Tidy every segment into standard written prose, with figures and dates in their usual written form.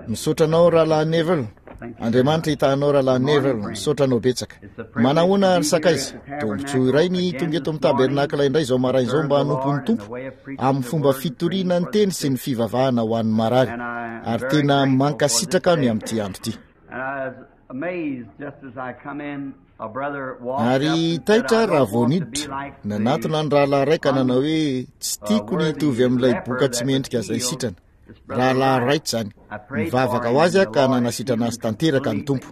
Misaotra anao Rahalahy Neville. Andriamanitra hitaha anao Rahalahy Neville. Misaotra anao betsaka. Manahoana ry sakaiza? Tombontsoa iray ny tonga eto amin'ny tabernakla indray izao maraina izao mba hanompo ny Tompo amin'ny fomba fitoriana ny teny sy ny fivavahana ho an'ny marary. Ary tena mankasitraka aho ny amin'ity andro ity. Ary taitra aho raha vao niditra, nanatona ny rahalahy iray ka nanao hoe, Tsy tiako ny hitovy amin'ilay boka tsy mendrika izay sitrana. Rahalahy Wright izany. Nivavaka ho azy aho ka nanasitrana azy tanteraka ny Tompo.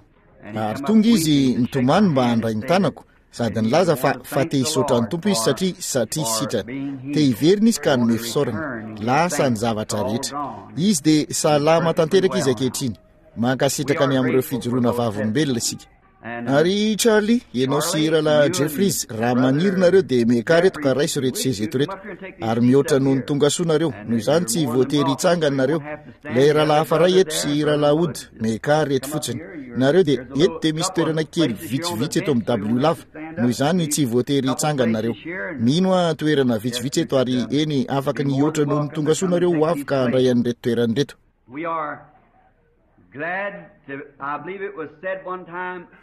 Ary tonga izy nitomany mba handray ny tanako, sady nilaza fa, fa te hisaotra ny Tompo izy satria, satria sitrana. Te hiverina izy ka hanome fisaorana. Lasa ny zavatra rehetra. Izy dia salama tanteraka izy ankehitriny. Mankasitraka ny amin'ireo fijoroana vavolombelona isika. Ary Charlie, ianao sy Rahalahy Jeffries, raha maniry nareo dia miakara eto ka raiso ireto seza eto ireto. Ary mihoatra noho ny tonga soa nareo, noho izany tsy voatery hitsangana nareo. Ilay rahalahy hafa iray eto sy Rahalahy Wood, miakara eto fotsiny. Nareo dia, eto dia misy toerana kely vitsivitsy eto amin'ny W lava, noho izany tsy voatery hitsangana nareo. Mino aho toerana vitsivitsy eto ary eny afaka ny hihoatra noho ny tonga soa nareo ho avy ka handray an'ireto toerana ireto.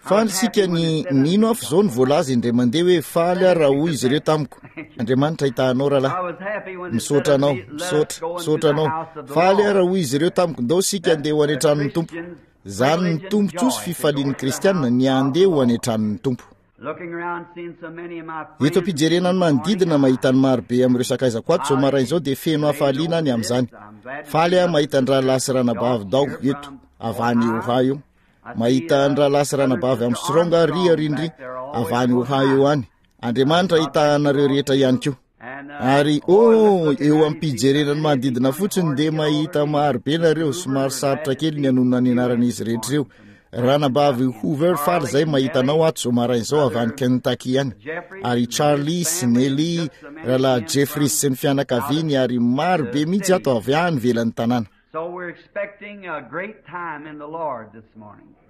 Faly isika ny mino aho f'izao no voalaza indray mandeha hoe faly aho raha hoy izy ireo tamiko, Andriamanitra hitaha anao rahalahy. Misaotra anao, misaotra, misaotra anao. Faly aho raha hoy izy ireo tamiko, ndao isika andeha ho any an-tranon'ny Tompo. Izany ny tombontsoa sy fifalian'ny kristiana ny handeha ho any an-tranon'ny Tompo. Eto am-pijerena ny manodidina mahita ny maro be amin'ireo sakaizako ato izao maraina izao dia feno hafaliana ny amin'izany. Faly aho mahita ny rahalahy sy ranabavy Dao eto avy any Ohio. Mahita ny rahalahy sy ranabavy Armstrong ary ary ndry avy any Ohio any. Andriamanitra hitaha anareo rehetra ihany koa. Ary oh, eo am-pijerena ny manodidina fotsiny dia mahita maro be nareo, somary sarotra kely ny hanonona ny anaran'izy rehetra ireo. Ranabavy Hoover, faly izay mahita anao ato izao maraina izao avy any Kentucky any. Ary Charlie sy Nellie, Rahalahy Jeffries sy ny fianakaviany ary maro be mihitsy ato avy any ivelan'ny tanàna.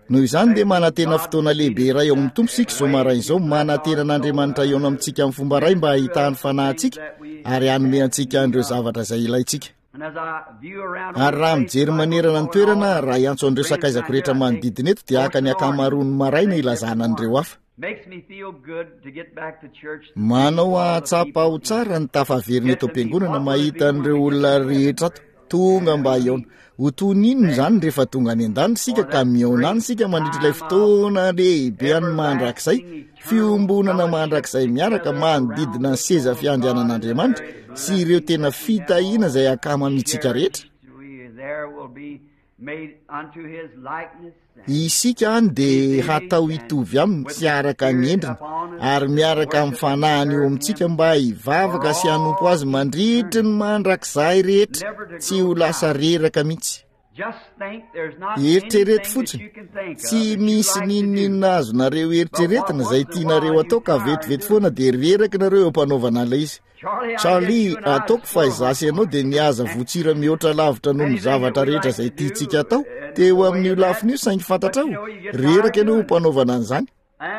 Noho izany dia manantena fotoana lehibe iray ao amin'ny Tompo isika izao maraina izao, manantena an'Andriamanitra hihaona amintsika amin'ny fomba iray mba hahitany fanahy antsika ary hanome antsika an'ireo zavatra izay ilaintsika. Ary raha mijery manerana ny toerana, raha hiantso an'ireo sakaizako rehetra manodidina eto dia haka ny ankamaroan'ny maraina hilazana an'ireo hafa. Manao hahatsapa ho tsara ny tafaverina eto am-piangonana mahita an'ireo olona rehetra ato tonga mba hihaona. Ho toy ny inona izany rehefa tonga any an-danitra isika ka mihaona any isika mandritra ilay fotoana lehibe any mandrakizay, fiombonana mandrakizay miaraka manodidina ny seza fiandrianan'Andriamanitra sy ireo tena fitahiana izay ankamamintsika rehetra. Isika any dia hatao hitovy aminy sy araka ny endriny ary miaraka amin'ny fanahiny eo amintsika mba hivavaka sy hanompo azy mandritry ny mandrakizay rehetra, tsy ho lasa reraka mihitsy. Eritrereto fotsiny, tsy misy n'inon'inona azonareo eritreretina izay tianareo atao ka vetivety foana dia reraka nareo eo am-panaovana an'ilay izy. Charlie, ataoko fa izaho sy ianao dia nihaza votsira mihoatra lavitra noho ny zavatra rehetra izay tiantsika atao teo amin'io lafiny io, saingy fantatrao, reraka ianao ho mpanaovana an'izany.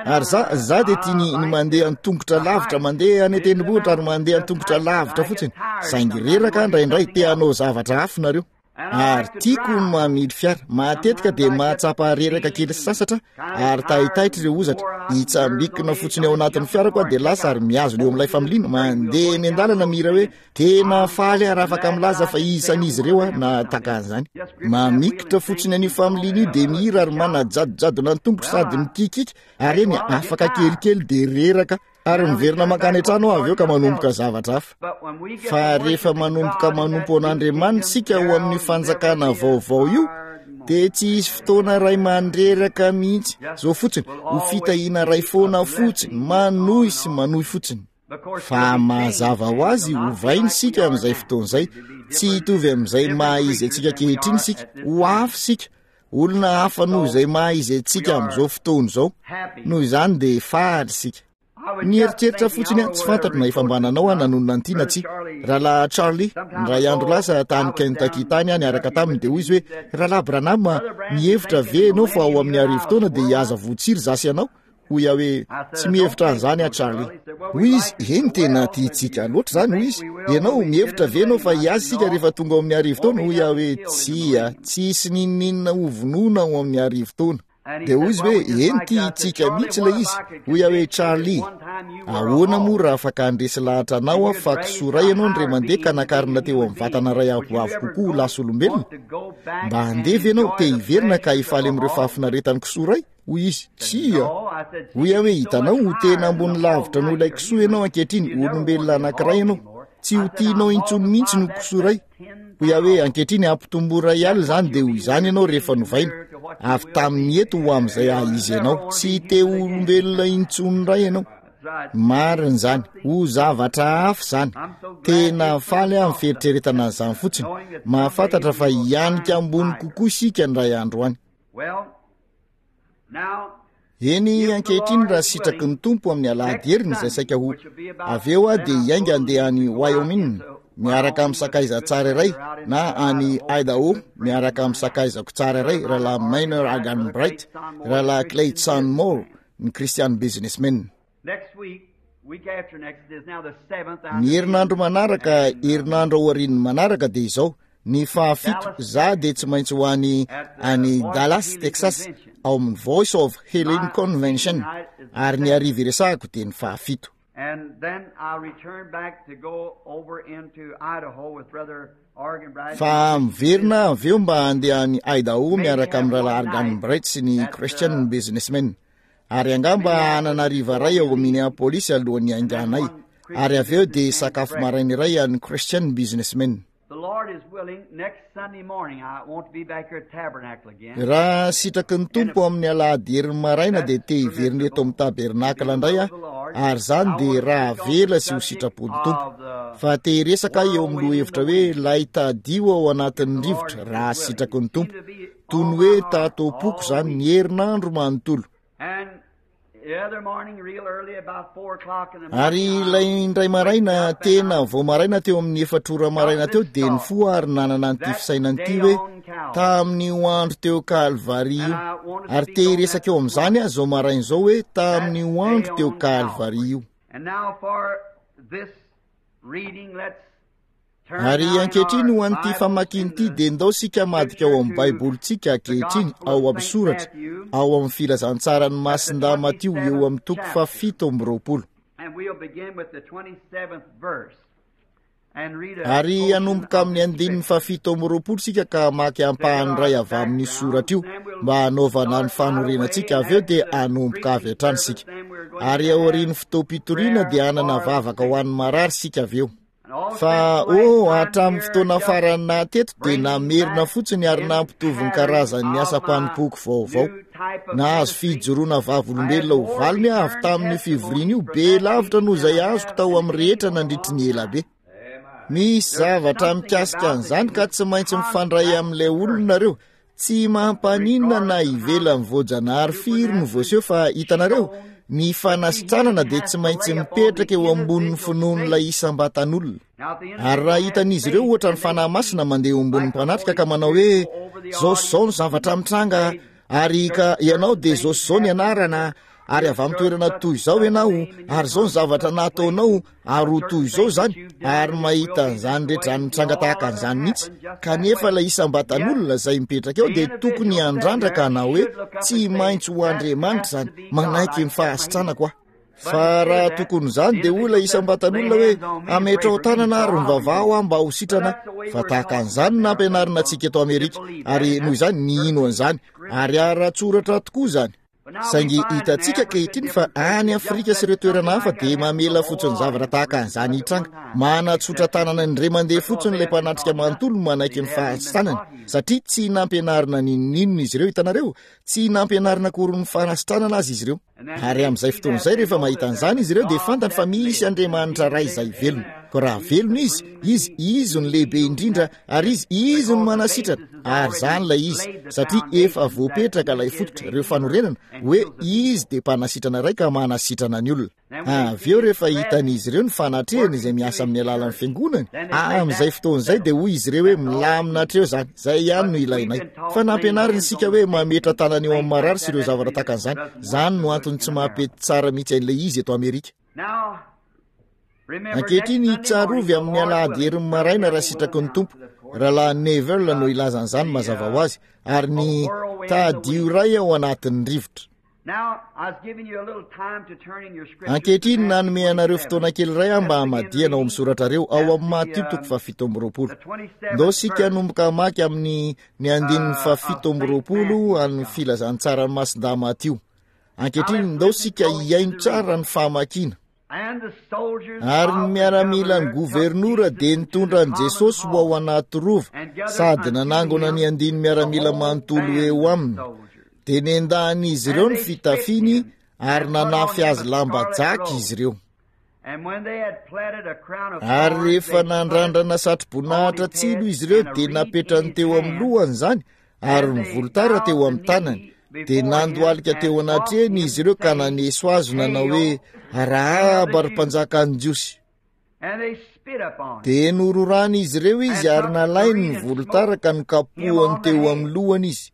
Ary za, za dia tia ny, ny mandeha an-tongotra lavitra, mandeha any an-tendrombohitra ary mandeha an-tongotra lavitra fotsiny, saingy reraka indraindray, te hanao zavatra hafa nareo. Ary tiako ny mamily fiara. Matetika dia mahatsapa reraka kely sy sasatra ary taitaitra ireo hozatra. Hitsambikina fotsiny ao anatin'ny fiarako aho dia lasa ary mihazona eo amin'ilay familiana. Mandeha eny an-dalana mihira hoe tena faly aho raha afaka milaza fa isan'izy ireo aho na tahaka an'izany. Mamikitra fotsiny an'io familiana io dia mihira ary manajadojadona ny tongotro sady mikiakiaka ary eny afaka kelikely dia reraka Ary miverina mankany an-trano aho avy eo ka manomboka zavatra hafa. Fa rehefa manomboka manompo an'Andriamanitra isika ao amin'io fanjakana vaovao io, dia tsy hisy fotoana iray mandreraka mihitsy. Izao fotsiny, ho fitahiana iray foana fotsiny, manohy sy manohy fotsiny. Fa mazava ho azy, hovaina isika amin'izay fotoana izay. Tsy hitovy amin'izay maha izy antsika ankehitriny isika. Ho hafa isika. Olona hafa noho izay maha izy antsika amin'izao fotoana izao. Noho izany dia faly isika. Nieritreritra fotsiny aho, tsy fantatro na efa mba nanao aho nanonona an'ity na tsia. Rahalahy Charlie, indray andro lasa tany Kentucky tany aho niaraka taminy dia hoy izy hoe, Rahalahy Branham, mihevitra ve ianao fa ao amin'ny arivotaona dia hihaza voatsiry izaho sy ianao? Hoy aho hoe, Tsy mihevitra an'izany aho, Charlie. Hoy izy, Eny, tena tiantsika loatra izany, hoy izy. Ianao, mihevitra ve ianao fa hiaza isika rehefa tonga ao amin'ny arivotaona? Hoy aho hoe, Tsia, tsy hisy n'inon'inona hovonoina ao amin'ny arivotaona. Dia hoy izy hoe, Eny, tiantsika mihitsy ilay izy. Hoy aho hoe, Charlie, ahoana moa raha afaka handresy lahatra anao aho fa kisoa iray ianao indray mandeha ka nakarina teo amin'ny vatana iray avoavo kokoa ho lasa olombelona? Mba handeha ve ianao, te hiverina ka hifaly amin'ireo fahafinaretan'ny kisoa iray? Hoy izy, Tsia. Hoy aho hoe, Hitanao, ho tena ambony lavitra noho ilay kisoa ianao ankehitriny, olombelona anankiray ianao. Tsy ho tianao intsony mihitsy ny ho kisoa iray. Hoy aho hoe, Ankehitriny ampitomboy iray alina izany dia ho izany ianao rehefa novaina. Avy tamin'ny eto ho amin'izay haha-izy anao. Tsy te ho olombelona intsony indray ianao. Marina izany. Ho zavatra hafa izany. Tena faly aho amin'ny fieritreretana an'izany fotsiny. Mahafantatra fa hianika ambony kokoa isika indray andro any. Eny, ankehitriny raha sitraky ny Tompo amin'ny alahady heriny izay saika ho avy eo aho dia hiainga handeha any Wyoming miaraka amin'ny sakaiza tsara iray na any Idaho miaraka amin'ny sakaizako tsara iray, Rahalahy Miner Arganbright, Rahalahy Clayton Moore, ny Christian Businessmen. Ny herinandro manaraka, herinandro aorian'ny manaraka dia izao, ny fahafito, za dia tsy maintsy ho any any Dallas, Texas, ao amin'ny Voice of Healing Convention, ary ny hariva iresahako dia ny fahafito. Fa miverina avy eo mba handeha any Idaho miaraka amin'ny Rahalahy Arganbright sy ny Christian Businessmen. Ary angamba hanana hariva iray ao Minneapolis alohan'ny hainganay, ary avy eo dia sakafo maraina iray an'ny Christian Businessmen. Raha sitraky ny Tompo amin'ny alahady herin'ny maraina dia te hiverina eto amin'ny tabernakla indray aho, ary izany dia raha avela sy ho sitrapon'ny Tompo. Fa te hiresaka aho eo amin'ny lohahevitra hoe Ilay tadio ao anatin'ny rivotra, raha sitraky ny Tompo. Toy ny hoe tato am-poko izany ny herinandro manontolo. Ary ilay indray maraina, tena vao maraina teo amin'ny efatr'ora maraina teo, dia nifoha ary nanana an'ity fisainana ity hoe, tamin'io andro teo Kalvary io. Ary te hiresaka eo amin'izany aho izao maraina izao hoe, tamin'io andro teo Kalvary io. Ary ankehitriny ho an'ity famakiana ity dia ndao isika hamadika ao amin'ny Baibolintsika ankehitriny ao amin'ny soratra ao amin'ny filazantsaran'i Masindahy Matio eo amin'ny toko faha-27. Ary hanomboka amin'ny andininy faha-27 isika ka hamaky ampahany iray avy amin'io soratra io mba hanaovana ny fanorenantsika, avy eo dia hanomboka avy hatrany isika. Ary aorian'ny fotoam-pitoriana dia hanana vavaka ho an'ny marary isika avy eo. Fa, oh, hatramin'ny fotoana farany naha-teto dia namerina fotsiny ary nampitovy ny karazan'ny asam-panompoako vaovao. Nahazo fijoroana vavolombelona ho valiny aho avy tamin'io fivoriana io, be lavitra noho izay azoko tao amin'ny rehetra nandritry ny ela be. Misy zavatra mikasika an'izany ka tsy maintsy mifandray amin'ilay olona nareo. Tsy mampaninona na ivelan'ny voajanahary firy no voaseho fa hitanareo, ny fanasitranana dia tsy maintsy mipetraka eo ambonin'ny finoan'ilay isam-batan'olona. Ary raha hitan'izy ireo ohatra ny Fanahy Masina mandeha eo ambonin'ny mpanatrika ka manao hoe, Izao sy izao ny zavatra mitranga, ary ka ianao dia izao sy izao ny anarana, ary avy amin'ny toerana toy izao ianao, ary izao ny zavatra nataonao, ary ho toy izao izany, ary mahita an'izany rehetra izany mitranga tahaka an'izany mihitsy, kanefa ilay isam-batan'olona izay mipetraka eo dia tokony handrandra ka hanao hoe, Tsy maintsy ho Andriamanitra izany, manaiky ny fahasitranako aho. Fa raha tokony izany dia hoy ilay isam-batan'olona hoe, Ametraho tanana ary mivavaha aho mba ho sitrana aho. Fa tahaka an'izany no nampianarina antsika eto Amerika, ary noho izany nino an'izany, ary ara-tsoratra tokoa izany. Saingy hitantsika ankehitriny fa any Afrika sy ireo toerana hafa dia mamela fotsiny zavatra tahaka an'izany hitranga. Manatsotra tanana indray mandeha fotsiny ilay mpanatrika manontolo manaiky ny fahasitranany, satria tsy nampianarina n'inon'inona izy ireo, hitanareo, tsy nampianarina akory ny fanasitranana aza izy ireo. Ary amin'izay fotoana izay rehefa mahita an'izany izy ireo dia fantany fa misy Andriamanitra Ray izay velona. Koa raha velona Izy, Izy, Izy no lehibe indrindra, ary Izy, Izy no manasitrana. Ary izany ilay izy, satria efa voapetraka ilay fototra, ireo fanorenana, hoe Izy dia mpanasitrana iray ka manasitrana ny olona. Avy eo rehefa hitan'izy ireo ny fanatrehany izay miasa amin'ny alalan'ny fiangonany, amin'izay fotoana izay dia hoy izy ireo hoe milamina hatreo izany, izay ihany no ilainay. Fa nampianarina isika hoe mametra tanana eo amin'ny marary sy ireo zavatra tahaka an'izany. Izany no antony tsy maha-pety tsara mihitsy an'ilay izy eto Amerika. Ankehitriny, tsarovy amin'ny alahady herin'ny maraina raha sitraky ny Tompo, Rahalahy Neville no hilaza an'izany mazava ho azy, ary ny tadio iray ao anatin'ny rivotra. Ankehitriny, nanome anareo fotoana kely iray aho mba hamadihana ao amin'ny soratrareo, ao amin'ny Matio toko fahafito amby roapolo. Ndao isika hanomboka hamaky amin'ny ny andininy fahafito amby roapolo an'ny filazantsaran'i Masindahy Matio. Ankehitriny, ndao isika hihaino tsara ny famakiana. Ary ny miaramilan'ny governora dia nitondra an'i Jesosy ho ao anaty rova sady nanangona ny andiany miaramila manontolo eo aminy. Dia nendahan'izy ireo ny fitafiany ary nanafy azy lamba jaky izy ireo. Ary rehefa nandrandrana satroboninahitra tsilo izy ireo dia napetrany teo amin'ny lohany izany ary ny volotara teo amin'ny tanany, dia nandohalika teo anatrehany izy ireo ka naneso azy nanao hoe, Arahaba ry mpanjakan'ny Jiosy! Dia nororan'izy ireo izy ary nalainy ny volotara ka nokapohany teo amin'ny lohany izy.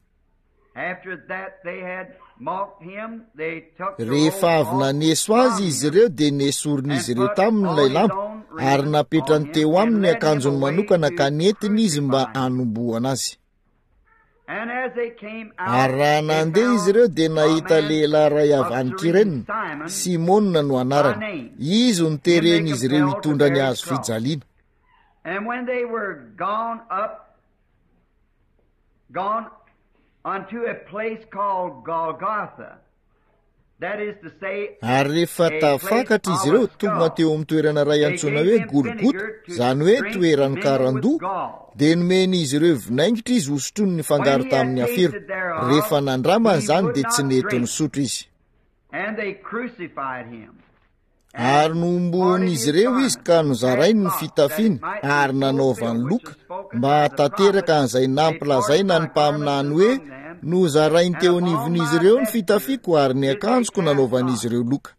Rehefa avy naneso azy izy ireo dia nesorin'izy ireo taminy ilay lamba ary napetrany teo aminy ny akanjony manokana ka nentiny izy mba hanombohana azy. Ary raha nandeha izy ireo dia nahita lehilahy iray avy any Kirena, Simona no anarany. Izy no teren'izy ireo hitondra ny hazo fijaliana. Gone unto a place called Golgotha, that is to say, Ary rehefa a place tafakatra izy of ireo, a tonga skull, teo amin'ny toerana iray they antsoina gave hoe him Golgota, vinegar to izany hoe drink toeran'ny mingled with karandoha, gall. dia nomen'izy ireo vinaingitra izy hosotroiny When nifangaro he had tamin'ny afero. tasted thereof, Rehefa nandramany he izany would dia tsy not nety drink. nisotro izy. And they crucified him. Ary nohomboan'izy ireo izy ka nozarainy ny fitafiany ary nanaovany loka mba hahatanteraka an'izay nampilazaina ny mpaminany hoe, Nozarainy teo anivon'izy ireo ny fitafiako ary ny akanjoko nanaovan'izy ireo loka.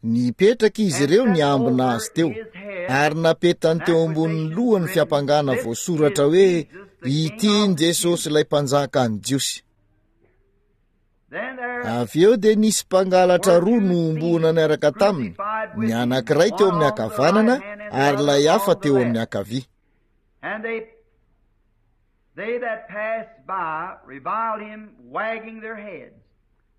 Nipetraka izy ireo niambina azy teo, ary napetany teo ambonin'ny lohany fiampangana voasoratra hoe, Ity ny Jesosy ilay Mpanjakan'ny Jiosy. Avy eo dia nisy mpangalatra roa nohomboana niaraka taminy, ny anankiray teo amin'ny ankavanana ary ilay hafa teo amin'ny ankavia.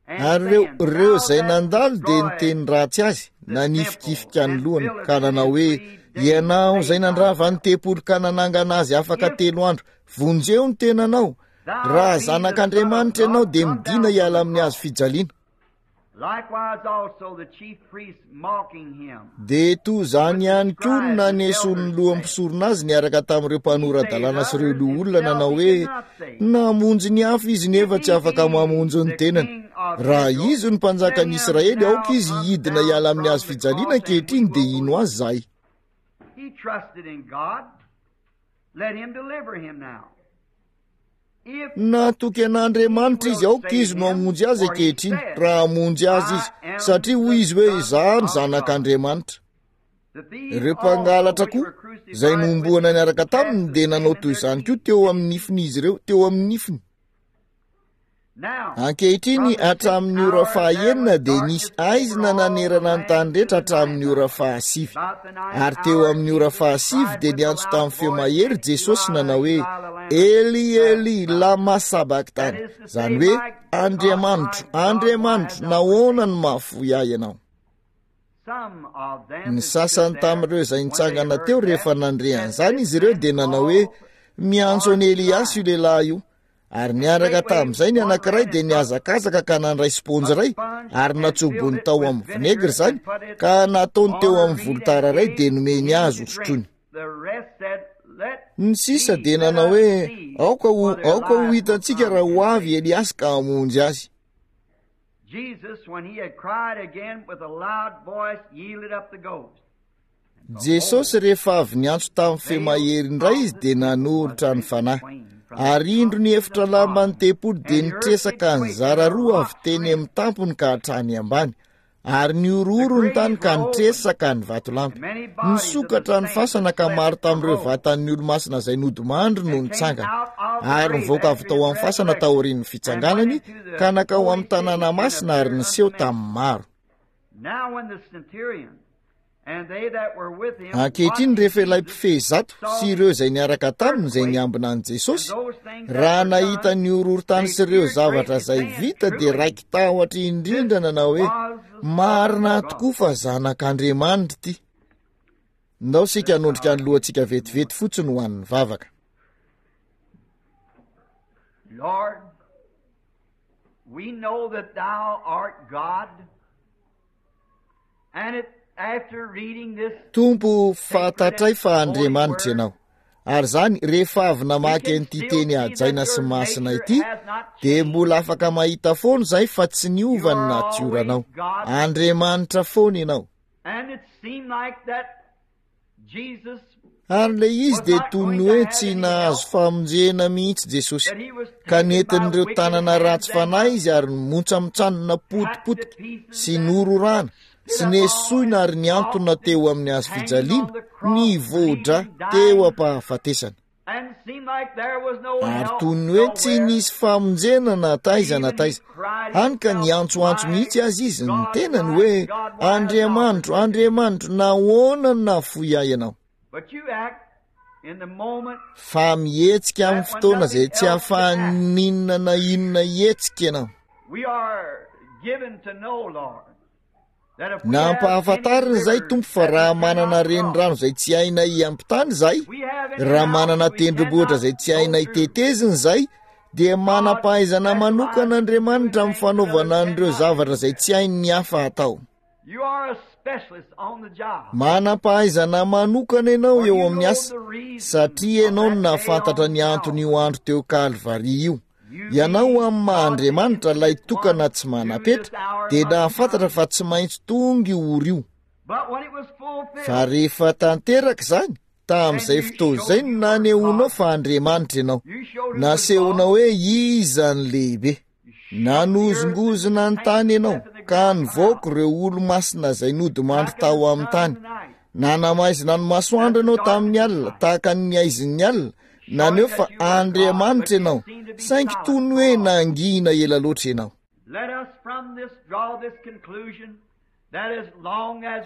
Ary ireo, ireo izay nandalo dia niteny ratsy azy, nanifikifika ny lohany, ka nanao hoe, Ianao izay nandrava ny tempoly ka nanangana azy afaka telo andro, vonjeo ny tenanao! Raha zanak'Andriamanitra ianao dia midina hiala amin'ny hazo fijaliana. Dia toy izany ihany koa no nanesoan'ny lohan'ny mpisorona azy niaraka tamin'ireo mpanora-dalàna sy ireo loholona nanao hoe, Namonjy ny hafa izy nefa tsy afaka mamonjy ny tenany. Raha izy no mpanjakan'ny Israely, aoka izy hidina hiala amin'ny hazo fijaliana ankehitriny dia hino azy izahay. Natoky an'Andriamanitra izy, aoka izy no hamonjy azy ankehitriny, raha hamonjy azy izy, satria hoy izy hoe, Izaho no Zanak'Andriamanitra. Ireo mpangalatra koa, izay nohomboana niaraka taminy, dia nanao toy izany koa teo amin'ny nifin'izy ireo, teo amin'ny nifiny. Ankehitriny, hatramin'ny ora fahaenina dia nisy aizina nanerana ny tany rehetra hatramin'ny ora fahasivy. Ary teo amin'ny ora fahasivy dia niantso tamin'ny feo mahery Jesosy nanao hoe, Eli, Eli, lama sabaktany, izany hoe, Andriamanitro, Andriamanitro, nahoana no mahafoy ahy ianao? Ny sasany tamin'ireo izay nitsangana teo rehefa nandre an'izany izy ireo dia nanao hoe, Miantso an'i Eliasy io lehilahy io. Ary niaraka tamin'izay ny anankiray dia nihazakazaka ka nandray sponjy iray ary natsobony tao amin'ny vinaigre izany ka nataony teo amin'ny volotara iray dia nomeny azy hosotroiny. Ny sisa dia nanao hoe, Aoka ho, aoka ho hitantsika raha ho avy Eliasy ka hamonjy azy. Jesus, when he had cried again with a loud voice, yielded up the ghost. Jesosy rehefa avy niantso tamin'ny feo mahery indray izy dia nanoritra ny fanahy. Ary indro ny efitra lamban'ny tempoly dia nitresaka nizara roa avy teny amin'ny tampony ka hatrany ambany. Ary nihorohoro ny tany ka nitresaka ny vatolampy. Nisokatra ny fasana ka maro tamin'ireo vatan'ny olomasina izay nodimandry no nitsangana. Ary nivoaka avy tao amin'ny fasana taorian'ny fitsanganany ka nankao amin'ny tanàna masina ary niseho tamin'ny maro. Ankehitriny rehefa ilay mpifehy zato sy ireo izay niaraka taminy izay niambina an'i Jesosy, raha nahita ny horohorontany sy ireo zavatra izay vita dia raiki-tahotra indrindra nanao hoe, Marina tokoa fa Zanak'Andriamanitra ity. Ndao isika hanondrika ny lohantsika vetivety fotsiny ho an'ny vavaka. Lord, we know that thou art God. Tompo, fantatray fa Andriamanitra Ianao. Ary izany, rehefa avy namaky an'ity teny hajaina sy masina ity, dia mbola afaka mahita foana izahay fa tsy niova ny natioranao. Andriamanitra foana Ianao. Ary ilay izy dia toy ny hoe tsy nahazo famonjena mihitsy Jesosy, ka nentin'ireo tanana ratsy fanahy izy ary nomontsamontsanina potipotika sy nororana sy nesoina ary nihantona teo amin'ny hazo fijaliana nivoa-dra teo am-pahafatesana. Ary toy ny hoe tsy nisy famonjena na taiza na taiza, hany ka niantsoantso mihitsy aza izy ny tenany hoe, Andriamanitro, Andriamanitro, nahoana no nahafoy ahy ianao? Fa mihetsika amin'ny fotoana izay tsy ahafahan'ny inona na inona hihetsika ianao. Nampahafantarina izay Tompo fa raha manana renirano izay tsy hainay hiampitana izahay, raha manana tendrombohitra izay tsy hainay tetezina izahay, dia manam-pahaizana manokana Andriamanitra amin'ny fanaovana an'ireo zavatra izay tsy hain'ny hafa atao. Manam-pahaizana manokana ianao eo amin'ny asa, satria ianao no nahafantatra ny anton'io andro teo Kalvary io. Ianao amin'ny maha Andriamanitra ilay tokana tsy manam-petra dia nahafantatra fa tsy maintsy tonga io ora io. Fa rehefa tanteraka izany, tamin'izay fotoana izay no nanehoanao fa Andriamanitra ianao. Nasehonao hoe iza ny lehibe. Nanozongozona ny tany ianao, ka nivoaka ireo olo-masina izay nodimandry tao amin'ny tany. Nanamaizina ny masoandro ianao tamin'ny alina, tahaka ny haizin'ny alina, naneho fa Andriamanitra ianao, saingy toy ny hoe nangina ela loatra ianao.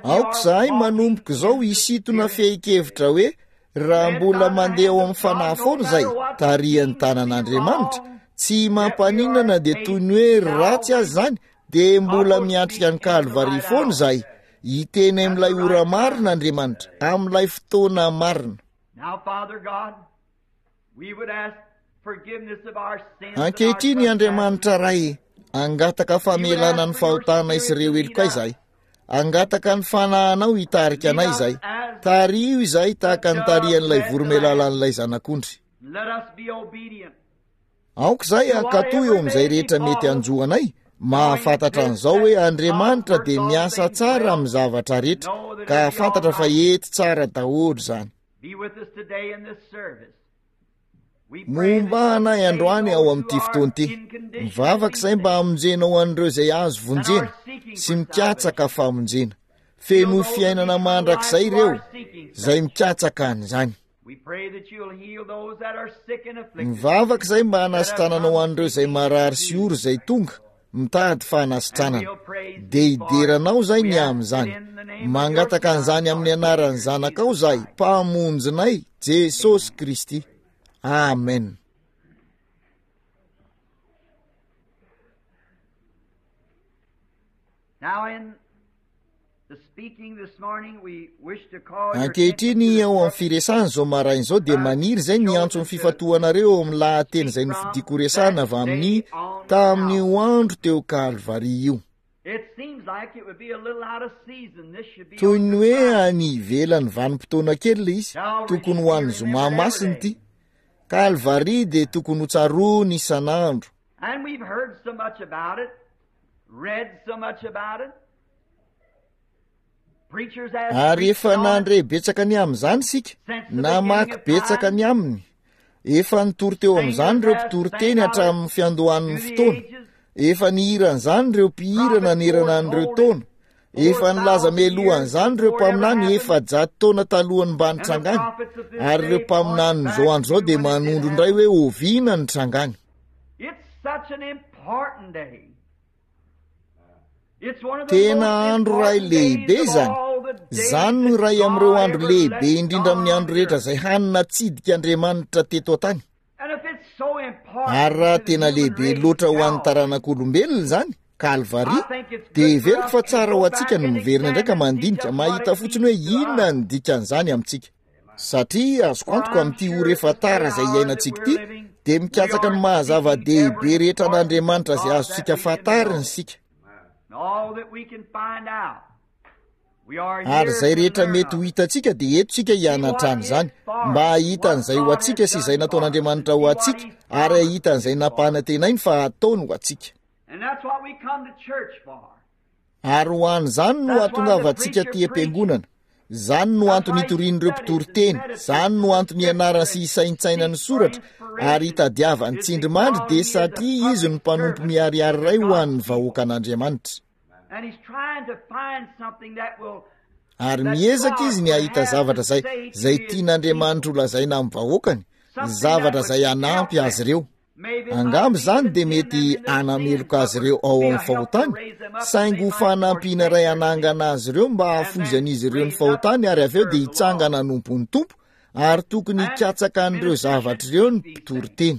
Aoka izahay manomboka izao hisintona fehin-kevitra hoe raha mbola mandeha ao amin'ny fanahy foana izay tarihan'ny tanan'Andriamanitra, tsy mampaninona na dia toy ny hoe ratsy aza izany, dia mbola miatrika ny Kalvary foana izahay. Hiteny amin'ilay ora marina Andriamanitra, amin'ilay fotoana marina. Ankehitriny, Andriamanitra Ray, hangataka famelana ny fahotanay sy ireo helokay izahay. Hangataka ny Fanahinao hitarika anay izahay. Tariho izahay tahaka ny tarihan'ilay voromailala an'ilay Zanak'ondry. Aoka izahay hankatò eo amin'izay rehetra mety hanjo anay, mahafantatra an'izao hoe Andriamanitra dia miasa tsara amin'ny zavatra rehetra, ka hahafantatra fa hety tsara daholo izany. Momba anay androany ao amin'ity fotoana ity. Mivavaka izay mba hamonjenao an'ireo izay azo vonjena sy mikatsaka famonjena. Feno fiainana mandrakizay ireo izay mikatsaka an'izany. Mivavaka izay mba hanasitrananao an'ireo izay marary sy ory izay tonga mitady fanasitranana. Dia hidera anao izay ny amin'izany. Mangataka an'izany amin'ny anaran'ny Zanakao izahay, Mpamonjinay, Jesosy Kristy. Amen. Now in Ankehitriny, ao amin'ny firesahana izao maraina izao, dia maniry izay ny hiantso ny fifantohanareo eo amin'ny lahateny izay nofidiko horesahana avy amin'ny tamin'io andro teo Kalvary io. Toy ny hoe any ivelan'ny vanim-potoana kely ilay izy, tokony ho an'ny zoma masina ity. Kalvary dia tokony ho tsaroana isan'andro. Ary efa nandre betsaka ny amin'izany isika, namaky betsaka ny aminy. Efa nitory teo amin'izany ireo mpitory teny hatramin'ny fiandohan'ny fotoana. Efa nihira an'izany ireo mpihira nanerana an'ireo taona. Efa nilaza mialoha an'izany ireo mpaminany 400 taona talohan'ny mba nitrangany. Ary ireo mpaminanin'izao andro izao dia manondro indray hoe oviana ny nitrangany. Tena andro iray lehibe izany. Izany no iray amin'ireo andro lehibe indrindra amin'ny andro rehetra izay hany natsidika Andriamanitra teto an-tany. Ary raha tena lehibe loatra ho an'ny taranak'olombelona izany, Kalvary, dia heveriko fa tsara ho antsika ny miverina indray ka mandinika, mahita fotsiny hoe inona ny dikan'izany amintsika. Satria azoko antoka amin'ity ora efa tara izay iainantsika ity, dia mikatsaka ny maha zava-dehibe rehetra an'Andriamanitra izay azontsika fantarina isika. Ary izay rehetra mety ho hitantsika dia eto isika hianatra an'izany, mba hahita an'izay ho antsika sy izay nataon'Andriamanitra ho antsika, ary hahita an'izay nampanantenainy fa hataony ho antsika. Ary ho an'izany no hahatongavantsika aty am-piangonana. Izany no antony itorian'ireo mpitory teny, izany no antony ianarany sy isaintsainany ny soratra ary itadiavany tsindrimandry dia satria izy no mpanompo miharihary iray ho an'ny vahoakan'Andriamanitra. Ary miezaka izy ny hahita zavatra izay, izay tian'Andriamanitra holazaina amin'ny vahoakany, zavatra izay hanampy azy ireo. Angamba izany dia mety hanameloka azy ireo ao amin'ny fahotany, saingy ho fanampiana iray hanangana azy ireo mba hahafoizan'izy ireo ny fahotany ary avy eo dia hitsangana hanompo ny Tompo, ary tokony hikatsaka an'ireo zavatra ireo ny mpitory teny.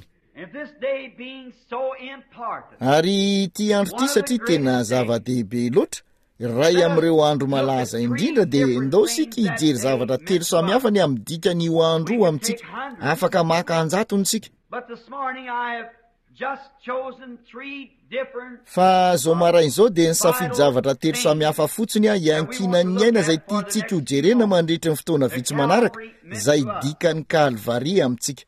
Ary ity andro ity satria tena zava-dehibe loatra, Iray amin'ireo andro malaza indrindra dia ndao isika hijery zavatra telo samihafa ny amin'ny dikan'io andro io amintsika. Afaka maka anjatony isika. Fa izao maraina izao dia nisafidy zavatra telo samihafa fotsiny aho hiankinan'ny aina izay tiantsika hojerena mandritry ny fotoana vitsy manaraka, izay dikan'ny Kalvary amintsika.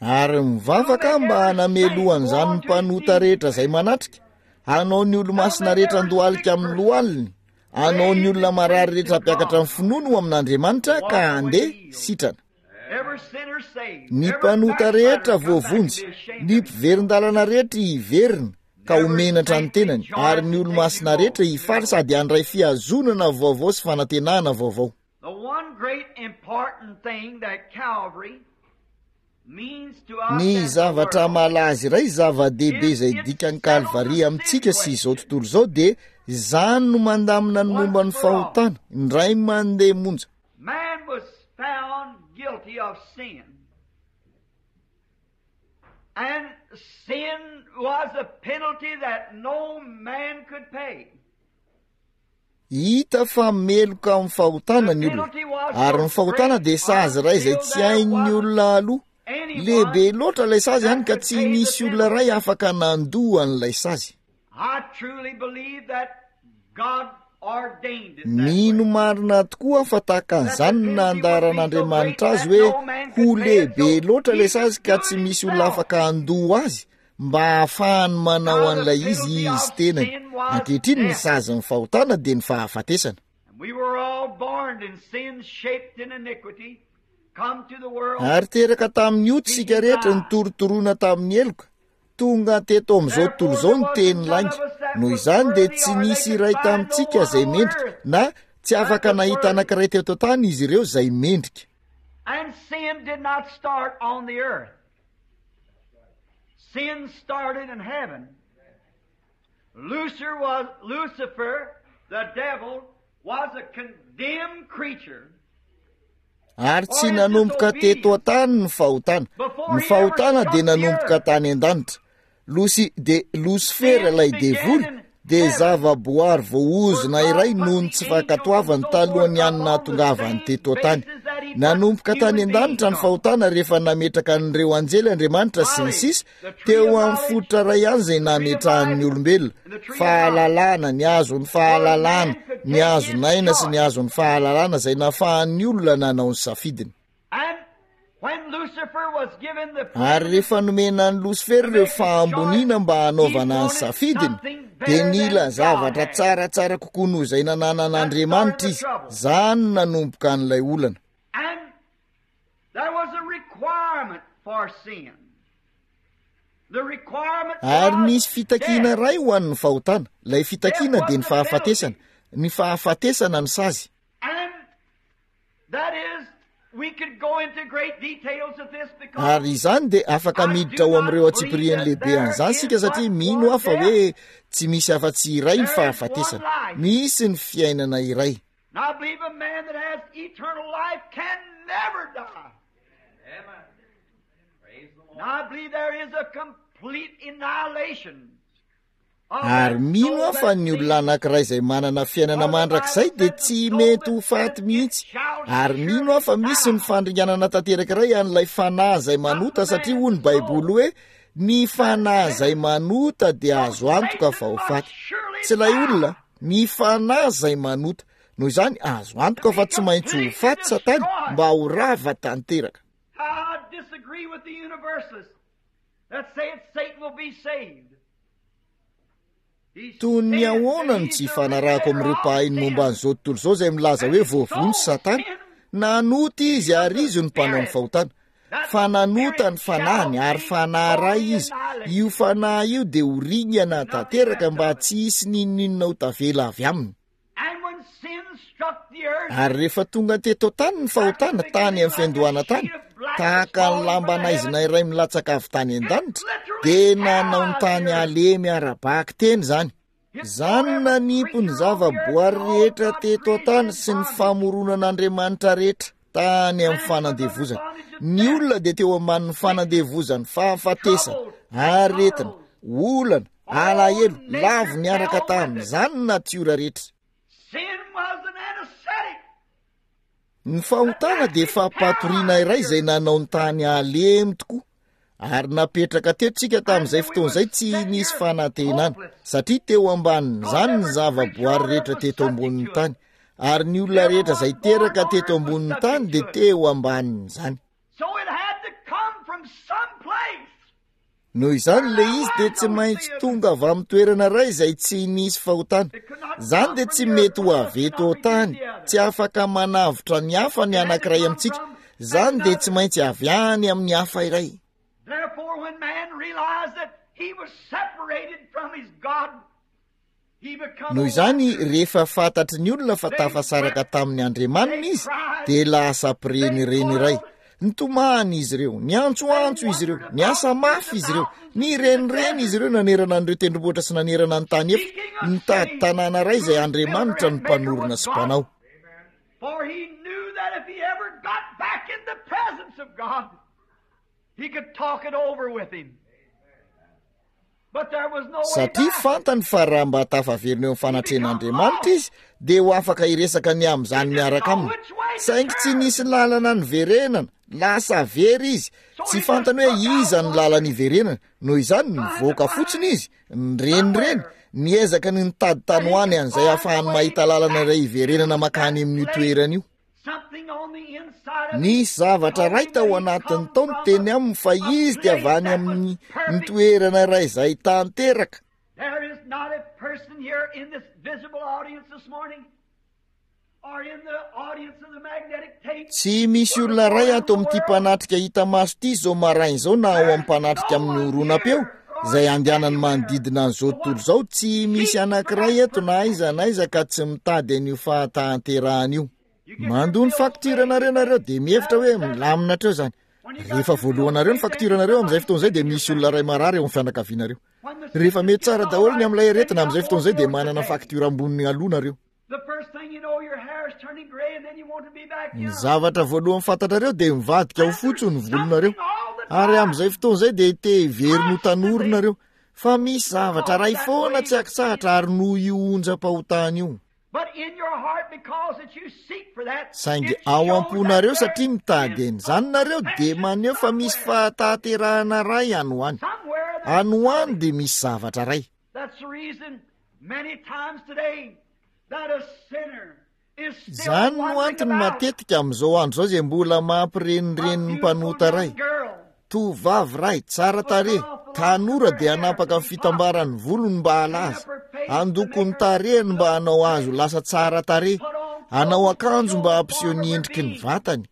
Ary mivavaka aho mba hanamelohan'izany ny mpanota rehetra izay manatrika, hanao ny olo-masina rehetra andohalika amin'ny lohaliny, hanao ny olona marary rehetra hampiakatra ny finoany ho amin'Andriamanitra ka handeha sitrana. Ny mpanota rehetra voavonjy, ny mpiverin-dalana rehetra hiverina ka ho menatra ny tenany, ary ny olo-masina rehetra hifaly sady handray fihazonana vaovao sy fanantenana vaovao. Ny zavatra malaza iray zava-dehibe izay dikan'i Kalvary amintsika sy izao tontolo izao dia izany no mandamina ny momba ny fahotana, indray mandeha monja. And sin was a penalty that no man could pay. Hita fa meloka amin'ny fahotana ny olona, ary ny fahotana dia sazy iray izay tsy hain'ny olona aloa. Lehibe loatra ilay sazy hany ka tsy nisy olona iray afaka nandoa an'ilay sazy. Mino marina tokoa aho fa tahaka an'izany no nandaharan'Andriamanitra azy hoe ho lehibe loatra ilay sazy ka tsy misy olona afaka handoa azy mba hahafahany manao an'ilay izy izy tenany. Ankehitriny ny sazin'ny fahotana dia ny fahafatesana. Ary teraka tamin'ny ota isika rehetra, nitorotoroana tamin'ny heloka, tonga teto amin'izao tontolo izao ny teny lainga. Noho izany dia tsy nisy iray tamintsika izay mendrika, na tsy afaka nahita anankiray teto an-tany izy ireo izay mendrika. And sin did not start on the earth. Sin started in heaven. Lucifer was, Lucifer, the devil, was a condemned creature. Ary tsy nanomboka teto an-tany ny fahotana. Ny fahotana dia nanomboka tany an-danitra. Losy dia Losifera ilay devoly dia zava-boary voaozona iray noho ny tsy fankatoavany talohan'ny any nahatongavany teto an-tany. Nanomboka tany an-danitra ny fahotana rehefa nametraka an'ireo anjely Andriamanitra sy ny sisa teo amin'ny fototra iray ihany izay nametrahany ny olombelona, fahalalana, ny hazon'ny fahalalana, ny hazon'aina sy ny hazon'ny fahalalana izay nafahan'ny olona nanao ny safidiny. Ary rehefa nomena an'i Losifera ireo fahamboniana mba hanaovana ny safidiny, dia nila zavatra tsaratsara kokoa noho izay nananan'Andriamanitra izy. Izany no nanomboka an'ilay olana. Ary nisy fitakiana iray ho an'ny fahotana. Ilay fitakiana dia ny fahafatesana. Ny fahafatesana no sazy. Ary izany dia afaka miditra ao amin'ireo antsipiriany lehibe an'izany isika satria mino aho fa hoe tsy misy afa-tsy iray ny fahafatesana. Misy ny fiainana iray. Ary mino aho fa ny olona anankiray izay manana fiainana mandrakizay dia tsy mety ho faty mihitsy. Ary mino aho fa misy ny fandringanana tanteraka iray an'ilay fanahy izay manota, satria hoy ny Baiboly hoe, Ny fanahy izay manota dia azo antoka fa ho faty. Tsy ilay olona, ny fanahy izay manota. Noho izany, azo antoka fa tsy maintsy ho faty Satana mba ho rava tanteraka. Toy ny ahoana no tsy hifanarahako amin'ireo mpahay ny momba an'izao tontolo izao izay milaza hoe voavonjy Satana? Nanota izy ary izy no mpanao ny fahotana. Fa nanota ny fanahiny ary fanahy iray izy. Io fanahy io dia ho ringana tanteraka mba tsy hisy n'inon'inona ho tavela avy aminy. Ary rehefa tonga teto an-tany ny fahotana, tany amin'ny fiandohana tany, tahaka ny lamba naizina iray milatsaka avy tany an-danitra, dia nanao ny tany halemy ara-bakiteny izany. Izany no nanipy ny zavaboary rehetra teto an-tany sy ny famoronan'Andriamanitra rehetra tany amin'ny fanandevozana. Ny olona dia teo ambanin'ny fanandevozan'ny fahafatesana, aretina, olana, Alahelo lavo niaraka tamin'izany ny natiora rehetra. Ny fahotana dia fampatoriana iray izay nanao ny tany halemy tokoa, ary napetraka teto tsika tamin'izay fotoana izay tsy nisy fanantenana, satria teo ambanin'izany ny zavaboary rehetra teto ambonin'ny tany, ary ny olona rehetra izay teraka teto ambonin'ny tany dia teo ambanin'izany. Noho izany ilay izy dia tsy maintsy tonga avy amin'ny toerana iray izay tsy nisy fahotana. Izany dia tsy mety ho avy eto an-tany, tsy afaka manavotra ny hafa ny anankiray amintsika. Izany dia tsy maintsy avy any amin'ny hafa iray. Noho izany, rehefa fantatry ny olona fa tafasaraka tamin'ny Andriamaniny izy, dia lasa mpirenireny iray. Nitomany izy ireo, niantsoantso izy ireo, niasa mafy izy ireo, nirenireny izy ireo nanerana an'ireo tendrombohitra sy nanerana ny tany efitra, nitady tanàna iray izay Andriamanitra no mpanorina sy mpanao. He could talk it over with him. Satria fantany fa raha mba tafaverina eo amin'ny fanatrehan'Andriamanitra izy, dia ho afaka hiresaka ny amin'izany miaraka aminy. Saingy tsy nisy lalana niverenana, lasa very izy. Tsy fantany hoe iza no lalana iverenana. Noho izany, nivoaka fotsiny izy, nirenireny, niezaka ny nitady tany ho any an'izay ahafahany mahita lalana iray hiverenana mankany amin'io toerana io. Nisy zavatra iray tao anatiny tao niteny aminy fa izy dia avy any amin'ny ny toerana iray izay tanteraka. Tsy misy olona iray ato amin'ity mpanatrika hita maso ity izao maraina izao na ao amin'ny mpanatrika amin'ny horonam-peo izay andehanany manodidina an'izao tontolo izao, tsy misy anankiray eto na aiza na aiza ka tsy mitady an'io fahatanterahana io. Mandoa ny faktiranareo nareo dia mihevitra hoe milamina hatreo izany. Rehefa voalohanareo ny faktiranareo amin'izay fotoana izay dia misy olona iray marary eo amin'ny fianakavianareo. Rehefa mety tsara daholo ny amin'ilay aretina amin'izay fotoana izay dia manana faktiora amboniny aloha nareo. Ny zavatra voalohany fantatrareo dia mivadika ho fotsy ny volonareo. Ary amin'izay fotoana izay dia te hiverina ho tanora nareo. Fa misy zavatra iray foana tsy ankitsahatra ary noho io onjam-pahotana io. Saingy ao am-ponareo satria mitady an'izany nareo dia maneho fa misy fahatanterahana iray any ho any. Any ho any dia misy zavatra iray. Izany no antony matetika amin'izao andro izao izay mbola mampirenireny ny mpanota iray. Tovovavy iray, tsara tarehy, tanora dia hanapaka ny fitambaran'ny volony mba halaza, handoko ny tarehiny mba hanao azy ho lasa tsara tarehy, hanao akanjo mba hampiseho ny endriky ny vatany.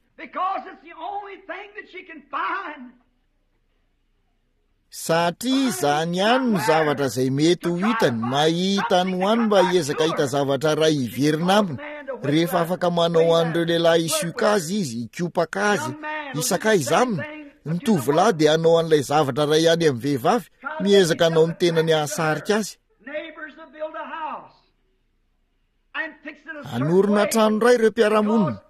Satria izany ihany no zavatra izay mety ho hitany, mahita any ho any mba hiezaka hahita zavatra iray hiverina aminy, rehefa afaka manao an'ireo lehilahy hisioka azy izy, hikopaka azy, hisakaiza aminy, ny tovolahy dia hanao an'ilay zavatra iray ihany amin'ny vehivavy, miezaka hanao ny tenany hahasarika azy. Hanorina trano iray ireo mpiara-monina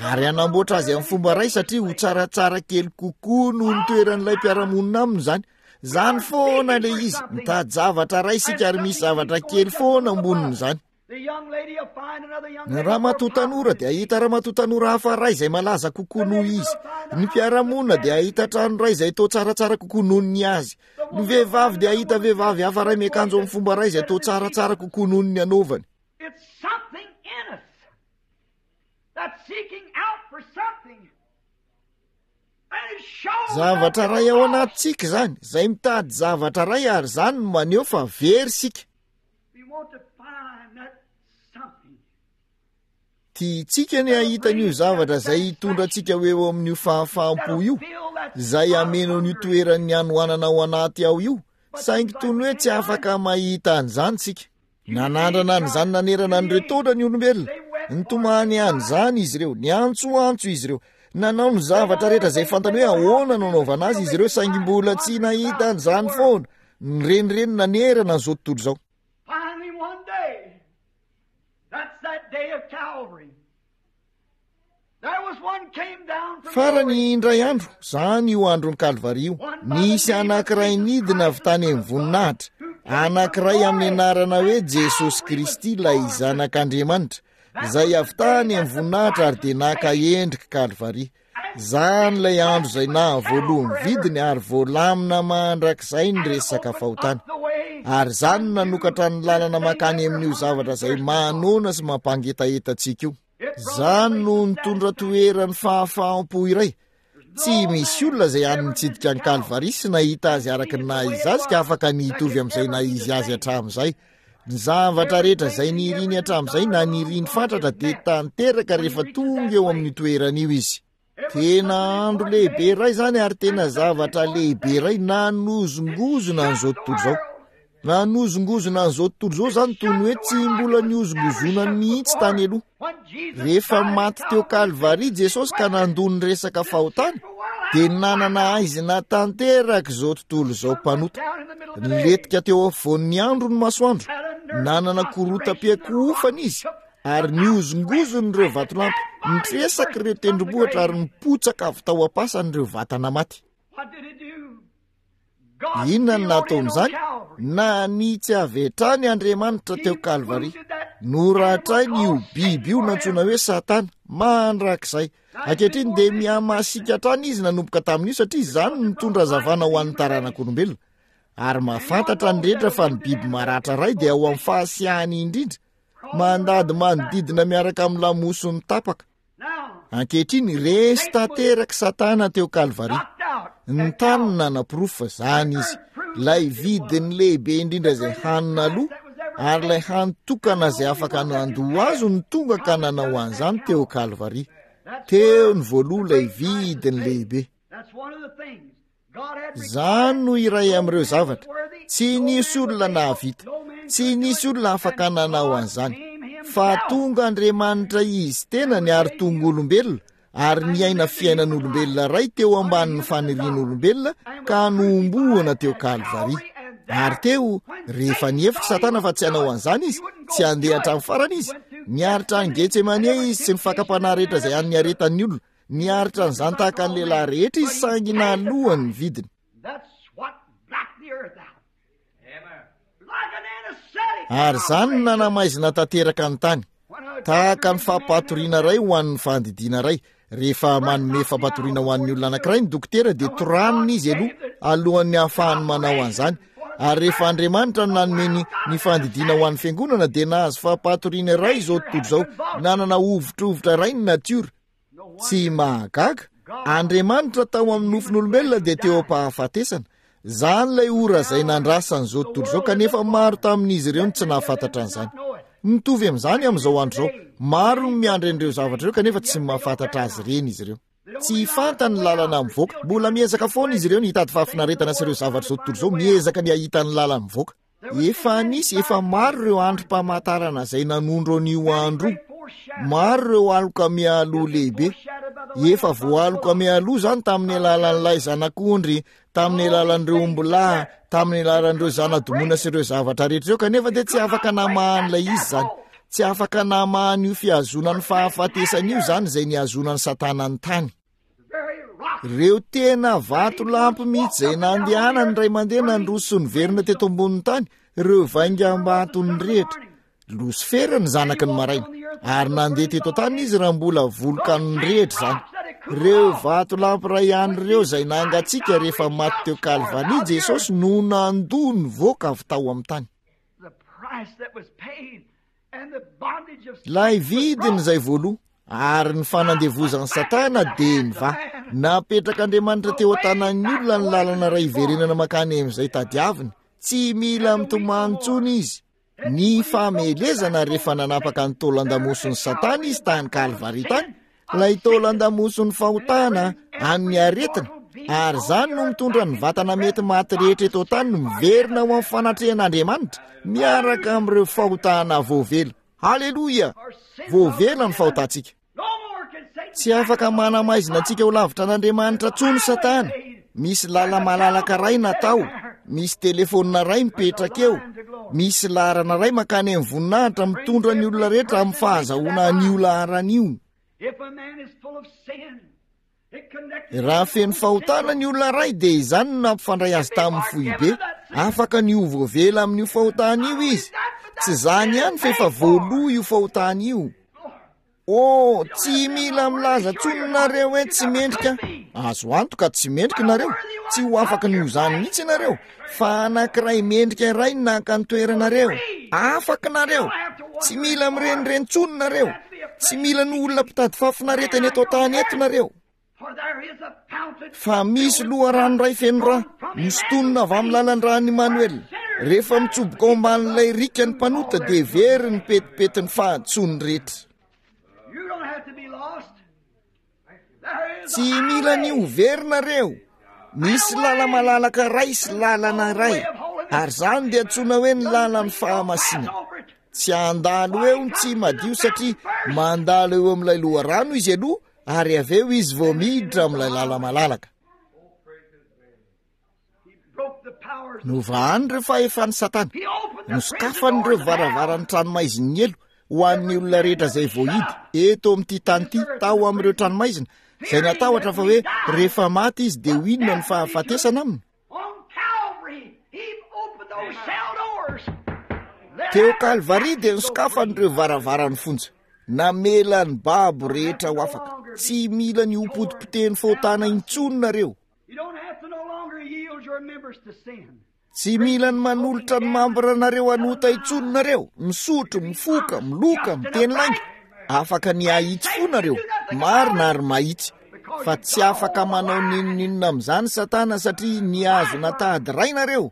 ary hanamboatra azy amin'ny fomba iray satria ho tsaratsara kely kokoa noho ny toeran'ilay mpiara-monina aminy izany. Izany foana ilay izy, mitady zavatra iray isika ary misy zavatra kely foana ambonin'izany. Ny ramatoa tanora dia hahita ramatoa tanora hafa iray izay malaza kokoa noho izy. Ny mpiara-monina dia hahita trano iray izay toa tsaratsara kokoa noho ny azy. Ny vehivavy dia hahita vehivavy hafa iray miakanjo amin'ny fomba iray izay toa tsaratsara kokoa noho ny anaovany. Zavatra iray ao anatintsika izany, izay mitady zavatra iray ary izany no maneho fa very isika. Tiantsika ny hahita an'io zavatra izay hitondra antsika ho eo amin'io fahafaham-po io, izay hameno an'io toeran'ny hanoanana ao anaty ao io, saingy toy ny hoe tsy afaka mahita an'izany isika. Nanandrana an'izany nanerana an'ireo taona ny olombelona. Nitomany an'izany izy ireo, niantsoantso izy ireo, nanao ny zavatra rehetra izay fantany hoe ahoana no anaovana azy izy ireo, saingy mbola tsy nahita an'izany foana. Nirenireny nanerana an'izao tontolo izao. Farany indray andro, izany io andron'i Kalvary io, nisy anankiray nidina avy tany amin'ny voninahitra, anankiray amin'ny anarana hoe Jesosy Kristy, ilay Zanak'Andriamanitra, izay avy tany amin'ny voninahitra ary dia naka endrik'i Kalvary. Izany ilay andro izay nahavoaloha ny vidiny ary voalamina mandrakizay ny resaka fahotana. Ary izany no nanokatra ny lalana mankany amin'io zavatra izay manoana sy mampangetaheta antsika io. Izany no nitondra toeran'ny fahafaham-po iray. Tsy misy olona izay any nitsidika an'i Kalvary sy nahita azy araka ny naha izy azy ka afaka ny hitovy amin'izay naha izy azy hatramin'izay. Ny zavatra rehetra izay niriny hatramin'izay na niriny fatratra dia tanteraka rehefa tonga eo amin'io toerana io izy. Tena andro lehibe iray izany ary tena zavatra lehibe iray nanozongozona an'izao tontolo izao. Nanozongozona an'izao tontolo izao izany toy ny hoe tsy mbola nihozongozonany mihitsy tany aloha. Rehefa maty teo Kalvary Jesosy ka nandoa ny resaka fahotana, dia nanana haizina tanteraka izao tontolo izao mpanota. Nilentika teo afovoan'ny andro ny masoandro, nanana korotam-piakohofana izy, ary nihozongozona ireo vatolampy, nitresaka ireo tendrombohitra ary nipotsaka avy tao am-pasana ireo vatana maty. Inona no nataon'izany? Nanitsy avy hatrany Andriamanitra teo Kalvary. Noratrainy io biby io nantsoina hoe Satana, mandrakizay. Ankehitriny dia mihamasiaka hatrany izy nanomboka tamin'io satria izany no nitondra hazavana ho an'ny taranak'olombelona. Ary mahafantatra ny rehetra fa ny biby maratra iray dia ao amin'ny fahasiahany indrindra, mandady manodidina miaraka amin'ny lamosiny tapaka. Ankehitriny, resy tanteraka Satana teo Kalvary. Ny tany no nanaporofo fa izany izy. Ilay vidiny lehibe indrindra izay hany naloa, ary ilay hany tokana izay afaka nandoa azy no tonga ka nanao an'izany teo Kalvary. Teo ny voaloha ilay vidiny lehibe. Izany no iray amin'ireo zavatra. Tsy nisy olona nahavita. Tsy nisy olona afaka nanao an'izany. Fa tonga Andriamanitra Izy tenany ary tonga olombelona, ary niaina fiainan'olombelona iray teo ambanin'ny fanirian'olombelona ka nohomboana teo Kalvary. Ary teo, rehefa nihevitra Satana fa tsy hanao an'izany izy, tsy handeha hatramin'ny farany izy, niaritra an'i Getsemane izy sy ny fakam-panahy rehetra izay an'ny aretan'ny olona, Niaritra an'izany tahaka ny lehilahy rehetra izy saingy nalohany ny vidiny. Ary izany no nanamaizina tanteraka ny tany. Tahaka ny fampatoriana iray ho an'ny fandidiana iray. Rehefa manome fampatoriana ho an'ny olona anankiray ny dokotera dia toraniny izy aloha alohan'ny hahafahany manao an'izany. Ary rehefa Andriamanitra no nanome ny, ny fandidiana ho an'ny fiangonana, dia nahazo fampahatoriana iray izao tontolo izao, nanana hovitrovitra iray ny natiora. Tsy mahagaga, Andriamanitra tao amin'ny nofon'olombelona dia teo am-pahafatesana. Izany ilay ora izay nandrasan'izao tontolo izao, kanefa maro tamin'izy ireo no tsy nahafantatra an'izany. Mitovy amin'izany amin'izao andro izao, maro no miandry an'ireo zavatra ireo kanefa tsy mahafantatra azy ireny izy ireo. Tsy fantany ny lalana mivoaka. Mbola miezaka foana izy ireo ny hitady fahafinaretana sy ireo zavatra izao tontolo izao, miezaka ny hahita ny lalana mivoaka. Efa nisy, efa maro ireo androm-pamantarana izay nanondro an'io andro io. Maro ireo aloka mialoha lehibe. Efa voaloka mialoha izany tamin'ny alalan'ilay zanak'ondry, tamin'ny alalan'ireo ombilahy, tamin'ny alalan'ireo zana-domoina sy ireo zavatra rehetra ireo, kanefa dia tsy afaka namaha an'ilay izy izany. Tsy afaka namaha an'io fihazonan'ny fahafatesana io izany izay nihazonan'i Satana ny tany. Ireo tena vatolampy mihitsy izay nandehanany ray mandeha nandroso sy niverina teto ambonin'ny tany, ireo vaingam-bato nirehitra. Losifera ny zanaky ny maraina, ary nandeha teto an-tany izy raha mbola volokano nirehitra izany. Ireo vatolampy iray ihany ireo izay nangatsiaka rehefa maty teo Kalvary Jesosy no nandoa nivoaka avy tao amin'ny tany. Ilay vidiny izay voaloa, ary ny fanandevozan'i Satana dia nivaha. Napetrak'Andriamanitra teo an-tanan'ny olona ny lalana iray hiverenana mankany amin'izay tadiaviny. Tsy mila mitomany intsony izy. Ny famelezana rehefa nanapaka ny taolan-damosin'i Satana izy tany Kalvary tany, Ilay taolan-damoson'ny fahotana, an'ny aretina, ary izany no mitondra ny vatana mety maty rehetra eto an-tany miverina ho amin'ny fanatrehan'Andriamanitra, miaraka amin'ireo fahotana voavela. Haleloia! Voavela ny fahotantsika. Tsy afaka manamaizina antsika ho lavitra an'Andriamanitra intsony Satana. Misy lala-malalaka iray natao, misy telefaonina iray mipetraka eo, misy laharana iray mankany amin'ny voninahitra mitondra ny olona rehetra amin'ny fahazahoana an'io laharana io. Raha feno fahotana ny olona iray dia izany no nampifandray azy tamin'ny foibe. Afaka ny ho voavela amin'io fahotana io izy. Tsy izany ihany fa efa voaloa io fahotana io. Oh, tsy mila milaza tsony nareo hoe tsy mendrika. Azo antoka tsy mendrika nareo. Tsy ho afaka ny ho izany mihitsy nareo. Fa anankiray mendrika iray no naka ny toeranareo. Afaka nareo. Tsy mila mirenireny tsony nareo. Tsy mila ny olona mpitady fahafinaretana eto an-tany eto nareo. Fa misy loharano iray feno ra, nosintonina avy amin'ny lalan-dran'i Immanuel. Rehefa mitsoboka ao ambanin'ilay riaka ny mpanota dia very ny petipetin'ny fahadisoany rehetra. Tsy mila ny ho very nareo. Misy lala-malalaka iray sy lalana iray, ary izany dia antsoina hoe ny lalan'ny fahamasinana. Tsy handalo eo ny tsy madio satria mandalo eo amin'ilay loharano izy aloha ary avy eo izy vao miditra amin'ilay lala-malalaka. Novahany ireo fahefan'i Satana, nosokafany ireo varavaran'ny tranomaizin'ny helo ho an'ny olona rehetra izay voahidy eto amin'ity tany ity tao amin'ireo tranomaizina, izay natahotra fa hoe rehefa maty izy dia ho inona ny fahafatesana aminy. Teo Kalvary dia nosokafany ireo varavaran'ny fonja, namela ny babo rehetra ho afaka. Tsy mila ny ho potipotehin'ny fahotana intsony nareo. Tsy mila ny manolotra ny mambranareo hanota intsony nareo, misotro, mifoka, miloka, miteny lainga. Afaka ny hahitsy fo nareo, marina ary mahitsy. Fa tsy afaka manao n'inon'inona amin'izany Satana satria nihazona tady iray nareo,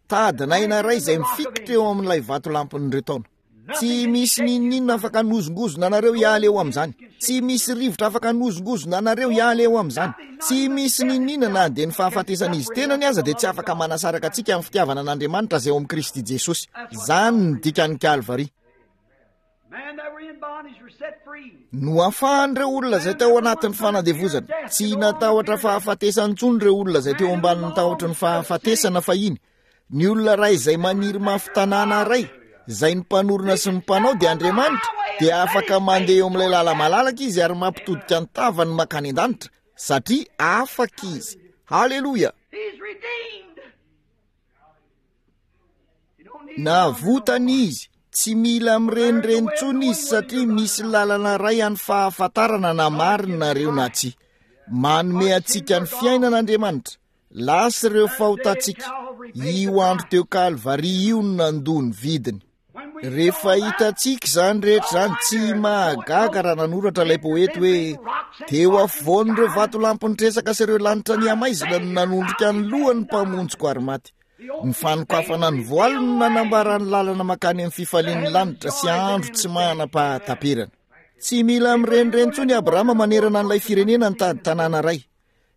tadin'aina iray izay mifikitra eo amin'ilay vatolampin'ireo taona. Tsy misy n'inon'inona afaka hanozongozona anareo hiala eo amin'izany. Tsy misy rivotra afaka hanozongozona anareo hiala eo amin'izany. Tsy misy n'inon'inona na dia ny fahafatesan'izy tenany aza dia tsy afaka manasaraka antsika amin'ny fitiavana an'Andriamanitra izay ao amin'i Kristy Jesosy. Izany no dikan'ny Kalvary. Noafahan'ireo olona izay tao anatin'ny fanandevozana. Tsy natahotra fahafatesana intsony ireo olona izay teo ambanin'ny tahotry ny fahafatesana fahiny. Ny olona iray izay maniry mafy tanàna iray, izay ny mpanorina sy ny mpanao dia Andriamanitra, dia afaka mandeha eo amin'ilay lala-malalaka izy ary mampitodika ny tavany mankany an-danitra, satria afaka izy. Haleloia! Navotana izy, tsy mila mirenireny intsony izy satria misy lalana iray any fahafantarana na marina nareo na tsia. Manome antsika ny fiainana Andriamanitra. Lasa ireo fahotantsika. Io andro teo Kalvary io no nandoa ny vidiny. Rehefa hitantsika izany rehetra izany, tsy mahagaga raha nanoratra ilay poety hoe, Teo afovoan'ireo vatolampy nitresaka sy ireo lanitra nihamaizina no nanondrika ny lohany ny Mpamonjiko ary maty. Ny fanokafana ny voaly no nanambara ny lalana mankany amin'ny fifalian'ny lanitra sy andro tsy manam-pahataperana. Tsy mila mirenireny intsony i Abrahama manerana an'ilay firenena nitady tanàna iray.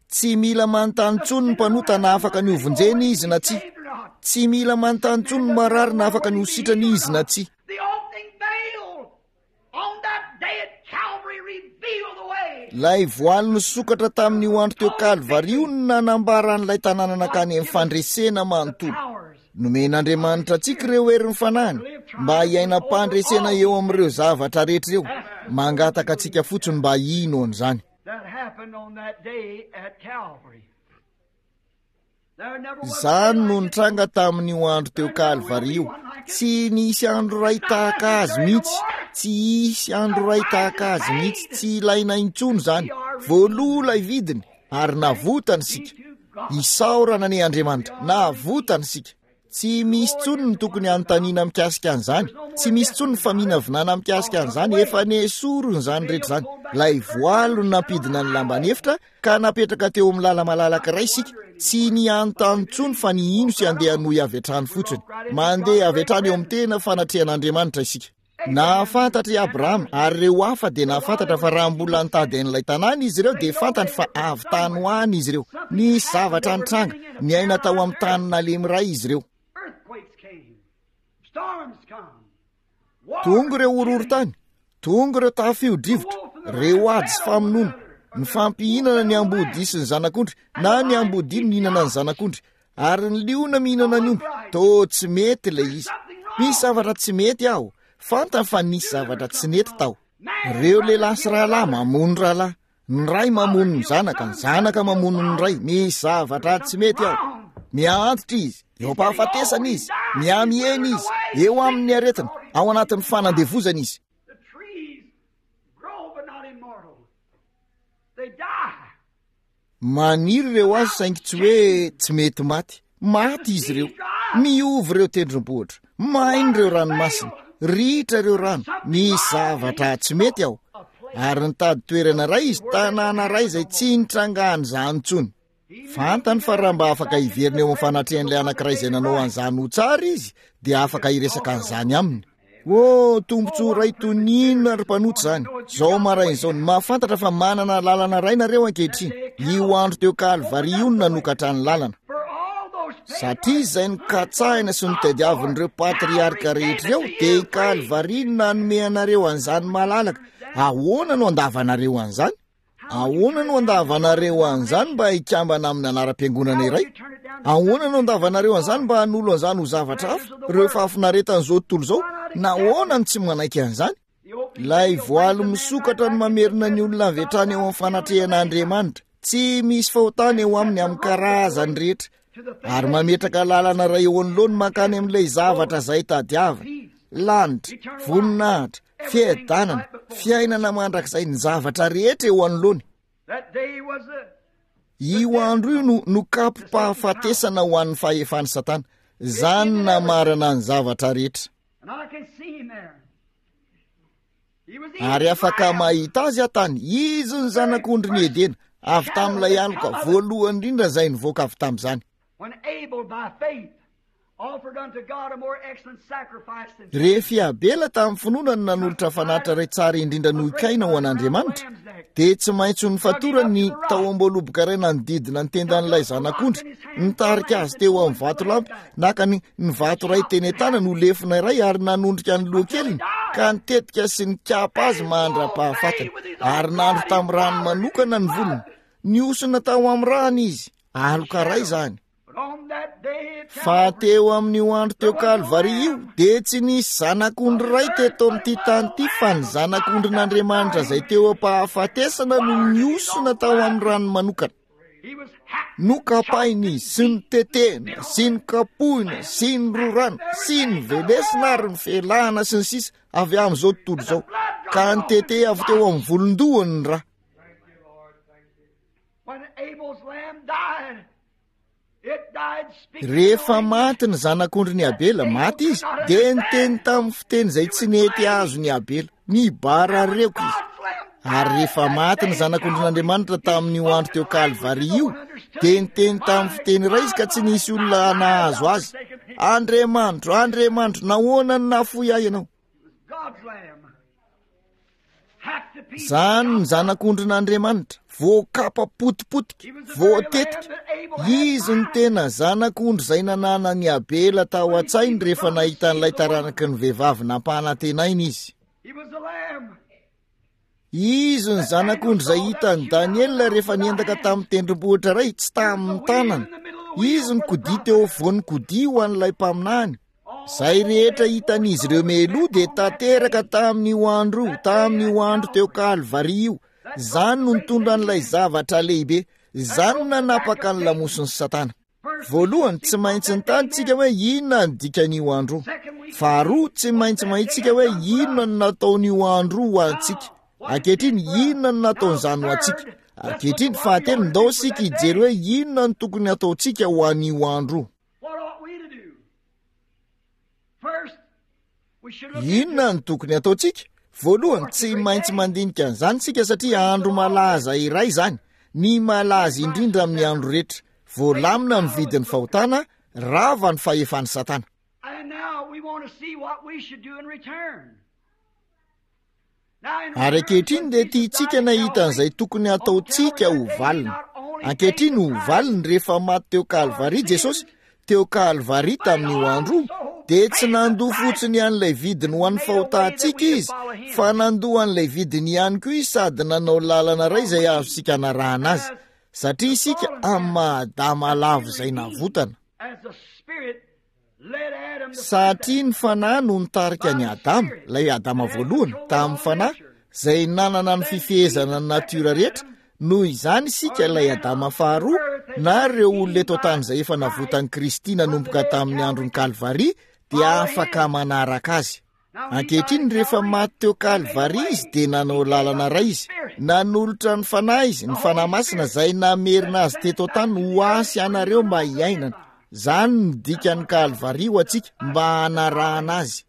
Tsy mila manontany intsony ny mpanota na afaka ny hovonjena izy na tsia. Tsy mila manontany intsony ny marary na afaka ny ho sitrana izy na tsia. Ilay voaly nisokatra tamin'io andro teo Kalvary io no nanambara an'ilay tanàna nankany amin'ny fandresena manontolo. Nomen'Andriamanitra antsika ireo herin'ny fanahiny mba hiainam-pandresena eo amin'ireo zavatra rehetra ireo. Mangataka antsika fotsiny mba hino an'izany. Izany no nitranga tamin'io andro teo Kalvary io. Tsy nisy andro iray tahaka azy mihitsy. Tsy hisy andro iray tahaka azy mihitsy. Tsy ilaina intsony izany. Voaloa ilay vidiny ary navotana isika. Isaorana anie Andriamanitra. Navotana isika. Tsy misy intsony ny tokony hanontaniana mikasika an'izany. Tsy misy intsony ny faminavinana mikasika an'izany. Efa nesorina izany rehetra izany. Ilay voaly no nampidina ny lamban'efitra ka napetraka teo amin'ny lala-malalaka iray isika. Tsy ny hanontany intsony fa ny hino sy handeha hanohy avy hatrany fotsiny. Mandeha avy hatrany eo amin'ny tena fanatrehan'Andriamanitra isika. Nahafantatra i Abrahama, ary ireo hafa dia nahafantatra fa raha mbola nitady an'ilay tanàna izy ireo, dia fantany fa avy tany ho any izy ireo. Nisy zavatra nitranga. Niaina tao amin'ny tany nalemy iray izy ireo. Tonga ireo horohorontany, tonga ireo tafio-drivotra, ireo ady sy famonoana, nifampihinana ny ambodia sy ny zanak'ondry, na ny ambodia nihinana ny zanak'ondry, Ary ny liona mihinana ny omby. Toa tsy mety ilay izy. Misy zavatra tsy mety aho. Fantany fa nisy zavatra tsy nety tao. Ireo lehilahy sy rahalahy mamono rahalahy. Ny ray mamono ny zanaka, ny zanaka mamono ny ray. Misy zavatra tsy mety ao. Miha-antitra izy, eo am-pahafatesana izy, miha-mihena izy, eo amin'ny aretina, ao anatin'ny fanandevozana izy. Maniry ireo hazo saingy tsy hoe tsy mety maty. Maty izy ireo. Miova ireo tendrombohitra. Maina ireo ranomasina. Ritra ireo rano. Misy zavatra tsy mety ao. Ary nitady toerana iray izy, tanàna iray izay tsy nitrangan'izany intsony. Fantany fa raha mba afaka hiverina eo amin'ny fanatrehan'ilay anankiray izay nanao an'izany ho tsara izy, dia afaka hiresaka an'izany aminy. Oh, tombontsoa iray toy ny inona ry mpanota izany! Izao maraina izao, ny mahafantatra fa manana lalana iray nareo ankehitriny. Io andro teo Kalvary io no nanokatra ny lalana. Satria izay nokatsahina sy notadiavin'ireo patriarka rehetra ireo, dia i Kalvary no nanome anareo an'izany malalaka. Ahoana no andavanareo an'izany? Ahoana no andavanareo an'izany mba hikambana amin'ny anaram-piangonana iray? Ahoana no andavanareo an'izany mba hanolo an'izany ho zavatra hafa, ireo fahafinaretan'izao tontolo izao? Nahoana no tsy manaiky an'izany? Ilay voaly misokatra no mamerina ny olona avy hatrany eo amin'ny fanatrehan'Andriamanitra. Tsy misy fahotana eo aminy amin'ny karazany rehetra. Ary mametraka lalana iray eo anoloany mankany amin'ilay zavatra izay tadiaviny. Lanitra, voninahitra, fiadanana, fiainana mandrakizay, ny zavatra rehetra eo anoloany. Io andro io no nokapo-pahafatesana ho an'ny fahefan'i Satana. Izany namarana ny zavatra rehetra. Ary afaka mahita azy aho tany. Izy ny zanak'ondrin'i Edena, avy tamin'ilay aloka voalohany indrindra izay nivoaka avy tamin'izany. Rehefa i Abela tamin'ny finoana no nanolotra fanatitra iray tsara indrindra noho i Kaina ho an'Andriamanitra, dia tsy maintsy ho nofatorany ny tahom-boaloboka iray nanodidina ny tendan'ilay zanak'ondry, nitarika azy teo amin'ny vatolampy, naka ny ny vato iray teny an-tanany ho lefona iray ary nanondrika ny lohakeliny ka nitetika sy nikapa azy mandra-pahafatiny, ary nandro tamin'ny rano manokana ny volony. Nihosona tao amin'ny rano izy, aloka iray izany. Fa teo amin'io andro teo Kalvary io, dia tsy nisy zanak'ondry iray teto amin'ity tany ity fa ny zanak'ondrin'Andriamanitra izay teo am-pahafatesana no nihosona tao amin'ny rano manokana. Nokapaina izy sy notetehina sy nokapohina sy nororana sy novelesina ary nofelahana sy ny sisa avy amin'izao tontolo izao ka nitete avy teo amin'ny volon-dohany ny ra. Rehefa maty ny zanak'ondrin'i Abela, maty izy, dia niteny tamin'ny fiteny izay tsy nety azon'i Abela. Nibarareoka izy. Ary rehefa maty ny zanak'ondrin'Andriamanitra tamin'io andro teo Kalvary io, dia niteny tamin'ny fiteny iray izy ka tsy nisy olona nahazo azy. Andriamanitro, Andriamanitro, nahoana no nahafoy ahy ianao? Izany ny zanak'ondrin'Andriamanitra, voakapa potipotika, voatetika. Izy no tena zanak'ondry izay nananan'i Abela tao an-tsainy rehefa nahita an'ilay taranaky ny vehivavy nampanantenaina izy. Izy ny zanak'ondry izay hitan'i Daniela rehefa niendaka tamin'ny tendrombohitra iray, tsy tamin'ny tanana. Izy ny kodia teo afovoan'ny kodia ho an'ilay mpaminany. Izay rehetra hitan'izy ireo mialoha dia tanteraka tamin'io andro io, tamin'io andro teo Kalvary io. Izany no nitondra an'ilay zavatra lehibe. Izany no nanapaka ny lamosin'i Satana. Voalohany, tsy maintsy nitady tsika hoe inona ny dikan'io andro io. Faharoa, tsy maintsy mahitsika hoe inona no nataon'io andro io ho antsika. Ankehitriny, inona no nataon'izany ho antsika? Ankehitriny, fahatelo, ndao isika hijery hoe inona no tokony hataontsika ho an'io andro io. Inona no tokony hataontsika? Voalohany, tsy maintsy mandinika an'izany isika satria andro malaza iray izany, ny malaza indrindra amin'ny andro rehetra. Voalamina ny vidin'ny fahotana, rava ny fahefan'i Satana. Ary ankehitriny dia tiantsika ny hahita an'izay tokony hataontsika ho valiny. Ankehitriny ho valiny rehefa maty teo Kalvary Jesosy, teo Kalvary tamin'io andro io, dia tsy nandoa fotsiny an'ilay vidiny ho an'ny fahotantsika Izy, fa nandoa an'ilay vidiny ihany koa Izy sady nanao lalana iray izay azontsika anarahana Azy, satria isika amin'ny maha Adama lavo izay navotana. Satria ny Fanahy no nitarika an'i Adama, ilay Adama voalohany, tamin'ny Fanahy, izay nanana ny fifehezana ny natiora rehetra, noho izany isika, ilay Adama faharoa, na ireo olona eto an-tany izay efa navotan'i Kristy nanomboka tamin'ny andron'i Kalvary, dia afaka manaraka Azy. Ankehitriny, rehefa maty teo Kalvary Izy, dia nanao lalana iray Izy. Nanolotra ny Fanahy Izy, ny Fanahy Masina izay namerina Azy teto an-tany ho ahy sy anareo mba hiainana. Izany no dikan'ny Kalvary ho antsika, mba hanarahana Azy.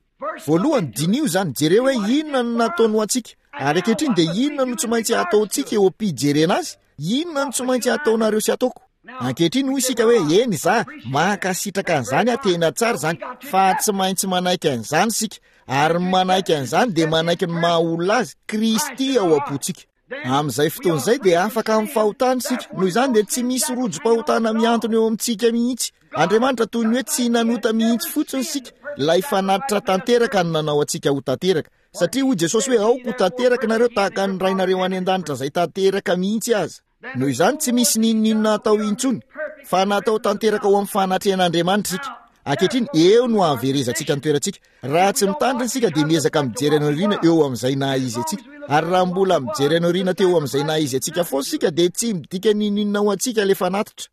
Voalohany, diniho izany, jereo hoe inona no nataony ho antsika. Ary ankehitriny dia inona no tsy maintsy hataontsika eo am-pijerena Azy? Inona no tsy maintsy hataonareo sy hataoko? Ankehitriny hoy isika hoe, Eny, izaho, mankasitraka an'izany aho, tena tsara izany. Fa tsy maintsy manaiky an'izany isika. Ary ny manaiky an'izany dia manaiky ny maha-olona azy, Kristy ao am-pontsika. Amin'izay fotoana izay dia afaka amin'ny fahotana isika. Noho izany dia tsy misy rojom-pahotana mihantona eo amintsika mihitsy. Andriamanitra toy ny hoe tsy nanota mihitsy fotsiny isika. Ilay fanatitra tanteraka no nanao antsika ho tanteraka. Satria hoy Jesosy hoe, Aoka ho tanteraka nareo tahaka ny Rainareo any an-danitra izay tanteraka mihitsy aza. Noho izany tsy misy n'inon'inona atao intsony, fa natao tanteraka ho amin'ny fanatrehan'Andriamanitra isika. Ankehitriny, eo no hahaverezantsika ny toerantsika. Raha tsy mitandrina isika dia miezaka mijery any aoriana eo amin'izay naha izy antsika. Ary raha mbola mijery any aoriana teo amin'izay naha izy antsika foana isika dia tsy midika n'inon'inona ho antsika ilay fanatitra.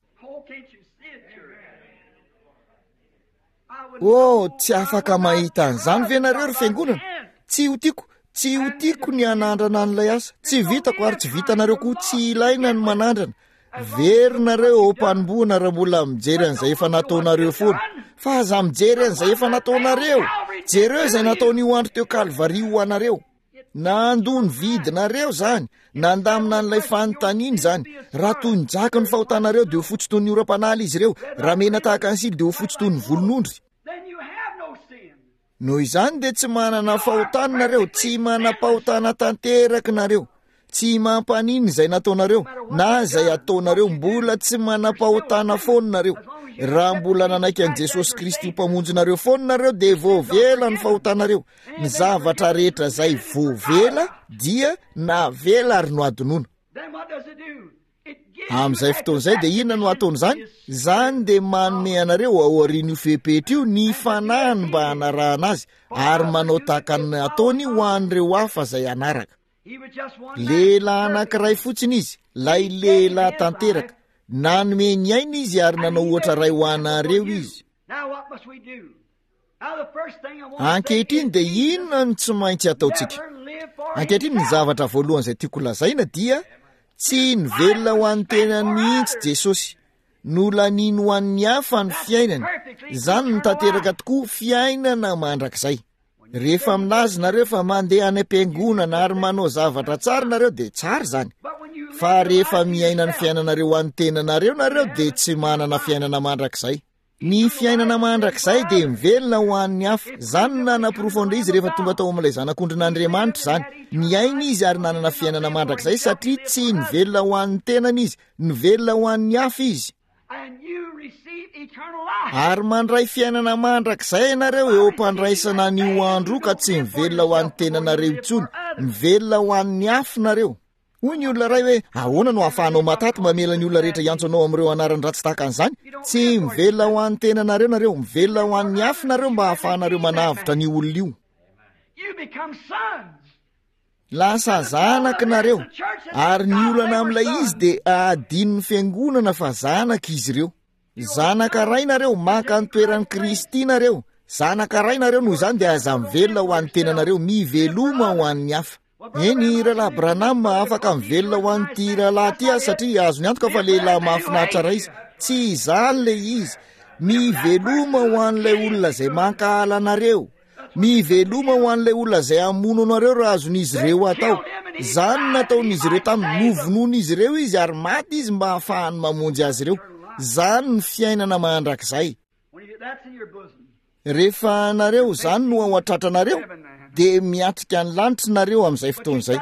Oh, tsy afaka mahita an'izany ve nareo ry fiangonana? Tsy ho tiako, tsy ho tiako ny hanandrana an'ilay asa. Tsy vitako ary tsy vitanareo koa, tsy ilaina ny manandrana. Very nareo eo am-panombohana raha mbola mijery an'izay efa nataonareo foana. Fa aza mijery an'izay efa nataonareo. Jereo izay nataon'io andro teo Kalvary ho anareo. Nandoa ny vidinareo izany, nandamina an'ilay fanontaniana izany. Raha toy ny jaky ny fahotanareo dia ho fotsy toy ny oram-panala izy ireo, raha mena tahaka ny sily dia ho fotsy toy ny volon'ondry. Noho izany dia tsy manana fahotana nareo, tsy manam-pahotana tanteraka nareo. Tsy mampaninona izay nataonareo na izay ataonareo, mbola tsy manam-pahotana foana nareo. Raha mbola nanaiky an'i Jesosy Kristy ho Mpamonjinareo foana nareo dia voavela ny fahotanareo. Ny zavatra rehetra izay voavela dia navela ary nohadinoina. Amin'izay fotoana izay dia inona no ataon'izany? Izany dia manome anareo ao aorian'io fepetra io ny fanahiny mba hanarahana azy ary manao tahaka ny nataony ho an'ireo hafa izay hanaraka. Lehilahy anankiray fotsiny izy, ilay lehilahy tanteraka. Nanome ny ainy izy ary nanao ohatra iray ho anareo izy. Ankehitriny dia inona no tsy maintsy ataontsika? Ankehitriny ny zavatra voalohany izay tiako lazaina dia tsy nivelona ho an'ny tenany mihitsy Jesosy. Nolaniany ho an'ny hafa ny fiainany. Izany no tanteraka tokoa, fiainana mandrakizay. Rehefa milaza nareo fa mandeha any am-piangonana ary manao zavatra tsara nareo dia tsara izany. Fa rehefa miaina ny fiainanareo ho an'ny tenanareo nareo dia tsy manana fiainana mandrakizay. Ny fiainana mandrakizay dia mivelona ho an'ny hafa. Izany no nanaporofo an'ilay izy rehefa tonga tao amin'ilay Zanak'ondrin'Andriamanitra izany. Niaina izy ary nanana fiainana mandrakizay satria tsy nivelona ho an'ny tenany izy, nivelona ho an'ny hafa izy. Ary mandray fiainana mandrakizay ianareo eo am-pandraisana an'io andro io ka tsy mivelona ho an'ny tenanareo intsony, mivelona ho an'ny hafa nareo. Hoy ny olona iray hoe, Ahoana no ahafahanao mataty mamela ny olona rehetra hiantso anao amin'ireo anarany ratsy tahaka an'izany? Tsy mivelona ho an'ny tenanareo nareo, mivelona ho an'ny hafa nareo mba hahafahanareo manavotra an'io olona io. Lasa zanaky nareo, ary ny olana amin'ilay izy dia adinon'ny fiangonana fa zanaka izy ireo. Zanaka ray nareo, maka ny toeran'i Kristy nareo. Zanaka ray nareo, noho izany dia aza mivelona ho an'ny tenanareo, miveloma ho an'ny hafa. Eny, Rahalahy Branham, afaka mivelona ho an'ity rahalahy ity aho satria azony antoka fa lehilahy mahafinaritra iray izy. Tsy izany ilay izy. Miveloma ho an'ilay olona izay mankahala anareo. Miveloma ho an'ilay olona izay hamono anareo raha azon'izy ireo atao. Izany no nataon'izy ireo taminy. Novonoin'izy ireo izy ary maty izy mba hahafahany mamonjy azy ireo. Izany no fiainana mandrakizay. Rehefa nareo, izany no ao an-tratranareo, dia miatrika ny lanitra nareo amin'izay fotoana izay.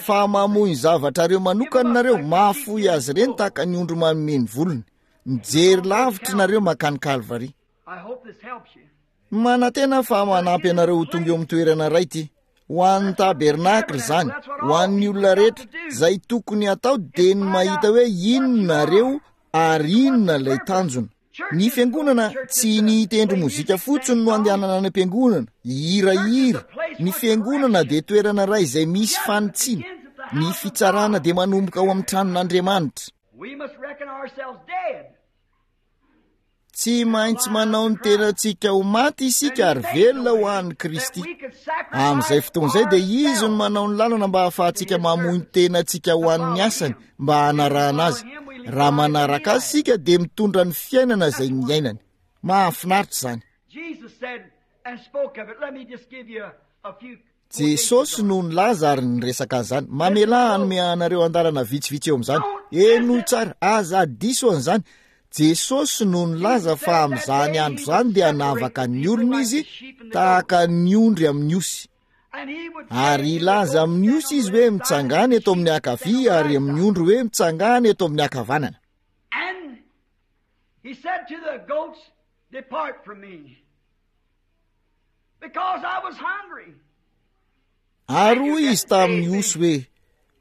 Fa mamoy ny zavatrareo manokana nareo, mahafoy azy ireny tahaka ny ondry manome ny volony. Mijery lavitra nareo mankany Kalvary. Manantena aho fa manampy anareo ho tonga eo amin'ny toerana iray ity. Ho an'ny tabernakla izany, ho an'ny olona rehetra, izay tokony hatao dia ny mahita hoe inona nareo ary inona ilay tanjona. Ny fiangonana, tsy ny hitendry mozika fotsiny no andehanana any am-piangonana, hihirahira. Ny fiangonana dia toerana iray izay misy fanitsiana. Ny fitsarana dia manomboka ao amin'ny tranon'Andriamanitra. Tsy maintsy manao ny tenantsika ho maty isika ary velona ho an'i Kristy. Amin'izay fotoana izay dia Izy no manao ny lalana mba hahafahantsika mamoy ny tenantsika ho an'ny asany mba hanarahana Azy. Raha manaraka Azy isika dia mitondra ny fiainana izay niainany. Mahafinaritra izany. Jesosy no nilaza ary niresaka an'izany. Mamelà hanome anareo andalana vitsivitsy eo amin'izany. Henoy tsara, aza diso an'izany. Jesosy no nilaza fa amin'izany andro izany dia hanavaka ny olona Izy tahaka ny ondry amin'ny osy. Ary hilaza amin'ny osy Izy hoe mitsangàna eto amin'ny ankavia ary amin'ny ondry hoe mitsangàna eto amin'ny ankavanana. He said to the goats, Depart from me. Because I was hungry. Ary hoy izy tamin'ny osy hoe,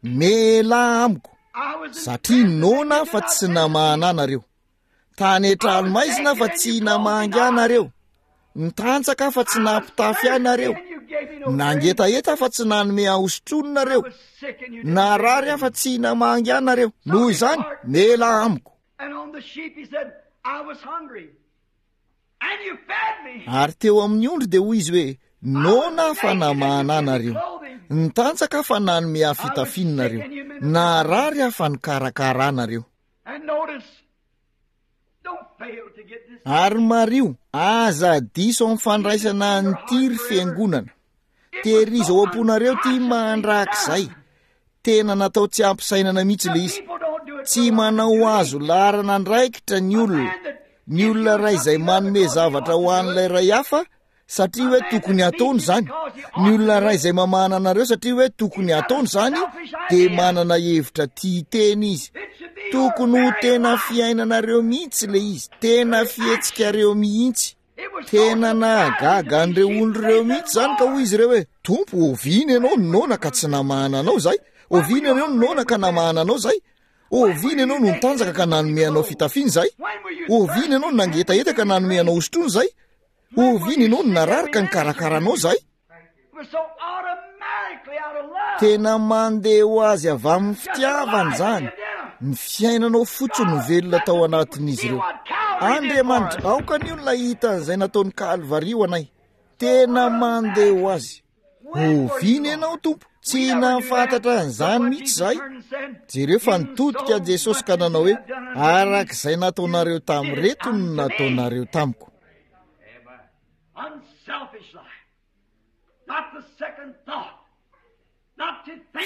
Mialà amiko, satria noana aho fa tsy namahana anareo. Tany an-trano maizina aho fa tsy namangy anareo. Nitanjaka aho fa tsy nampitafy ahy nareo. Nangetaheta aho fa tsy nanome ahy hosotroina nareo. Narary aho fa tsy namangy ahy nareo. Noho izany, mialà amiko. And on the sheep he said, I was hungry. And you fed me. Ary teo amin'ny ondry dia hoy izy hoe, Noana aho fa namahana ahy nareo. Nitanjaka aho fa nanome ahy fitafiana nareo. Naharary aho fa nikarakara ahy nareo. And notice, don't fail to get this. Ary mariho, aza diso amin'ny fandraisana an'ity ry fiangonana. Tehirizo ao am-ponareo ity mandrakizay. Tena natao tsy ampisainana mihitsy ilay izy. Tsy manao azo laharana andraikitra ny olona. Ny olona iray izay manome zavatra ho an'ilay iray hafa satria hoe tokony hataony izany. Ny olona iray izay mamahana anareo satria hoe tokony hataony izany dia manana hevitra tia tena izy. Tokony ho tena fiainanareo mihitsy ilay izy, tena fihetsikareo mihitsy. Tena nahagaga an'ireo olona ireo mihitsy izany ka hoy izy ireo hoe, Tompo, oviana ianao no noana ka tsy namahana anao izahay? Oviana ianao no noana ka namahana anao izahay? Oviana ianao no nitanjaka ka nanome anao fitafiana izahay? Oviana ianao no nangetaheta ka nanome anao hosotroina izahay? Oviana ianao no narary ka nikarakara anao izahay? Tena mandeha ho azy avy amin'ny fitiavana izany. Ny fiainanao fotsiny no velona tao anatin'izy ireo. Andriamanitra, aoka ny olona hahita an'izay nataon'i Kalvary ho anay. Tena mandeha ho azy. Oviana ianao, Tompo? Tsy nahafantatra an'izany mihitsy izahay. Jereo fa nitodika Jesosy ka nanao hoe, Araka izay nataonareo tamin'ireto no nataonareo tamiko.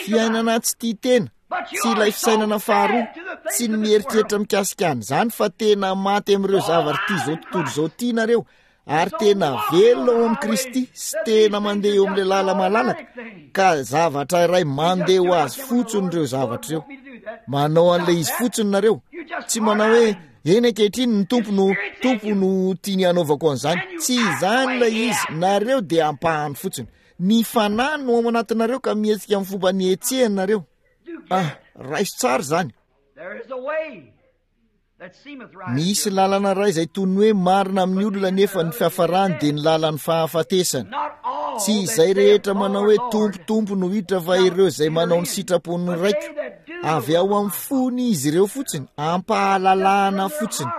Fiainana tsy tia tena, tsy ilay fisainana faharoa, tsy ny mieritreritra mikasika an'izany fa tena maty amin'ireo zavatra ity izao tontolo izao ity nareo ary tena velona ao amin'i Kristy sy tena mandeha eo amin'ilay lala-malalaka ka zavatra iray mandeha ho azy fotsiny ireo zavatra ireo. Manao an'ilay izy fotsiny nareo, tsy manao hoe Eny ankehitriny ny Tompo no Tompo no tiany hanaovako an'izany. Tsy izany ilay izy, nareo dia ampahany fotsiny. Ny Fanahy no ao anatinareo ka mihetsika amin'ny fomba nihetsehany nareo. Ah, raiso tsara izany. Misy lalana iray izay toy ny hoe marina amin'ny olona nefa ny fiafarany dia ny lalan'ny fahafatesana. Tsy izay rehetra manao hoe Tompo, Tompo no hiditra fa ireo izay manao ny sitrapon'ny Raiko. Avy ao amin'ny fony izy ireo fotsiny, ampahalalahana fotsiny.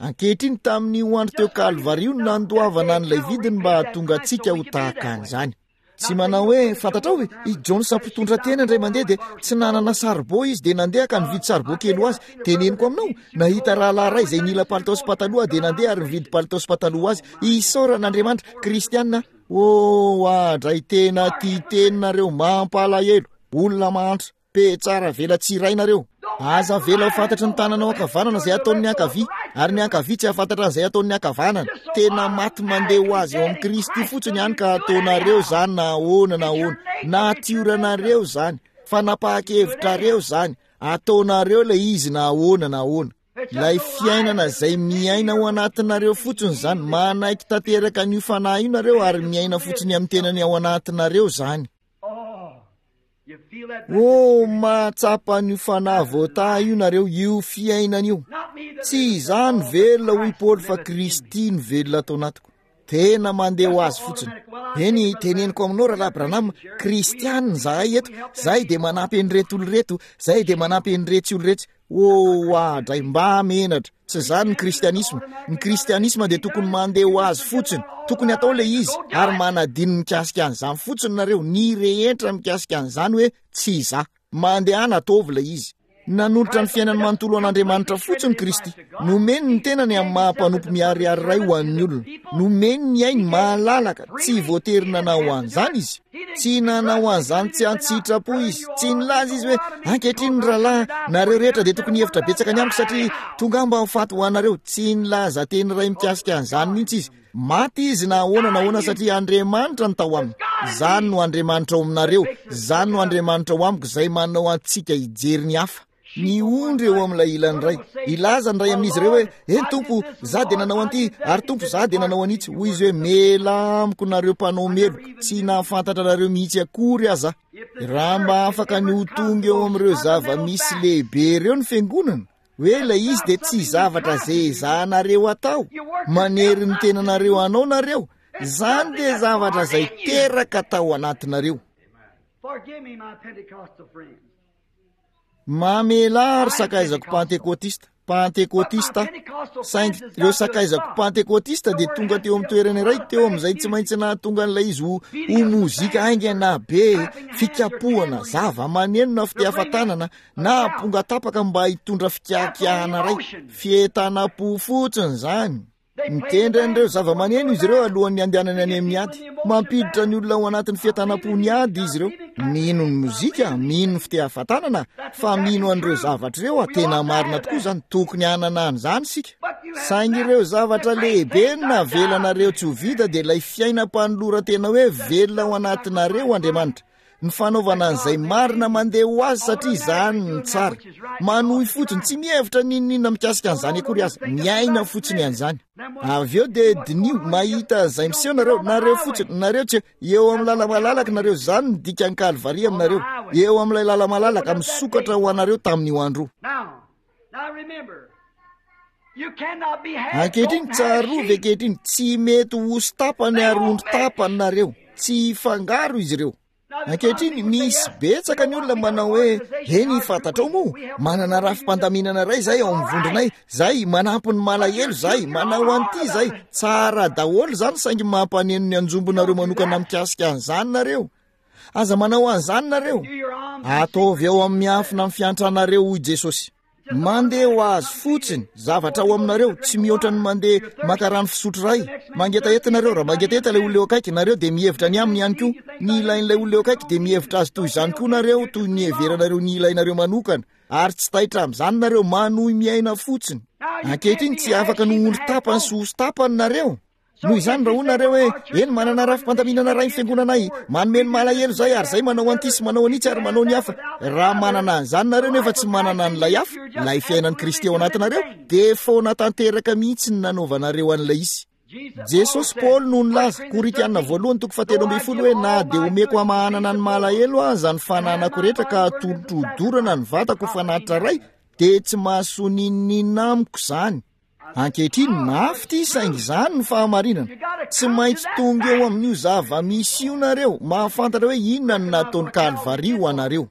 Ankehitriny, tamin'io andro teo Kalvary io no nandoavana an'ilay vidiny mba hahatonga antsika ho tahaka an'izany. Tsy manao hoe, fantatrao, i Jones mpitondra tena indray mandeha dia tsy nanana saribao izy dia nandeha ka nividy saribao kely ho azy. Teneniko aminao, nahita rahalahy iray izay nila palitao sy pataloha aho dia nandeha ary nividy palitao sy pataloha ho azy. Isaorana Andriamanitra. Kristiana, oh, adray tena tia teny nareo, mampalahelo. Olona mahantra. Pe tsara avela tsy iray nareo. Aza avela ho fantatry ny tananao ankavanana izay ataon'ny ankavia, ary ny ankavia tsy hahafantatra an'izay ataon'ny ankavanana. Tena maty mandeha ho azy eo amin'i Kristy fotsiny ihany ka ataonareo izany na ahoana na ahoana. Natioranareo izany. Fanapahan-kevitrareo izany. Ataonareo ilay izy na ahoana na ahoana. Ilay fiainana izay miaina ao anatinareo fotsiny izany. Manaiky tanteraka an'io fanahy io nareo ary miaina fotsiny amin'ny tenany ao anatinareo izany. Oh, mahatsapa an'io fanahy voatahy io nareo, io fiainana io. Tsy izaho no velona, hoy Paoly, fa Kristy no velona ato anatiko. Tena mandeha ho azy fotsiny. Eny, teneniko aminao, Rahalahy Branham, Kristiana izahay eto. Izahay dia manampy an'ireto olona ireto, izahay dia manampy an'iretsy olona iretsy. Oh, adray, mba menatra. Tsy izany ny kristianisma. Ny kristianisma dia tokony mandeha ho azy fotsiny. Tokony atao ilay izy, ary manadino mikasika an'izany fotsiny nareo, ny rehetra mikasika an'izany hoe tsy izaho. Mandehana ataovy ilay izy. Nanolotra ny fiainany manontolo an'Andriamanitra fotsiny Kristy. Nomeny ny tenany amin'ny maha mpanompo miharihary iray ho an'ny olona. Nomeny ny ainy malalaka, tsy voatery nanao an'izany izy. Tsy nanao an'izany tsy an-tsitrapo izy. Tsy nilaza izy hoe, Ankehitriny, ry rahalahy, nareo rehetra dia tokony hihevitra betsaka ny amiko satria tonga aho mba ho faty ho anareo. Tsy nilaza teny iray mikasika an'izany mihitsy izy. Maty izy na ahoana na ahoana satria Andriamanitra no tao aminy. Izany no Andriamanitra ao aminareo. Izany no Andriamanitra ao amiko izay manao antsika hijery ny hafa. Ny ondry eo amin'ilay ilany iray. Hilaza ny iray amin'izy ireo hoe, Eny Tompo, izaho dia nanao an'ity, ary Tompo, izaho dia nanao an'itsy. Hoy izy hoe, Mialà amiko nareo mpanao meloka, tsy nahafantatra anareo mihitsy akory aza aho. Raha mba afaka ny ho tonga eo amin'ireo zava-misy lehibe ireo ny fiangonana, hoe ilay izy dia tsy zavatra izay ezahanareo atao, manery ny tenanareo hanao nareo, izany dia zavatra izay teraka tao anatinareo. Forgive me, my Pentecostal friends. Mamelà ry sakaizako Pantekotista, Pantekotista aho. Saingy ireo sakaizako Pantekotista dia tonga teo amin'ny toerana iray teo amin'izay tsy maintsy nahatonga an'ilay izy ho, ho mozika haingana be, fikapohana, zava-maneno na fitehafa-tanana, na amponga tapaka mba hitondra fikiakiahana iray. Fientanam-po fotsiny izany. Mitendry an'ireo zava-maneno izy ireo alohan'ny handehanany any amin'ny ady. Mampiditra ny olona ao anatin'ny fientanam-pon'ny ady izy ireo. Mino ny mozika, mino ny fitehavan-tanana, fa mino an'ireo zavatra ireo aho. Tena marina tokoa izany. Tokony hanana an'izany isika. Saingy ireo zavatra lehibe no navelanareo tsy ho vita dia ilay fiainam-panoloran-tena hoe velona ao anatinareo Andriamanitra. Ny fanaovana an'izay marina mandeha ho azy satria izany no tsara. Manohy fotsiny, tsy mihevitra n'inon'inona mikasika an'izany akory aza, miaina fotsiny an'izany. Avy eo dia diniho, mahita izay miseho nareo, nareo fotsiny, nareo tsy eo amin'ny lala-malalaka nareo, izany no dikan'ny Kalvary aminareo, eo amin'ilay lala-malalaka misokatra ho anareo tamin'io andro io. Ankehitriny, tsarovy ankehitriny, tsy mety ho osy tapany ary ondry tapany nareo. Tsy hifangaro izy ireo. Ankehitriny, misy betsaka ny olona manao hoe, Eny, fantatrao moa, manana rafi-pandaminana iray izahay ao amin'ny vondronay. Izahay, manampy ny malahelo izahay, manao an'ity izahay. Tsara daholo izany, saingy mampaneno ny anjombonareo manokana mikasika an'izany nareo. Aza manao an'izany nareo. Ataovy ao amin'ny miafina ny fiantranareo, hoy Jesosy. Mandeha ho azy fotsiny, zavatra ao aminareo, tsy mihoatra ny mandeha maka rano fisotro iray. Mangetaheta nareo, raha mangetaheta ilay olona eo akaiky, nareo dia mihevitra ny aminy ihany koa. Ny ilain'ilay olona eo akaiky dia mihevitra azy toy izany koa nareo, toy ny niheveranareo ny ilainareo manokana. Ary tsy taitra amin'izany nareo, manohy miaina fotsiny. Ankehitriny tsy afaka ny ho ondry tapany sy osy tapany nareo. Noho izany, raha hoy nareo hoe, Eny, manana rafi-pandaminana iray ny fiangonanay, manome ny malahelo izahay, ary izahay manao an'ity sy manao an'itsy ary manao ny hafa. Raha manana an'izany nareo nefa tsy manana an'ilay hafa, ilay fiainan'i Kristy ao anatinareo, dia foana tanteraka mihitsy ny nanaovanareo an'ilay izy. Jesosy, Paoly no nilaza, Korintiana voalohany toko fahatelo ambin'ny folo hoe, Na dia omeko hamahanana ny malahelo aza ny fananako rehetra ka atolotro hodorana ny vatako ho fanatitra iray, dia tsy mahasoa n'inon'inona amiko izany. Ankehitriny, mafy ity saingy izany no fahamarinana. Tsy maintsy tonga eo amin'io zava-misy io nareo, mahafantatra hoe inona no nataon'i Kalvary ho anareo.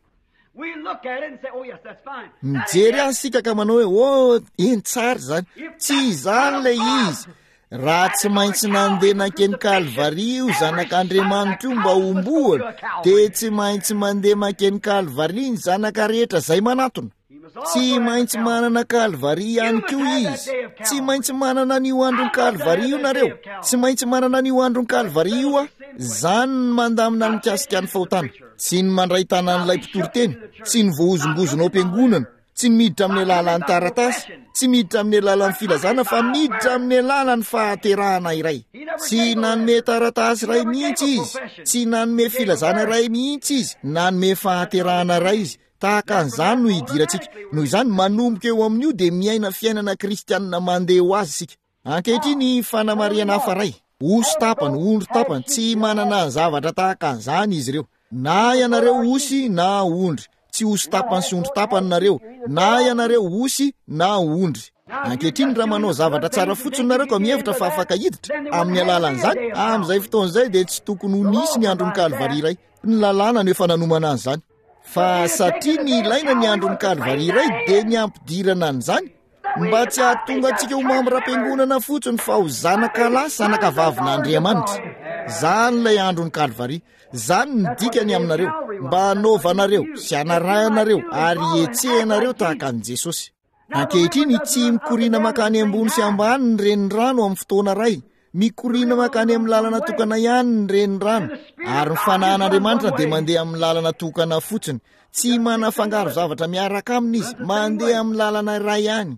Mijery azy isika ka manao hoe, oh, eny tsara izany. Tsy izany ilay izy. Raha tsy maintsy nandeha nankeny Kalvary io zanak'Andriamanitra io mba homboana, dia tsy maintsy mandeha mankeny Kalvary ny zanaka rehetra izay manatona. Tsy maintsy manana Kalvary ihany koa izy. Tsy maintsy manana an'io andron'i Kalvary io nareo. Tsy maintsy manana an'io andron'i Kalvary io aho. Izany ny mandamina ny mikasika ny fahotana. Tsy ny mandray tanan'ilay mpitoriteny, tsy ny voahozongozona ao am-piangonana, tsy ny miditra amin'ny alalan'ny taratasy, tsy miditra amin'ny alalan'ny filazana fa miditra amin'ny alalan'ny fahaterahana iray. Tsy nanome taratasy iray mihitsy izy, tsy nanome filazana iray mihitsy izy, nanome fahaterahana iray izy. Tahaka an'izany no hidirantsika. Noho izany, manomboka eo amin'io dia miaina fiainana kristianina mandeha ho azy isika. Ankehitriny, fanamarihana hafa iray. Osy tapany, ondry tapany, tsy manana zavatra tahaka an'izany izy ireo. Na ianareo osy na ondry. Tsy osy tapany sy ondry tapany nareo. Na ianareo osy na ondry. Ankehitriny, raha manao zavatra tsara fotsiny nareo ka mihevitra fa afaka hiditra amin'ny alalan'izany, amin'izay fotoana izay dia tsy tokony ho nisy ny andron'ny Kalvary iray. Ny lalàna no efa nanomana an'izany. Fa satria ny ilaina ny andron'ny Kalvary iray dia ny hampidirana an'izany mba tsy hahatonga antsika ho mambram-piangonana fotsiny fa ho zanaka lahy zanaka vavin'Andriamanitra. Izany ilay andron'ny Kalvary. Izany ny dikany aminareo, mba hanaovanareo sy hanarahanareo ary hihetsehanareo tahaka an'i Jesosy. Ankehitriny, tsy mikoriana mankany ambony sy ambany ny renirano amin'ny fotoana iray. Mikoriana mankany amin'ny lalana tokana ihany ny renirano, ary ny fanahin'Andriamanitra dia mandeha amin'ny lalana tokana fotsiny. Tsy manafangaro zavatra miaraka aminy izy, mandeha amin'ny lalana iray ihany.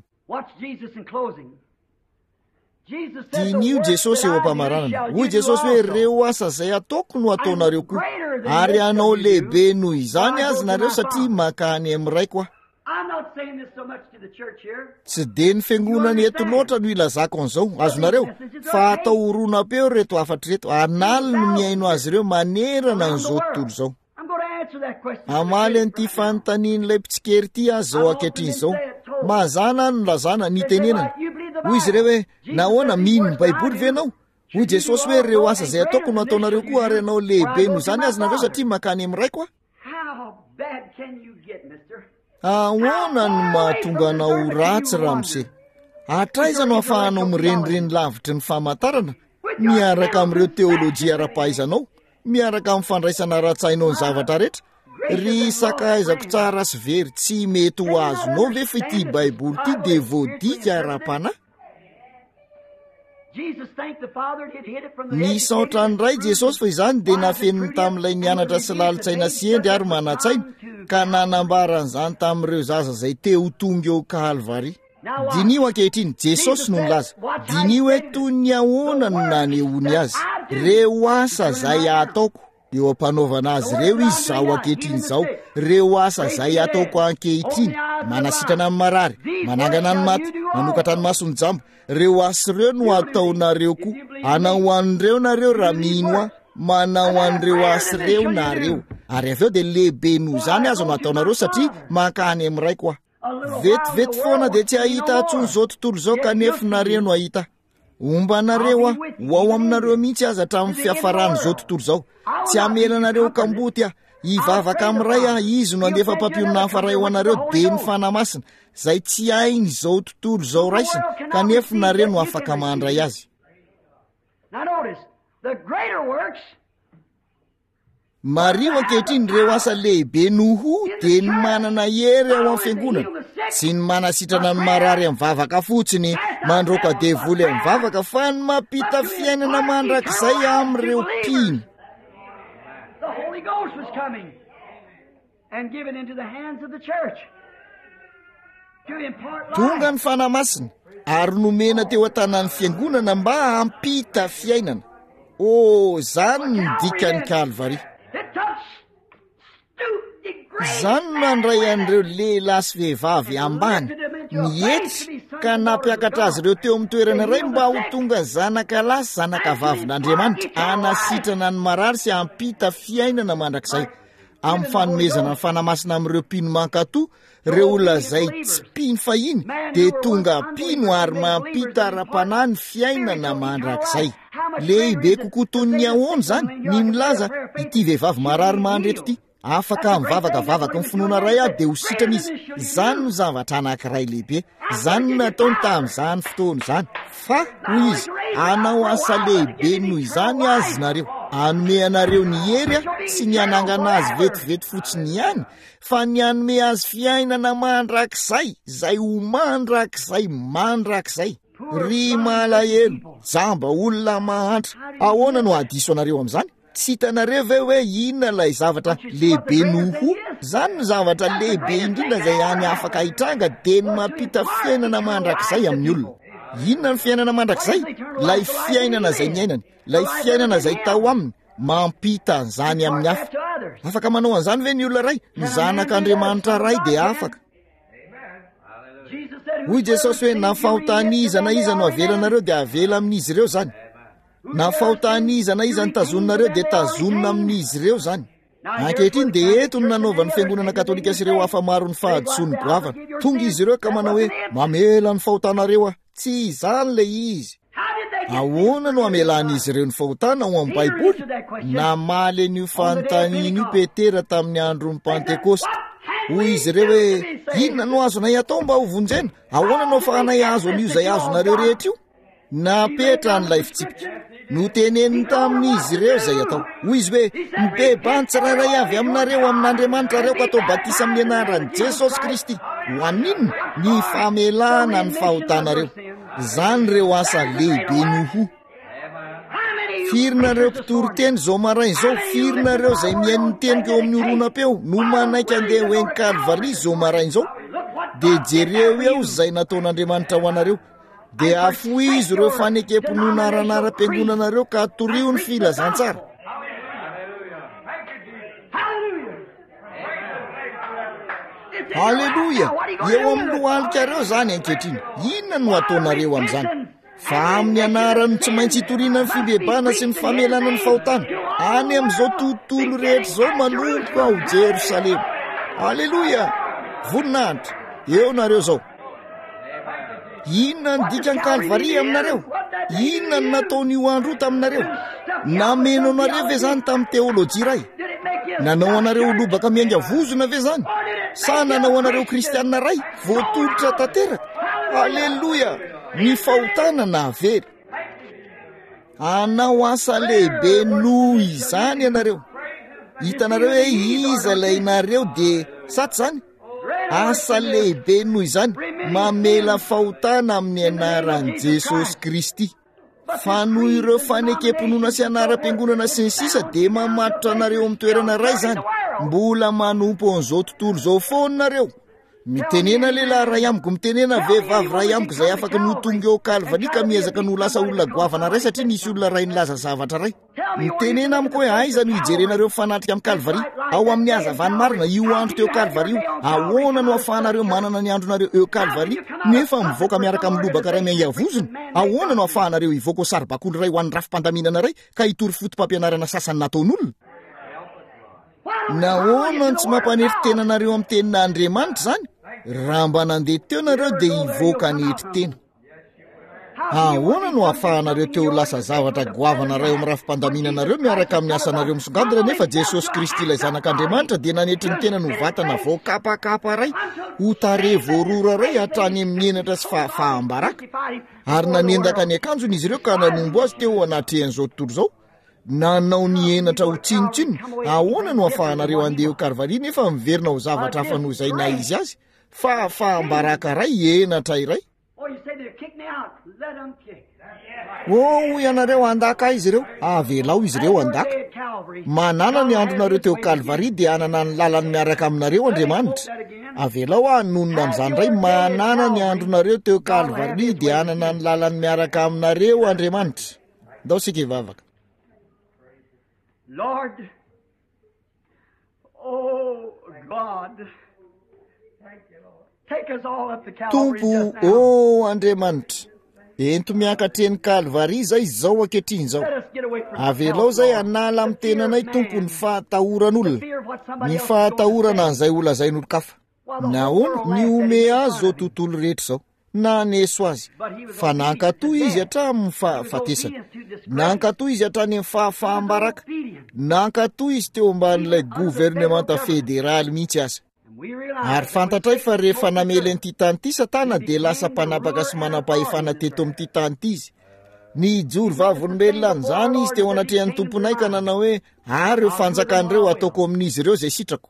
Diniho Jesosy eo am-pamaranana. Hoy Jesosy hoe, Ireo asa izay ataoko no ataonareo koa, ary hanao lehibe noho izany azy nareo satria mankany amin'ny Raiko aho. Tsy dia ny fiangonana eto loatra no ilazako an'izao, azonareo, fa atao horonam-peo ireto hafatra ireto, an'aliny no mihaino azy ireo manerana an'izao tontolo izao. Hamaly an'ity fanontanian'ilay mpitsikera ity aho izao ankehitriny izao. Mazàna aho no nilazana, nitenenana. Hoy izy ireo hoe, Nahoana, mino ny Baiboly ve ianao? Hoy Jesosy hoe, Ireo asa izay ataoko no ataonareo koa, ary hanao lehibe noho izany aza nareo satria mankany amin'ny Raiko aho. Ahoana no mahatonga anao ho ratsy, ramose? Hatraiza no ahafahanao mirenireny lavitry ny famantarana, miaraka amin'ireo teolojia ara-pahaizanao, miaraka amin'ny fandraisana ara-tsainao ny zavatra rehetra? Ry sakaizako tsara sy very, tsy mety ho azonao ve fa ity Baiboly ity dia voadika ara-panahy? Nisaotra ny Ray Jesosy fa izany dia nafeniny tamin'ilay nianatra sy lalin-tsaina sy hendry ary manan-tsaina, ka nanambara an'izany tamin'ireo zaza izay te ho tonga eo Kalvary. Diniho ankehitriny, Jesosy no nilaza. Diniho hoe toy ny ahoana no nanehoany azy. Reo asa izay ataoko. Eo am-panaovana azy ireo izy izao ankehitriny izao, ireo asa izay ataoko ankehitriny, manasitrana ny marary, manangana ny maty, manokatra ny mason'ny jamba, ireo asa ireo no ataonareo koa. Hanao an'ireo nareo raha mino ahy, manao an'ireo asa ireo nareo. Ary avy eo dia lehibe noho izany aza no ataonareo satria mankany amin'ny Raiko aho. Vetivety foana dia tsy hahita intsony izao tontolo izao kanefa nareo no hahita. Homba anareo aho, ho ao aminareo mihitsy aza hatramin'ny fiafaran'izao tontolo izao. Tsy hamela anareo ho kamboty aho. Hivavaka amin'ny Ray aho, Izy no handefa mpampionona hafa iray ho anareo, dia ny Fanahy Masina, izay tsy hain'izao tontolo izao raisina, kanefa nareo no afaka mandray azy. Now notice, the greater works. Mariho ankehitriny ireo asa lehibe noho dia ny manana hery ao amin'ny fiangonana. Tsy ny manasitrana ny marary amin'ny vavaka fotsiny, mandroaka devoly amin'ny vavaka, fa ny mampita fiainana mandrakizay amin'ireo mpino. The Holy Ghost was coming and given into the hands of the church to impart life. Tonga ny Fanahy Masina ary nomena teo an-tanan'ny fiangonana mba hampita fiainana. Oh, izany no dikan'ny Kalvary. It took stoop degraded Izany no nandray an'ireo lehilahy sy vehivavy ambany, nietry, ka nampiakatra azy ireo teo amin'ny toerana iray mba ho tonga zanaka lahy sy zanaka vavin'Andriamanitra, hanasitrana ny marary sy hampita fiainana mandrakizay. Amin'ny fanomezana ny Fanahy Masina amin'ireo mpino mankatò, ireo olona izay tsy mpino fahiny dia tonga mpino ary mampita ara-panahy ny fiainana mandrakizay. Lehibe kokoa toy ny ahoana izany ny milaza ity vehivavy marary mandry eto ity, Afaka mivavaka vavaky ny finoana iray aho dia ho sitrana izy. Izany no zavatra anankiray lehibe. Izany no nataony tamin'izany fotoana izany. Fa, hoy izy, hanao asa lehibe noho izany azy nareo. Hanome anareo ny hery aho, tsy ny hanangana azy vetivety fotsiny ihany, fa ny hanome azy fiainana mandrakizay, izay ho mandrakizay mandrakizay. Ry malahelo, jamba, olona mahantra, ahoana no hahadiso anareo amin'izany? Tsy hitanareo ve hoe inona ilay zavatra lehibe noho? Izany no zavatra lehibe indrindra izay hany afaka hitranga dia ny mampita fiainana mandrakizay amin'ny olona. Inona ny fiainana mandrakizay? Ilay fiainana izay niainany, ilay fiainana izay tao aminy, mampita an'izany amin'ny hafa. Afaka manao an'izany ve ny olona iray? Ny zanak'Andriamanitra iray dia afaka. Hoy Jesosy hoe na fahotan'iza na iza no avelanareo dia avela amin'izy ireo izany. Na fahotan'iza na iza no tazoninareo dia tazonina amin'izy ireo izany. Ankehitriny dia eto no nanaovan'ny fiangonana katolika sy ireo hafa maro ny fahadisoany goavana. Tonga izy ireo ka manao hoe mamela ny fahotanareo aho. Tsy izany ilay izy. Ahoana no hamelan'izy ireo ny fahotana ao amin'ny Baiboly? Namaly an'io fanontaniana io Petera tamin'ny andron'ny Pantekosta. Hoy izy ireo hoe, inona no azonay atao mba ho vonjena? Ahoana no ahafahanay hahazo an'io izay azonareo rehetra io? Napetrany ilay fitsipika. Noteneniny tamin'izy ireo izay atao. Hoy izy hoe, Mibebaha ny tsirairay avy aminareo amin'Andriamanitra ary aoka atao batisa amin'ny anaran'i Jesosy Kristy. Ho an'inona? Ny famelana ny fahotanareo. Izany ireo asa lehibe noho. Firy nareo mpitory teny izao maraina izao, firy nareo izay mihaino ny teniko eo amin'ny horonam-peo no manaiky andeha ho eny Kalvary izao maraina izao? Dia jereo eo izay nataon'Andriamanitra ho anareo. Dia afohizo ireo fanekem-pinoana ara-anaram-piangonanareo ka torio ny filazantsara. Haleloia! Eo amin'ny lohalikareo izany ankehitriny. Inona no ataonareo amin'izany? Fa amin'ny anarany tsy maintsy hitoriana ny fibebahana sy ny famelana ny fahotana any amin'izao tontolo rehetra izao manomboka ao Jerosalema. Haleloia! Voninahitra! Eo nareo izao. Inona ny dikan'ny Kalvary aminareo? Inona no nataon'io andro io taminareo? Nameno anareo ve izany tamin'ny teolojia iray? Nanao anareo ho lobaka miainga vozona ve izany? Sa nanao anareo kristianina iray voatolotra tanteraka? Aleloia! Ny fahotana nahavery. Hanao asa lehibe noho izany ianareo. Hitanareo hoe iza ilay nareo dia sa tsy izany? Asa lehibe noho izany, mamela fahotana amin'ny anaran'i Jesosy Kristy. Fa noho ireo fanekem-pinoana sy anaram-piangonana sy ny sisa dia mamatotra anareo amin'ny toerana iray izany. Mbola manompo an'izao tontolo izao foana nareo. Mitenena lehilahy iray amiko, mitenena vehivavy iray amiko izay afaka ny ho tonga eo Kalvary ka miezaka ny ho lasa olona goavana iray satria nisy olona iray nilaza zavatra iray. Mitenena amiko hoe aiza no hijerenareo mifanatrika amin'ny Kalvary? Ao amin'ny hazavan'ny marina, io andro teo Kalvary io. Ahoana no ahafahanareo manana ny andronareo eo Kalvary nefa mivoaka miaraka amin'ny lobaka iray miainga vozona? Ahoana no ahafahanareo hivoaka ho saribakoly iray ho an'ny rafi-pandaminana iray ka hitory foto-pampianarana sasany nataon'olona? Nahoana no tsy mampanetry tena anareo amin'ny tenin'Andriamanitra izany? Raha mba nandeha teo nareo dia hivoaka hanetry tena. Ahoana no ahafahanareo te ho lasa zavatra goavana iray ao amin'ny rafi-pandaminanareo miaraka amin'ny asanareo misongadina nefa Jesosy Kristy ilay Zanak'Andriamanitra dia nanetry ny tenany ho vatana voakapakapa iray, ho tarehy voarora iray hatrany amin'ny henatra sy fahafaham-baraka, ary nanendaka ny akanjony izy ireo ka nanombo azy teo anatrehan'izao tontolo izao? Nanao ny henatra ho tsinontsinona. Ahoana no ahafahanareo handeha eo Kalvary nefa miverina ho zavatra hafa noho izay naha izy azy? Fahafaham-baraka iray, henatra iray. Oh, hoy ianareo, handaka ahy izy ireo. Avelao izy ireo handaka. Manana ny andronareo teo Kalvary dia hanana ny lalany miaraka aminareo Andriamanitra. Avelao aho hanonona an'izany indray. Manana ny andronareo teo Kalvary dia hanana ny lalany miaraka aminareo Andriamanitra. Ndao isika hivavaka. Lord, oh God, take us all up to Calvary Tompo, just now. ô Andriamanitra, ento miakatra eny Kalvary izay izao ankehitriny izao. Let us get away from Avelao self, izay Lord. hanala amin'ny The fear tenanay, of Tompo, ny man, fahatahoran'olona, the fear of what somebody ny else is going to fahatahorana say. an'izay holazain'olon-kafa. While the whole Nahoana, world laughed at him, nihomehy made azy fun izao of him. tontolo rehetra izao. Naneso azy, fa nankatò izy hatramin'ny fahafatesana. Nankatò izy hatrany amin'ny fahafaham-baraka. Nankatò izy teo ambanin'ilay governemanta federaly mihitsy aza. Ary fantatray fa rehefa namely an'ity tany ity Satana dia lasa mpanapaka sy manam-pahefana teto amin'ity tany ity izy. Nijoro vavolombelona an'izany izy teo anatrehan'ny Tomponay ka nanao hoe, Ary ireo fanjakana ireo hataoko amin'izy ireo izay sitrako.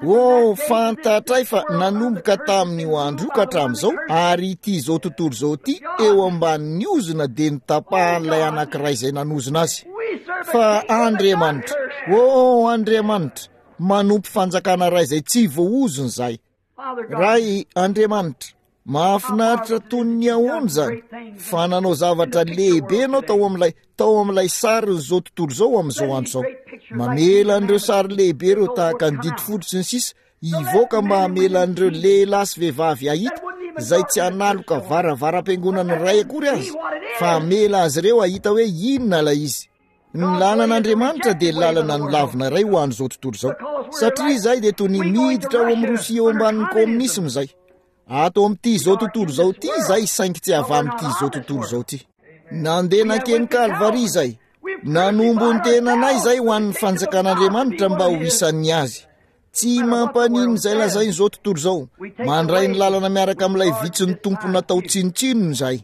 Oh, fantatray fa nanomboka tamin'io andro io ka hatramin'izao, ary ity izao tontolo izao ity eo ambanin'ny ozona dia notapahan'ilay anankiray izay nanozona azy. Fa Andriamanitra, oh Andriamanitra, manompo fanjakana iray izay tsy voaozona izahay. Ray Andriamanitra, mahafinaritra toy ny ahoana izany fa nanao zavatra lehibe ianao tao amin'ilay tao amin'ilay sarin'izao tontolo izao amin'izao andro izao. Mamela an'ireo sary lehibe ireo tahaka ny didy folo sy ny sisa hivoaka mba hamela an'ireo lehilahy sy vehivavy hahita izay tsy hanaloka varavaram-piangonana iray akory aza fa hamela azy ireo hahita hoe inona ilay izy. Ny lalan'Andriamanitra dia lalana nolavina iray ho an'izao tontolo izao. Satria izahay dia toy ny miditra ao amin'i Rosia eo ambanin'ny kominisma izay. Ato amin'ity izao tontolo izao ity izahay saingy tsy avy amin'ity izao tontolo izao ity. Nandeha nankeny Kalvary izahay. Nanombo ny tenanay izahay ho an'ny fanjakan'Andriamanitra mba ho isan'ny azy. Tsy mampaninona izay lazain'izao tontolo izao. Mandray ny lalana miaraka amin'ilay vitsin'ny Tompo natao tsinontsinona izahay.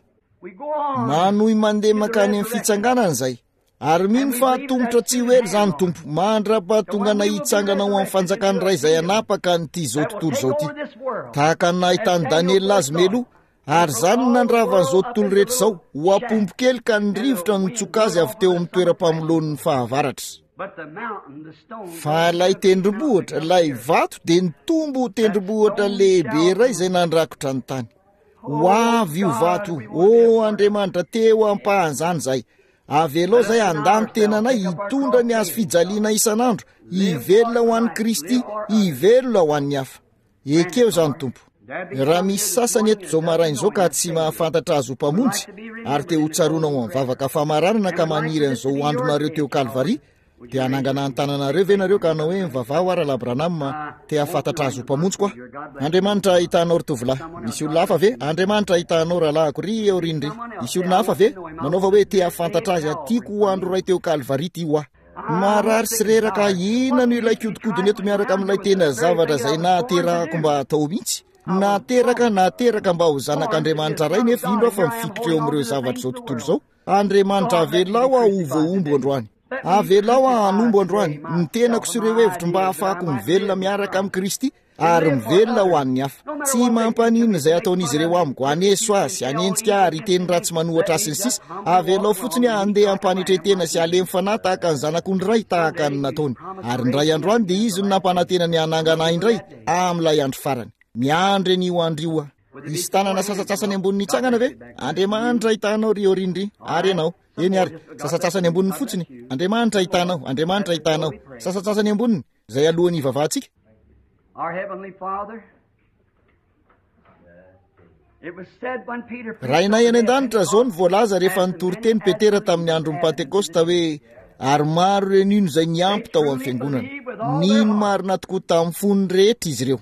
Manohy mandeha mankany amin'ny fitsanganana izay, ary mino fa hatomotra tsy ho ela izany, Tompo, mandra-pahatonganay hitsangana ho amin'ny fanjakan'ny Ray izay hanapaka an'ity izao tontolo izao ity. Tahaka ny nahitan'i Daniela azy mialoha, ary izany no nandrava an'izao tontolo rehetra izao, ho ampombo kely ka ny rivotra nitsoka azy avy teo amin'ny toeram-pamoloan'ny fahavaratra. Fa ilay tendrombohitra, ilay vato dia nitombo ho tendrombohitra lehibe iray izay nandrakotra ny tany. Ho avy io vato io. Oh Andriamanitra, te ho ampahan'izany izahay. Avelao izay handà ny tenanay hitondra ny hazo fijaliana isan'andro, hivelona ho an'i Kristy, hivelona ho an'ny hafa. Ekeo izany, Tompo. Raha misy sasany eto izao maraina izao ka tsy mahafantatra Azy ho Mpamonjy, ary te ho tsaroana ho amin'ny vavaka famaranana ka maniry an'izao ho andronareo teo Kalvary, Dia hanangana ny tananareo ve nareo ka hanao hoe, Mivavaha hoa Rahalahy Branham, te hahafantatra azy ho mpamonjiko aho. Andriamanitra hahita anao ry tovolahy. Misy olona hafa ve? Andriamanitra hahita anao rahalahiko, ry eo rindry. Misy olona hafa ve? Manaova hoe, te hahafantatra azy aho, tiako ho andro iray teo Kalvary ity ho ahy. Marary sy reraka aho, inona no ilaiko hodikodina eto miaraka amin'ilay tena zavatra izay nahaterahako mba hatao mihitsy? Nateraka, nateraka mba ho zanak'Andriamanitra Ray nefa indro aho fa mifikitra eo amin'ireo zavatr'izao tontolo izao. Andriamanitra avelao aho ho voahombo androany. Avelao aho hanombo androany ny tenako sy ireo hevitro mba hahafahako mivelona miaraka amin'i Kristy ary mivelona ho an'ny hafa. Tsy mampaninona izay ataon'izy ireo amiko, haneso ahy sy hanenjika ahy ary hiteny ratsy manohatra ahy sy ny sisa, avelao fotsiny aho handeha am-panetren-tena sy halemy fanahy tahaka ny zanak'ondry iray tahaka ny nataony. Ary indray androany dia Izy no nampanantena ny hanangana ahy indray amin'ilay andro farany. Miandry an'io andro io aho. Hisy tanana sasantsasany amboniny hitsangana ve? Andriamanitra hitanao ry Orindry, ary ianao. Eny ary, sasantsasany amboniny fotsiny. Andriamanitra hitanao, Andriamanitra hitanao. Sasantsasany amboniny, izay alohan'ny hivavahantsika. Rainay any an-danitra, izao no voalaza rehefa nitory teny Petera tamin'ny andron'ny Pantekosta hoe, ary maro ireo nino izay niampy tao amin'ny fiangonana. Nino marina tokoa tamin'ny fony rehetra izy ireo.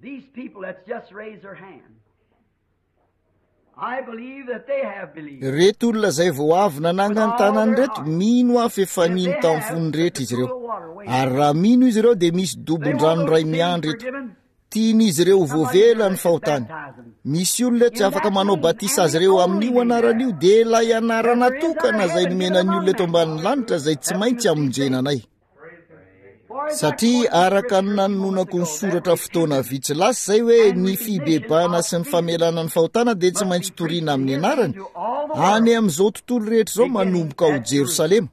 These people that's just raised their hand. I believe that they have believed. Ireto olona izay vao avy nanangana ny tanany ireto, mino aho fa efa nino tamin'ny fony rehetra izy ireo. Ary raha mino izy ireo dia misy dobon-drano iray miandry eto. Tian'izy ireo ho voavela ny fahotany. Misy olona tsy afaka manao batisa azy ireo amin'io anarana io, dia ilay anarana tokana izay nomena ny olona eto ambanin'ny lanitra izay tsy maintsy hamonjena anay. Satria araka ny nanononako ny soratra fotoana vitsy lasa izay hoe ny fibebahana sy ny famelana ny fahotana dia tsy maintsy toriana amin'ny anarany any amin'izao tontolo rehetra izao manomboka ao Jerosalema.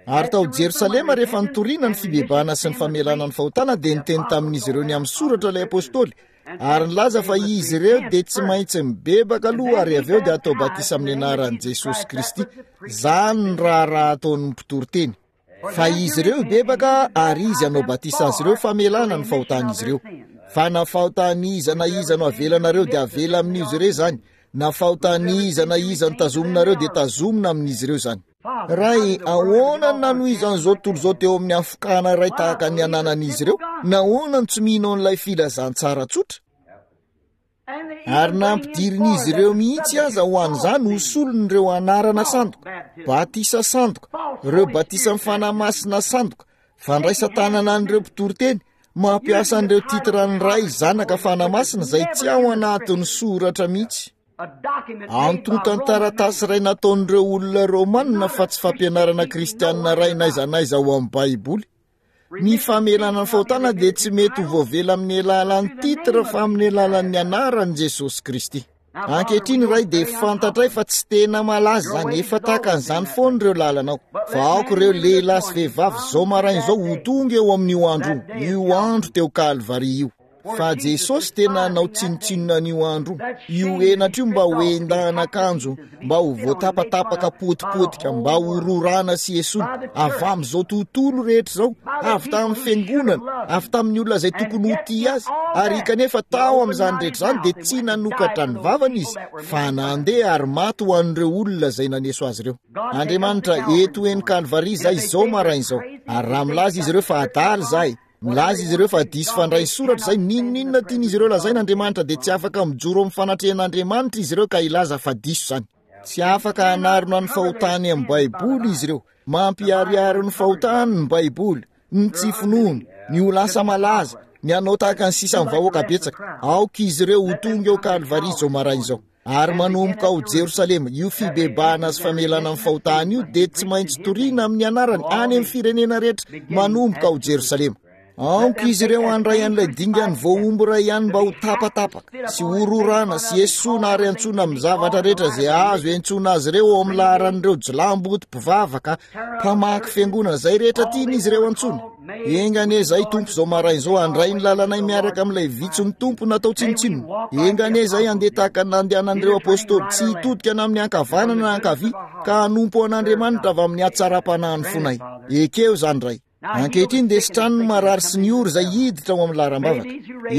Ary tao Jerosalema rehefa nitoriana ny fibebahana sy ny famelana ny fahotana dia niteny tamin'izy ireo ny amin'ny soratra ilay apostoly ary nilaza fa izy ireo dia tsy maintsy mibebaka aloha ary avy eo dia atao batisa amin'ny anaran'i Jesosy Kristy. Izany ny raharaha ataon'ny mpitory teny. Fa izy ireo hibebaka ary izy hanao batisa azy ireo famelana ny fahotan'izy ireo. Fa na fahotan'iza na iza no avelanareo dia avela amin'izy ireo izany, na fahotan'iza na iza no tazominareo dia tazomina amin'izy ireo izany. Ray, ahoana no nanohizan'izao tontolo izao teo amin'ny hafokana iray tahaka ny ananan'izy ireo? Nahoana no tsy mino an'ilay filazantsara tsotra? Ary nampidirin'izy ireo mihitsy aza ho an'izany ho solon'ireo anarana sandoka, batisa sandoka, ireo batisan'ny Fanahy Masina sandoka, fandraisan-tanana an'ireo mpitoriteny, mampiasa an'ireo titran'ny Ray, Zanaka, Fanahy Masina izay tsy ao anatin'ny soratra mihitsy. Antontan-taratasy iray nataon'ireo olona Romanina fa tsy fampianarana kristianina iray n'aiza n'aiza ao amin'ny Baiboly. Ny famelana ny fahotana dia tsy mety ho voavela amin'ny alalan'ny titre fa amin'ny alalan'ny anaran'i Jesosy Kristy. Ankehitriny Ray dia fantatray fa tsy tena malaza izany, efa tahaka an'izany foana ireo lalanao. Fa aoka ireo lehilahy sy vehivavy izao maraina izao ho tonga eo amin'io andro io, io andro teo Kalvary io. Fa Jesosy tena hanao tsinontsinona an'io andro io, io henatra io mba ho endahan'akanjo, mba ho voatapatapaka potipotika, mba ho rorana sy esoina, avy amin'izao tontolo rehetra izao, avy tamin'ny fiangonana, avy tamin'ny olona izay tokony ho tia azy, ary kanefa tao amin'izany rehetra izany dia tsy nanokatra ny vavany izy, fa nandeha ary maty ho an'ireo olona izay naneso azy ireo. Andriamanitra, eto eny Kalvary izahay izao maraina izao, ary raha milaza izy ireo fa adala izahay, Milaza izy ireo fa diso fandray ny soratra izay n'inon'inona tian'izy ireo lazaina Andriamanitra dia tsy afaka mijoro amin'ny fanatrehan'Andriamanitra izy ireo ka hilaza fa diso izany. Tsy afaka hanarona ny fahotany amin'ny Baiboly izy ireo. Mampiharihary ny fahotany ny Baiboly, ny tsy finoany, ny ho lasa malaza, ny hanao tahaka ny sisa ny vahoaka betsaka. Aoka izy ireo ho tonga eo Kalvary izao maraina izao. Ary manomboka ao Jerosalema, io fibebahana sy famelana ny fahotana io dia tsy maintsy toriana amin'ny anarany any amin'ny firenena rehetra manomboka ao Jerosalema. Aoka izy ireo handray an'ilay dingan'ny voahombo iray ihany mba ho tapatapaka sy hororana sy esoina ary antsoina amin'ny zavatra rehetra izay azo iantsoana azy ireo ao amin'ny laharan'ireo jilamboto mpivavaka mpamaky fiangonana izay rehetra tian'izy ireo antsoina. Enga anie izahay Tompo izao maraina izao handray ny lalanay miaraka amin'ilay vitsin'ny Tompo natao tsinontsinona. Enga anie izahay handeha tahaka ny nandehanan'ireo apostoly, tsy hitodika na amin'ny ankavanana na ankavia, ka hanompo an'Andriamanitra avy amin'ny hatsaram-panahin'ny fonay. Ekeo izany, Ray. Ankehitriny dia sitrano ny marary sy ny ory izay hiditra ao amin'ny laharam-bavaka.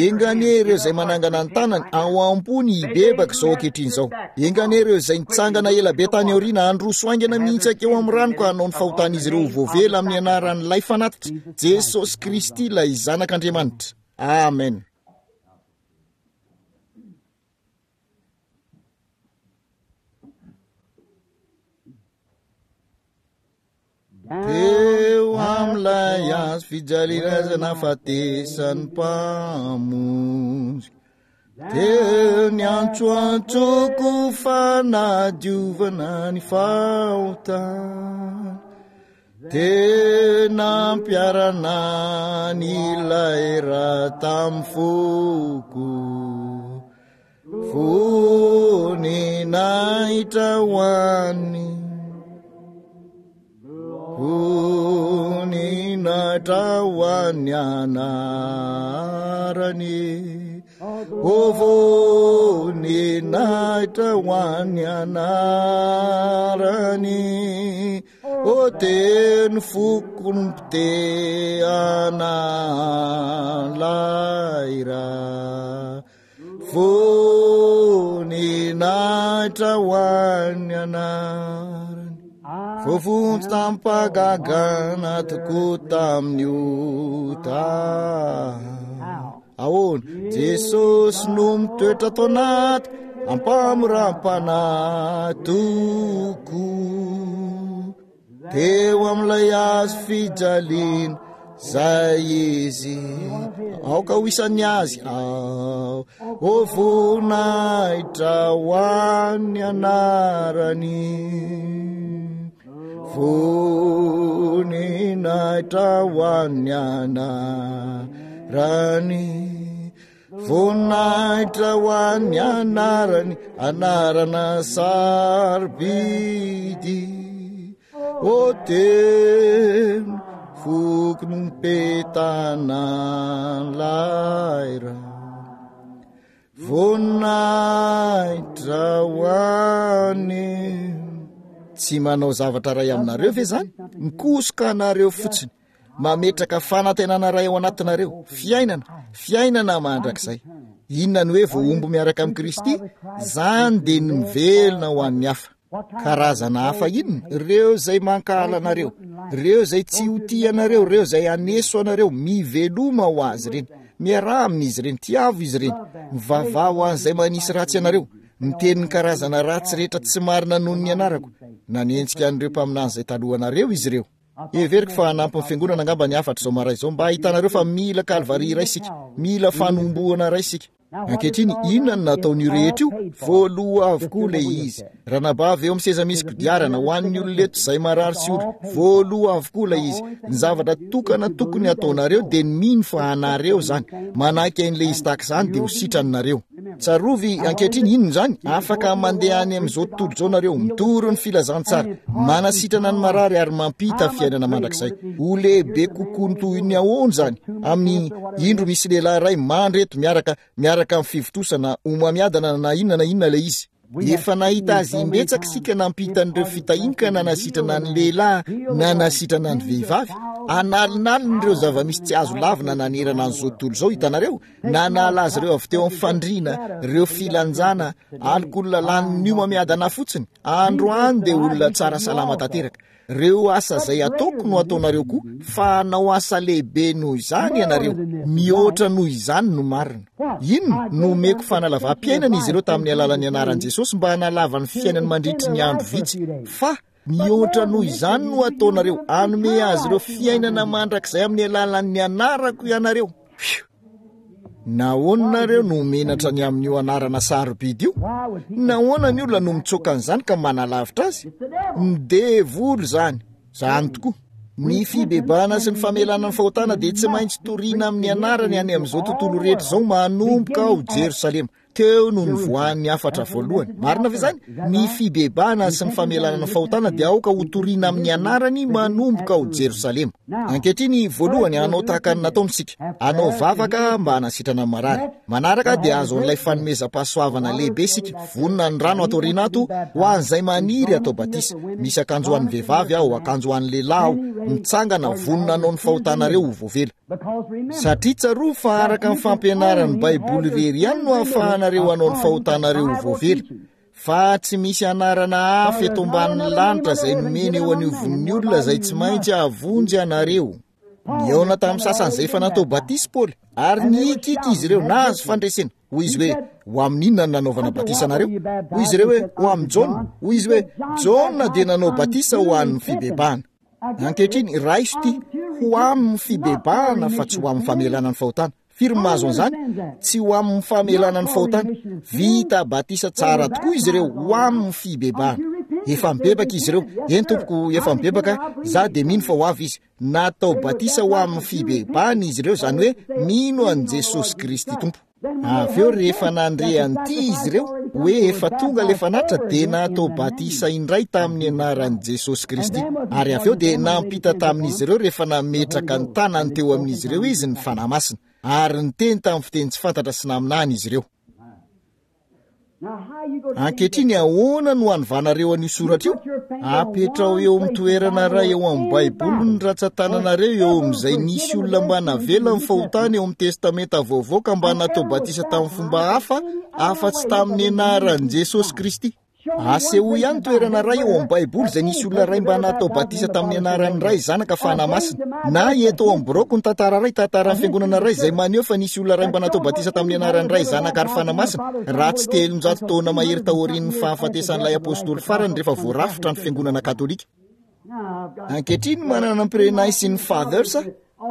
Enga anie ireo izay manangana ny tanany ao am-pony hibebaka izao ankehitriny izao. Enga anie ireo izay nitsangana ela be tany aoriana handroso haingana mihitsy hankeo amin'ny rano ka hanao ny fahotan'izy ireo ho voavela amin'ny anaran'ilay fanatitra, Jesosy Kristy ilay Zanak'Andriamanitra. Amen. Teo amin'ilay hazo fijaliana izay nahafatesan'ny Mpamonjy. Teo ny antsoantsoko fanadiovana ny fahotana. Teo nampiarana ny ilay ra tamin'ny foko. Voninahitra ho an'ny Voninahitra ho an'ny anarany O voninahitra ho an'ny anarany O teny foko ny mpitehana laira Voninahitra ho an'ny anarany. Voavonjy tamim-pahagagana tokoa tamin'ny ota. Ahoana? Jesosy no mitoetra ato anaty ampamoram-panahy tokoa. Teo amin'ilay hazo fijaliana. Zay izy, aoka ho isan'ny azy aho. O voninahitra ho an'ny anarany. Voninahitra ho an'ny anarany. Voninahitra ho an'ny anarany, anarana sarobidy. O teny foko nompetana laira. Voninahitra ho an'ny. Tsy manao zavatra iray aminareo ve izany? Mikosoka anareo fotsiny. Mametraka fanantenana iray ao anatinareo, fiainana, fiainana mandrakizay. Inona ny hoe voahombo miaraka amin'i Kristy? Izany dia ny mivelona ho an'ny hafa. Karazana hafa inona? Ireo izay mankahala anareo, ireo izay tsy ho tia anareo, ireo izay haneso anareo, miveloma ho azy ireny. Miaraha amin'izy ireny, tiavo izy ireny. Mivavaha ho an'izay manisy ratsy anareo. Miteny ny karazana ratsy rehetra tsy marina noho ny anarako. Nanenjika an'ireo mpaminany izay talohanareo izy ireo. Heveriko fa hanampy ny fiangonana angamba ny hafatra izao maray izao mba hahitanareo fa mila Kalvary iray isika, mila fanombohana iray isika. Ankehitriny, inona no nataon'io rehetra io? Voaloa avokoa ilay izy. Ranabavy eo amin'ny seza misy kodiarana, ho an'ny olona eto izay marary sy ory, voaloa avokoa ilay izy. Ny zavatra tokana tokony hataonareo dia ny mino fa anareo izany. Manaiky an'ilay izy tahaka izany dia ho sitranareo. Tsarovy ankehitriny, inona izany? Afaka mandeha any amin'izao tontolo izao nareo, mitory ny filazantsara, manasitrana ny marary ary mampita fiainana mandrakizay. Ho lehibe kokoa ny toy ny ahoana izany? Amin'ny indro misy lehilahy iray mandry eto miaraka miaraka amin'ny fivontosana homamiadana na inona na inona ilay izy. Efa nahita azy imbetsaka isika nampita an'ireo fitahiany ka nanasitrana ny lehilahy, nanasitrana ny vehivavy. Analinaliny ireo zava-misy tsy azo lavina nanerana an'izao tontolo izao, hitanareo? Nanala azy ireo avy teo amin'ny fandriana, ireo filanjana, alikaola lanin'ny homamiadana fotsiny. Androany dia olona tsara salama tanteraka. Ireo asa izay ataoko no ataonareo koa, fa hanao asa lehibe noho izany ianareo. Mihoatra noho izany no marina. Inona? Nomeko fanalavam-piainana izy ireo tamin'ny alalan'ny anaran'i Jesosy mba hanalava ny fiainany mandritry ny andro vitsy. Fa mihoatra noho izany no ataonareo, hanome azy ireo fiainana mandrakizay amin'ny alalan'ny anarako ianareo. Fiu! Nahoana nareo no menatra ny amin'io anarana sarobidy io? Nahoana ny olona no mitsoaka an'izany ka manalavitra azy? Ny devoly izany! Izany tokoa. Ny fibebahana sy ny famelana ny fahotana dia tsy maintsy toriana amin'ny anarany any amin'izao tontolo rehetra izao manomboka ao Jerosalema. Teo no nivoahan'ny hafatra voalohany. Marina ve izany? Ny fibebahana sy ny famelana ny fahotana dia aoka hotorina amin'ny anarany manomboka ao Jerosalema. Ankehitriny, voalohany, hanao tahaka ny nataony isika. Hanao vavaka mba hanasitrana ny marary. Manaraka dia hahazo an'ilay fanomezam-pahasoavana lehibe isika. Vonona ny rano ato aoriana ato ho an'izay maniry hatao batisa. Misy akanjo ho an'ny vehivavy aho, akanjo ho an'ny lehilahy aho. Mitsangana, vonona hanao ny fahotanareo ho voavela. Satria tsarovy fa araka ny fampianaran'ny Baiboly irery ihany no ahafahanareo hanao ny fahotanareo ho voavela, fa tsy misy anarana hafa eto ambanin'ny lanitra izay nomena eo anivon'ny olona izay tsy maintsy hahavonjy anareo. Nihaona tamin'ny sasany izay efa natao batisa Paoly, ary nihikiky izy ireo, nahazo fandresena. Hoy izy hoe, Ho amin'ny inona no nanaovana batisa anareo? Hoy izy ireo hoe, Ho amin'i Jaona. Hoy izy hoe, Jaona dia nanao batisa ho an'ny fibebahana. Ankehitriny, raiso ity, ho amin'ny fibebahana fa tsy ho amin'ny famelana ny fahotana. Firy ny mahazo an'izany? Tsy ho amin'ny famelana ny fahotana. Vita batisa tsara tokoa izy ireo ho amin'ny fibebahana. Efa mibebaka izy ireo. Eny tompoko, efa mibebaka, za dia mino fa ho avy izy. Natao batisa ho amin'ny fibebahana izy ireo, izany hoe mino an'i Jesosy Kristy Tompo. Avy eo rehefa nandre an'ity izy ireo, hoe efa tonga ilay fanatitra, dia natao batisa indray tamin'ny anaran'i Jesosy Kristy. Ary avy eo dia nampita tamin'izy ireo rehefa nametraka ny tanany teo amin'izy ireo izy ny Fanahy Masina. Ary niteny tamin'ny fiteny tsy fantatra sy naminany izy ireo. Ankehitriny, ahoana no hanovanareo an'io soratra io? Apetraho eo amin'ny toerana iray eo amin'ny Baiboly ny ratsan-tananareo eo amin'izay nisy olona mba navela ny fahotany eo amin'ny Testamenta Vaovao ka mba natao batisa tamin'ny fomba hafa afa-tsy tamin'ny anaran'i Jesosy Kristy. Asehoy ihany toerana iray ao amin'ny Baiboly izay nisy olona iray mba natao batisa tamin'ny anaran'ny Ray, Zanaka, Fanahy Masina. Na eto ao amin'ny biraoko ny tantara iray, tantaran'ny fiangonana iray izay maneho fa nisy olona iray mba natao batisa tamin'ny anaran'ny Ray, Zanaka ary Fanahy Masina, raha tsy 300 taona mahery taorian'ny fahafatesan'ilay apostoly farany rehefa voarafitra ny fiangonana katolika. Ankehitriny manana ny Pre-Nicene Fathers.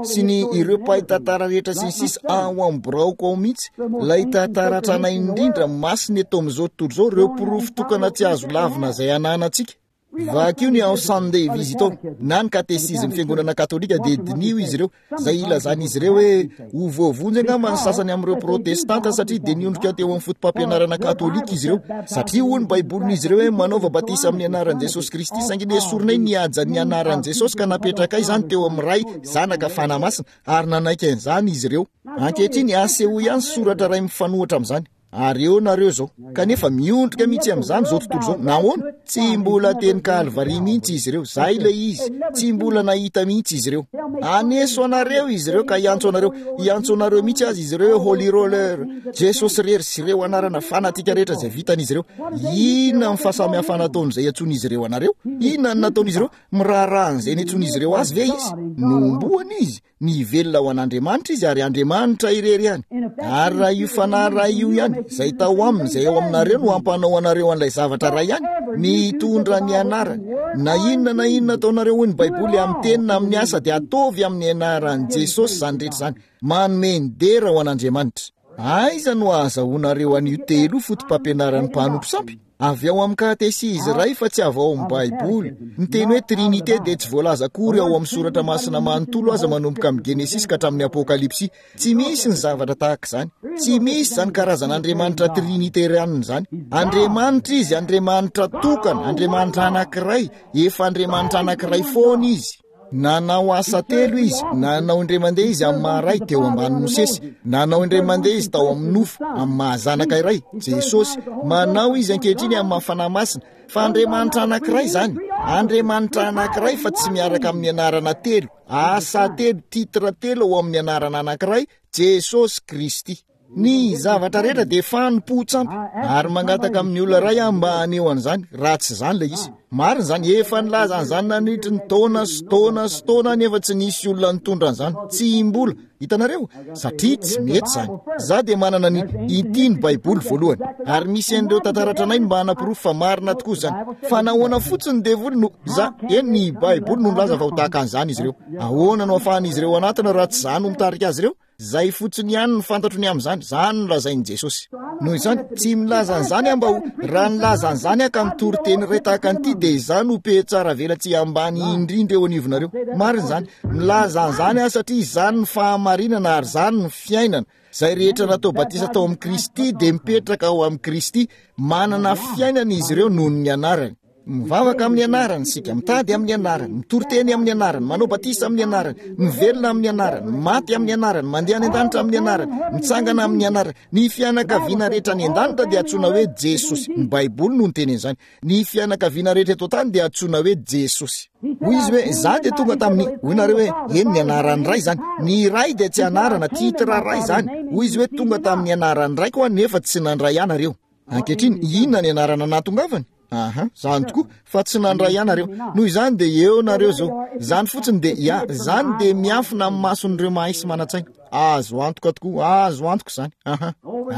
Sy ny ireo mpahay tantara rehetra sy ny sisa ao amin'ny biraoko ao mihitsy, ilay tantara tranainy indrindra masina eto amin'izao tontolo izao, ireo porofo tokana tsy azo lavina izay ananantsika. Vakio ny ao Sunday Visitor na ny katesizin'ny fiangonana katolika dia diniho izy ireo, izay ilazan'izy ireo hoe ho voavonjy angamba ny sasany amin'ireo protestanta satria dia niondrika teo amin'ny foto-pampianarana katolika izy ireo, satria hoy ny baibolin'izy ireo hoe manaova batisa amin'ny anaran'i Jesosy Kristy, saingy nesorinay ny hajan'ny anaran'i Jesosy ka napetrakay izany teo amin'ny Ray, Zanaka, Fanahy Masina, ary nanaiky an'izany izy ireo. Ankehitriny, asehoy ihany soratra iray mifanohitra amin'izany. Ary eo nareo izao, kanefa miondrika mihitsy amin'izany izao tontolo izao. Nahoana? Tsy mbola teny Kalvary mihitsy izy ireo. Izay ilay izy. Tsy mbola nahita mihitsy izy ireo. Haneso anareo izy ireo ka hiantso anareo. Hiantso anareo mihitsy aza izy ireo hoe Holy Roller, Jesosy irery sy ireo anarana fanatika rehetra izay vitan'izy ireo. Inona ny fahasamihafana ataon'izay iantsoan'izy ireo anareo? Inona ny nataon'izy ireo? Miraharaha an'izay niantsoan'izy ireo azy ve izy? Nohomboana izy. Mivelona ho an'Andriamanitra izy ary Andriamanitra irery ihany. Ary raha io Fanahy iray io ihany, izay tao aminy, izay ao aminareo no hampanao anareo an'ilay zavatra iray ihany, ny hitondra ny anarany. Na inona na inona ataonareo hoy ny Baiboly amin'ny teny na amin'ny asa dia ataovy amin'ny anaran'i Jesosy izany rehetra izany. Manome ny dera ho an'Andriamanitra. Aiza no ahazahoanareo an'io telo io foto-pampianaran'ny mpanompo sampy? Avy ao amin'ny katesizy iray fa tsy avy ao amin'ny Baiboly. Ny teny hoe Trinite dia tsy voalaza akory ao amin'ny Soratra Masina manontolo aza manomboka amin'ny Genesisy ka hatramin'ny Apokalypsy. Tsy misy ny zavatra tahaka izany. Tsy misy izany karazan'Andriamanitra trinitarianina izany. Andriamanitra Izy, Andriamanitra tokana, Andriamanitra anankiray, efa Andriamanitra anankiray foana Izy. Nanao asa telo izy, nanao indray mandeha izy amin'ny maha-ray teo ambanin'i Mosesy, nanao indray mandeha izy tao amin'ny nofo, amin'ny maha-zanaka iray, Jesosy, manao izy ankehitriny amin'ny maha-Fanahy Masina, fa Andriamanitra anankiray izany, Andriamanitra anankiray fa tsy miaraka amin'ny anarana telo, asa telo, titre telo ao amin'ny anarana anankiray, Jesosy Kristy. Ny zavatra rehetra dia fanompoan-tsampy, ary mangataka amin'ny olona iray aho mba haneho an'izany, raha tsy izany ilay izy. Marina izany, efa nilaza an'izany nandritry ny taona sy taona sy taona nefa tsy nisy olona nitondra an'izany, tsy mbola. Hitanareo? Satria tsy mety izany. Izaho dia manana ny ity ny Baiboly voalohany, ary misy an'ireo tantara tranainy mba hanaporofo fa marina tokoa izany. Fa nahoana fotsiny ny devoly no, izaho, eny, ny Baiboly no nilaza fa ho tahaka an'izany izy ireo. Ahoana no ahafahan'izy ireo hanatona raha tsy izaho no mitarika azy ireo? Izay fotsiny ihany no fantatro ny amin'izany, izany no lazain'i Jesosy. Noho izany, tsy milaza an'izany aho mba ho, raha nilaza an'izany aho ka mitory teny iray tahaka an'ity, dia izaho no mpihatsara velatsihy ambany indrindra eo anivonareo. Marina izany. Milaza an'izany aho satria izany no fahamarinana ary izany no fiainana. Izay rehetra natao batisa tao amin'i Kristy dia mipetraka ao amin'i Kristy, manana fiainana izy ireo noho ny anarany. Mivavaka amin'ny anarany isika, mitady amin'ny anarany, mitory teny amin'ny anarany, manao batisa amin'ny anarany, mivelona amin'ny anarany, maty amin'ny anarany, mandeha any an-danitra amin'ny anarany, mitsangana amin'ny anarany. Ny fianakaviana rehetra any an-danitra dia antsoina hoe Jesosy. Ny Baiboly no niteny an'izany. Ny fianakaviana rehetra eto an-tany dia antsoina hoe Jesosy. Hoy izy hoe, Izaho dia tonga tamin'ny, hoy nareo hoe, eny, ny anaran'ny Ray izany. Ny Ray dia tsy anarana, titre Ray izany. Hoy izy hoe, Tonga tamin'ny anaran'ny Raiko aho nefa tsy nandray ahy nareo. Ankehitriny, inona ny anarana nahatongavany? Aha, zany tokoa, fa tsy nandray ahy nareo. Noho izany dia eo nareo izao. Izany fotsiny dia, ya, izany dia miafina amin'ny mason'ireo mahay sy manan-tsaina. Azo antoka tokoa, azo antoka izany. Aha.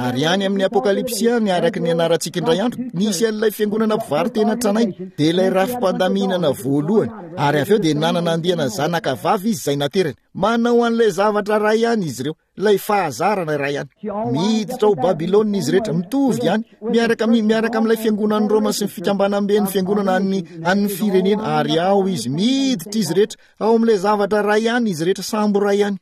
Ary any amin'ny Apokalypsy any, araka ny anarantsika indray andro, nisy an'ilay fiangonana mpivaro-tena tranainy, dia ilay rafi-pandaminana voalohany. Ary avy eo dia nanana andiana zanaka vavy izy izay naterany. Manao an'ilay zavatra iray ihany izy ireo. Ilay fahazarana iray ihany. Miditra ao Babylona izy rehetra, mitovy ihany, miaraka amin'ny miaraka amin'ilay fiangonan'i Roma sy ny fikambanamben'ny fiangonana an'ny an'ny firenena, ary ao izy, miditra izy rehetra, ao amin'ilay zavatra iray ihany izy rehetra, sambo iray ihany.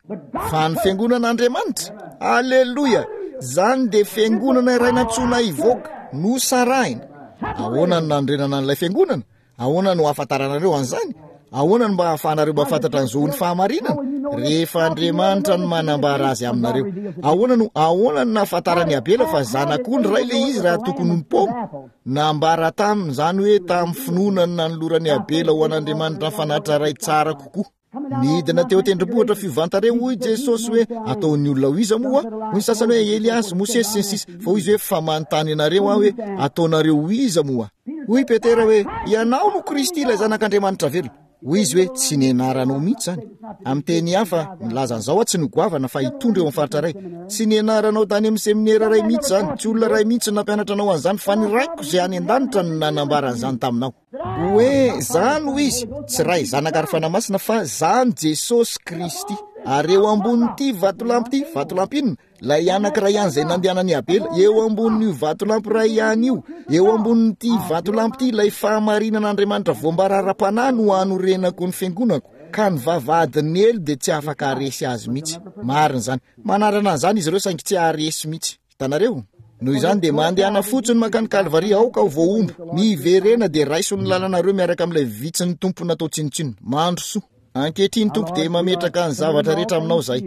Fa ny fiangonan'Andriamanitra, aleloia, izany dia fiangonana iray nantsoina hivoaka, nosarahina. Ahoana no nanorenana an'ilay fiangonana? Ahoana no ahafantaranareo an'izany? Ahoana no mba ahafahanareo mahafantatra ny zon'ny fahamarinana? Rehefa Andriamanitra no manambara azy aminareo. Ahoana no ahoana no nahafantaran'i Abela fa zanak'ondry iray ilay izy raha tokony ho ny paoma? Nambara taminy izany hoe tamin'ny finoana no nanoloran'i Abela ho an'Andriamanitra ny fanatitra iray tsara kokoa. Nidina teo an-tendrombohitra fiovan-tarehy hoy Jesosy hoe, ataon'ny olona ho iza moa aho? Hoy ny sasany hoe, Eliasy, Mosesy, sy ny sisa. Fa hoy izy hoe, fa manontany anareo aho hoe, ataonareo ho iza moa aho? Hoy Petera hoe, ianao no Kristy ilay Zanak'Andriamanitra velona. Hoy izy hoe, tsy nianaranao mihitsy izany. Amin'ny teny hafa, milaza an'izao aho tsy ny ho goavana fa hitondra eo amin'ny faritra iray. Tsy nianaranao tany amin'ny seminera iray mihitsy izany, tsy olona iray mihitsy no nampianatra anao an'izany, fa ny Raiko izay any an-danitra no nanambara an'izany taminao. Hoe, Zany hoy izy, tsy Ray, Zanaka ary Fanahy Masina, fa Zany Jesosy Kristy. Ary eo ambonin'ity vatolampy ity, vatolampy inona? Ilay anankiray ihany izay nandehanan'i Abela, eo ambonin'io vatolampy iray ihany io, eo ambonin'ity vatolampy ity, ilay fahamarinan'Andriamanitra voambara ara-panahy no hanorenako ny fiangonako, ka ny vavahadin'ny helo dia tsy afaka haharesy azy mihitsy. Marina izany. Manarana an'izany izy ireo saingy tsy haharesy mihitsy. Hitanareo? Noho izany dia mandehana fotsiny mankany Kalvary, aoka ho voahombo. Miverena dia raiso ny lalanareo miaraka amin'ilay vitsin'ny Tompo natao tsinontsinona. Mandrosoa. Ankehitriny, Tompo, dia mametraka ny zavatra rehetra aminao izahay.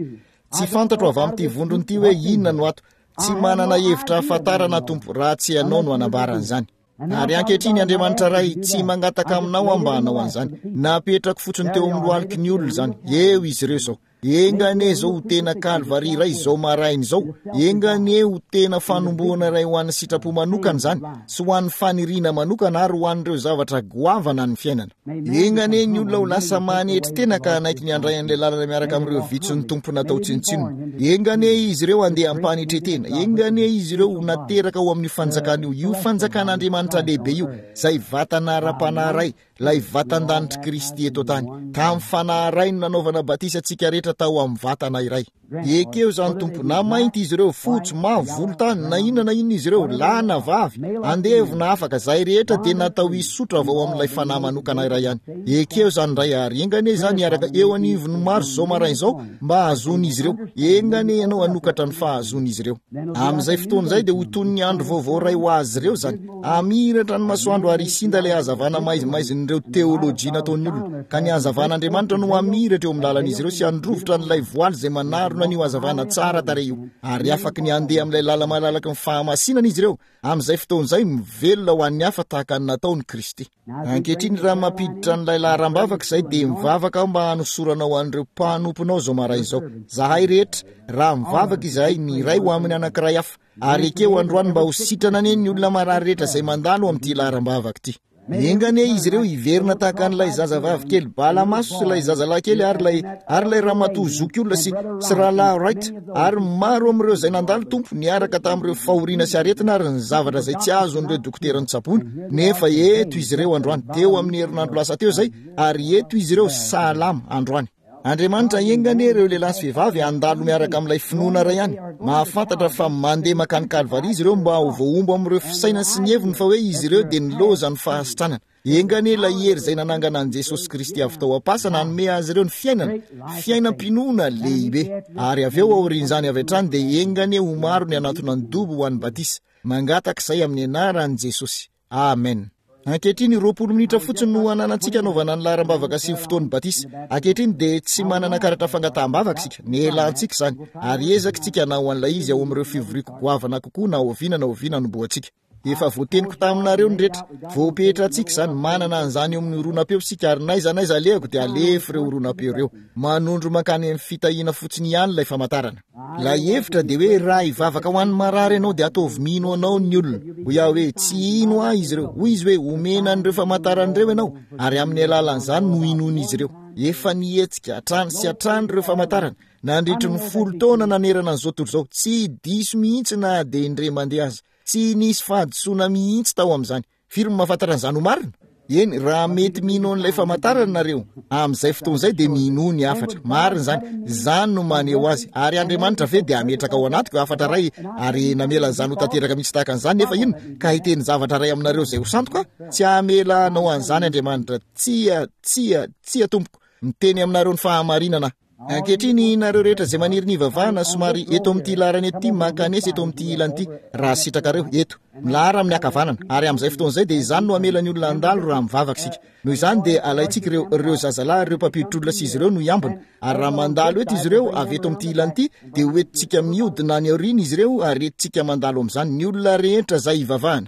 Tsy fantatro avy amin'ity vondrona ity hoe inona no ato. Tsy manana hevitra hahafantarana, Tompo, raha tsy Ianao no hanambara an'izany. Ary ankehitriny, Andriamanitra Ray, tsy mangataka Aminao aho mba hanao an'izany. Napetrako fotsiny teo amin'ny lohaliky ny olona izany. Eo izy ireo izao. Enga anie izao ho tena Kalvary iray izao maraina izao. Enga anie ho tena fanombohana iray ho an'ny sitrapo manokana izany, sy ho an'ny faniriana manokana ary ho an'ireo zavatra goavana an'ny fiainana. Enga anie ny olona ho lasa manetry tena ka hanaiky ny handray an'ilay lalana miaraka amin'ireo vitsin'ny Tompo natao tsinontsinona. Enga anie izy ireo handeha am-panetren-tena. Enga anie izy ireo ho nateraka ao amin'io fanjakana io, io fanjakan'Andriamanitra lehibe io, izay vatana ara-panahy iray, Ilay vatan-danitr'i Kristy eto an-tany. Tamin'ny Fanahy iray no nanaovana batisa antsika rehetra tao amin'ny vatana iray. Ekeo izany, Tompo. Na mainty izy ireo, fotsy, mavo, volontany, na inona na inona izy ireo, lahy na vavy, andevo na afaka, izahay rehetra dia natao hisotra avy ao amin'ilay Fanahy manokana iray ihany. Ekeo izany, Ray, ary enga anie izany hiaraka eo anivon'ny maro izao maraina izao mba hahazoan'izy ireo. Enga anie Ianao hanokatra ny fahazoan'izy ireo. Amin'izay fotoana izay dia ho toy ny andro vaovao iray ho azy ireo izany. Hamiratra ny masoandro ary hisinda ilay hazavana maizimaizin'ireo teolojia nataon'ny olona, ka ny hazavan'Andriamanitra no hamiratra eo amin'ny lalan'izy ireo sy handrovitra an'ilay voaly izay manarona an'io hazavana tsara tarehy io. Ary afaky ny handeha amin'ilay lala-malalaky ny fahamasinana izy ireo, amin'izay fotoana izay, mivelona ho an'ny hafa tahaka ny nataon'i Kristy. Ankehitriny, raha mampiditra an'ilay laharam-bavaka izay, dia mivavaka aho mba hanosoranao an'ireo mpanomponao izao maraina izao. Izahay rehetra, raha mivavaka izahay, ny iray ho amin'ny anankiray hafa, Ary ekeo androany mba ho sitrana anie ny olona marary rehetra izay mandalo amin'ity laharam-bavaka ity. Enga anie izy ireo hiverina tahaka an'ilay zazavavy kely bala maso sy ilay zazalahy kely ary ilay, ary ilay ramatoa zokiolona sy, sy rahalahy Wright, ary maro amin'ireo izay nandalo, Tompo, niaraka tamin'ireo fahoriana sy aretina ary ny zavatra izay tsy azon'ireo dokotera notsaboina, nefa eto izy ireo androany, teo amin'ny herinandro lasa teo izay, ary eto izy ireo salama androany. Andriamanitra, enga anie ireo lehilahy sy vehivavy handalo miaraka amin'ilay finoana iray ihany, mahafantatra fa mandeha mankany Kalvary izy ireo mba ho voahombo amin'ireo fisainany sy ny heviny fa hoe izy ireo dia nilaozan'ny fahasitranana. Enga anie ilay hery izay nanangana an'i Jesosy Kristy avy tao am-pasana hanome azy ireo ny fiainana, fiainam-pinoana lehibe. Ary avy eo aorian'izany avy hatrany dia enga anie ho maro ny hanatona ny dobo ho an'ny batisa. Mangataka izay amin'ny anaran'i Jesosy. Amen. Ankehitriny, 20 minitra fotsiny no ananantsika anaovana ny laharam-bavaka sy ny fotoan'ny batisa. Ankehitriny dia tsy manana karatra fangataham-bavaka isika. Nelantsika izany, ary ezaka isika hanao an'ilay izy ao amin'ireo fivoriako goavana kokoa na oviana na oviana hanombohantsika. Efa voateniko taminareo ny rehetra. Voapetrantsika izany, manana an'izany eo amin'ny horonam-peo isika, ary n'aiza n'aiza alehako dia alefa ireo horonam-peo ireo. Manondro mankany amin'ny fitahiana fotsiny ihany ilay famantarana. Ilay hevitra dia hoe raha hivavaka ho an'ny marary ianao dia ataovy mino anao ny olona. Hoy aho hoe tsy hino ahy izy ireo. Hoy izy hoe omena an'ireo famantarana ireo ianao ary amin'ny alalan'izany no hinoan'izy ireo. Efa nihetsika hatrany sy hatrany ireo famantarana nandritry ny folo taona nanerana an'izao tontolo izao. Tsy diso mihitsy na dia indray mandeha aza. Tsy nisy fahadisoana mihitsy tao amin'izany. Firy no mahafantatra an'izany ho marina? Eny, raha mety mino an'ilay famantarana nareo, amin'izay fotoana izay dia minoa ny hafatra. Marina izany. Izany no maneho azy. Ary Andriamanitra ve dia hametraka ao anatiko hafatra iray ary namela an'izany ho tanteraka mihitsy tahaka an'izany, nefa inona? Ka hiteny zavatra iray aminareo izay ho sandoka aho? Tsy hamela hanao an'izany Andriamanitra. Tsia, tsia, tsia, tompoko. Miteny aminareo ny fahamarinana aho. Ankehitriny, nareo rehetra izay maniry ny hivavahana, somary eto amin'ity laharana eto ity, mankanesa eto amin'ity ilany ity, raha sitrakareo, eto, milahara amin'ny ankavanana. Ary amin'izay fotoana izay dia izany no hamela ny olona handalo raha mivavaka isika. Noho izany dia alaintsika ireo, ireo zazalahy, ireo mpampiditra olona sy izy ireo no hiambina. Ary raha mandalo eto izy ireo, avy eto amin'ity ilany ity, dia ho entintsika mihodina any aoriana izy ireo ary entintsika mandalo amin'izany ny olona rehetra izay hivavahana.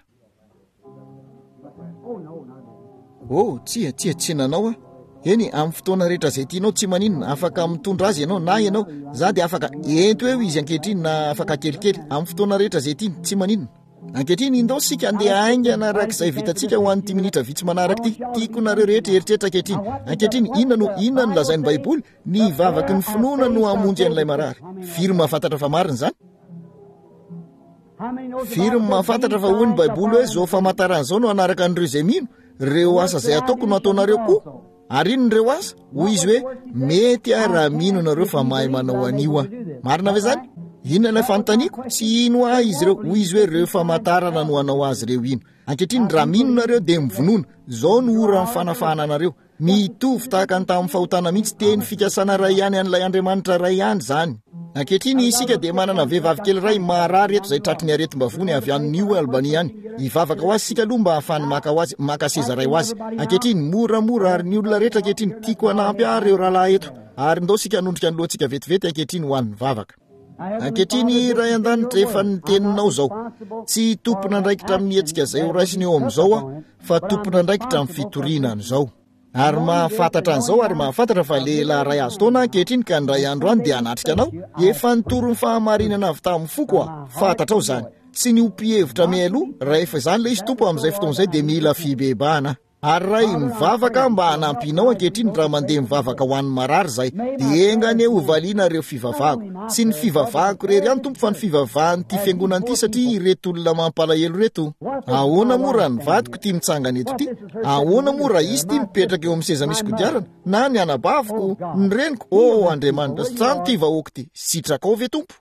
Oh, tsia, tsia, tsy nanao aho. Eny, amin'ny fotoana rehetra izay tianao, tsy maninona, afaka mitondra azy ianao, na ianao, za dia afaka, ento eo izy ankehitriny, na afaka kelikely, amin'ny fotoana rehetra izay tiany, tsy maninona. Ankehitriny, indao isika andeha haingana araka izay vitantsika ho an'ity minitra vitsy manaraka ity. Tiako nareo rehetra hieritreritra ankehitriny. Ankehitriny, inona no, inona no lazain'ny Baiboly? Ny vavaky ny finoana no hamonjy an'ilay marary. Firy mahafantatra fa marina izany? Firy ny mahafantatra fa hoy ny Baiboly hoe izao famantarana izao no hanaraka an'ireo izay mino? Ireo asa izay ataoko no ataonareo koa. Ary inona ireo asa? Hoy izy hoe, Mety aho raha mino ianareo fa mahay manao an'io aho. Marina ve izany? Inona ilay fanontaniako? Tsy hino ahy izy ireo. Hoy izy hoe, Ireo famantarana no hanao azy ireo hino. Ankehitriny, raha mino nareo dia mivonona. Izao no oran'ny fanafahana anareo. Mitovy tahaka ny tamin'ny fahotana mihitsy, teny fikasana iray ihany an'ilay Andriamanitra iray ihany izany. Ankehitriny, isika dia manana vehivavy kely iray marary eto izay tratry ny aretim-bavony avy any New Albany any. Hivavaka ho azy isika aloha mba hahafahany maka ho azy, maka seza iray ho azy. Ankehitriny, moramora, ary ny olona rehetra ankehitriny, tiako hanampy ahy ireo rahalahy eto. Ary ndao isika hanondrika ny lohantsika vetivety ankehitriny ho an'ny vavaka. Ankehitriny, Ray An-danitra, efa ny Teninao izao. Tsy tompon'andraikitra amin'ny hetsika izay horaisina eo amin'izao aho, fa tompon'andraikitra amin'ny fitoriana an'izao. Ary mahafantatra an'izao, ary mahafantatra fa lehilahy iray azo taona aho ankehitriny, ka indray andro any dia hanatrika anao. Efa nitory ny fahamarinana avy tamin'ny foko aho. Fantatrao izany. Tsy ny ho mpihevitra mialoha, raha efa izany ilay izy, Tompo, amin'izay fotoana izay dia mila fibebahana aho. Ary Ray, mivavaka aho mba hanampianao ankehitriny raha mandeha mivavaka ho an'ny marary izahay. Dia enga anie hovaliana ireo fivavahako. Tsy ny fivavahako irery ihany, Tompo, fa ny fivavahan'ity fiangonana ity, satria ireto olona mampalahelo ireto. Ahoana moa raha ny vadiko ity mitsangana eto ity? Ahoana moa raha izy ity mipetraka eo amin'ny seza misy kodiarana? Na ny anabaviko, ny reniko? Oh, Andriamanitra, sitrano ity vahoaka ity. Sitrakao ve, Tompo?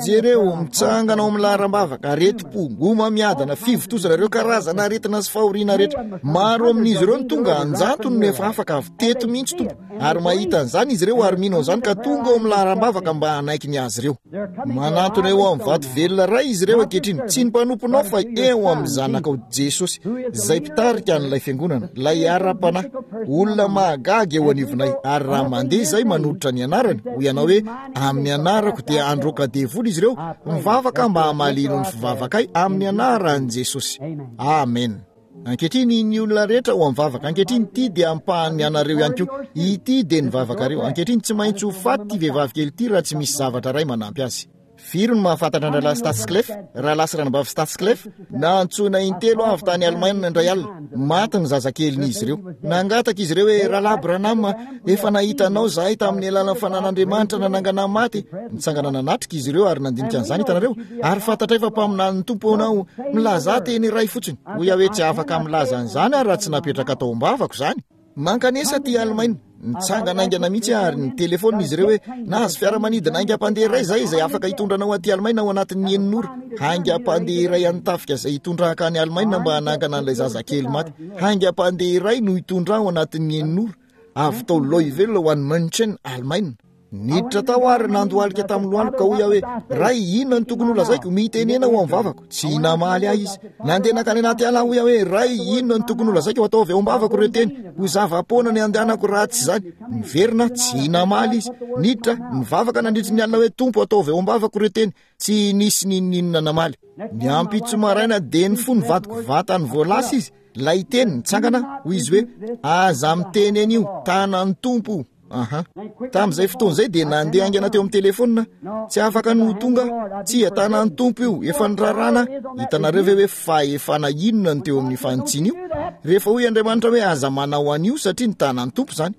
Jereo, mitsangana ao amin'ny laharam-bavaka, aretim-po, homamiadana, fivontosana, ireo karazana aretina sy fahoriana rehetra. Maro amin'izy ireo no tonga an-jatony no efa afaka avy teto mihitsy, Tompo. Ary mahita an'izany izy ireo ary mino an'izany ka tonga ao amin'ny laharam-bavaka mba hanaiky ny azy ireo. Manantona eo amin'ny vato velona iray izy ireo ankehitriny, tsy ny mpanomponao fa eo amin'ny Zanakao Jesosy, izay mpitarika an'ilay fiangonana, ilay ara-panahy, olona mahagaga eo anivonay. Ary raha mandeha izay manolotra ny anarany, hoy ianao hoe, Amin'ny anarako dia handroaka devoly izy ireo, mivavaka mba hamalianao ny fivavakay amin'ny anaran'i Jesosy. Amen. Ankehitriny, ny olona rehetra ho amin'ny vavaka. Ankehitriny, ity dia ampahan'ny anareo ihany koa. Ity dia ny vavakareo. Ankehitriny, tsy maintsy ho faty ity vehivavy kely ity raha tsy misy zavatra iray manampy azy. Firy no mahafantatra an-drahalahy Stadskleff, rahalahy sy ranabavy Stadskleff? Nantsoina intelo avy tany Alemaina indray alina. Maty ny zazakelin'izy ireo. Nangataka izy ireo hoe, Rahalahy Branham, efa nahita anao izahay tamin'ny alalan'ny fanan'Andriamanitra nanangana ny maty. Nitsangana nanatrika izy ireo ary nandinika an'izany, hitanareo. Ary fantatray fa mpaminanin'ny Tompo ianao. Milazà teny iray fotsiny. Hoy aho hoe, Tsy afaka milaza an'izany aho raha tsy napetraka tao am-bavako izany. Mankanesa aty Alemaina. Nitsangana haingana mihitsy aho ary nitelefaonina izy ireo hoe, Nahazo fiaramanidina haingam-pandeha iray izahay izay afaka hitondra anao aty Alemaina ao anatin'ny enina ora. Haingam-pandeha iray an'ny tafika izay hitondra hankany Alemaina mba hanangana an'ilay zazakely maty. Haingam-pandeha iray no hitondra ahy ao anatin'ny enina ora, avy tao Louisville ho any München, Alemaina. Niditra tao ary nandohalika tamin'ny lohaliko ka hoy aho hoe, Ray, inona no tokony holazaiko? Mitenena ho amin'ny vavako. Tsy namaly ahy izy. Nandeha nankany anaty ala aho, hoy aho hoe, Ray, inona no tokony holazaiko? Ataovy ao am-bavako ireo teny. Ho zava-poana ny handehanako raha tsy izany. Niverina aho, tsy namaly izy. Niditra, nivavaka nandritry ny alina hoe, Tompo, ataovy ao am-bavako ireo teny. Tsy nisy n'inon'inona namaly. Ny ampitso maraina dia nifoha ny vadiko vatany vao lasa izy. Ilay teny nitsangana, hoy izy hoe, Aza miteny an'io, tanan'ny Tompo. Aha. Tamin'izay fotoana izay dia nandeha haingana teo amin'ny telefaonina. Tsy afaka ny ho tonga. Tsia, tanan'ny Tompo io. Efa nirarana. Hitanareo ve hoe fahefana inona no teo amin'ny fanitsiana io? Rehefa hoy Andriamanitra hoe aza manao an'io satria ny tanan'ny Tompo izany.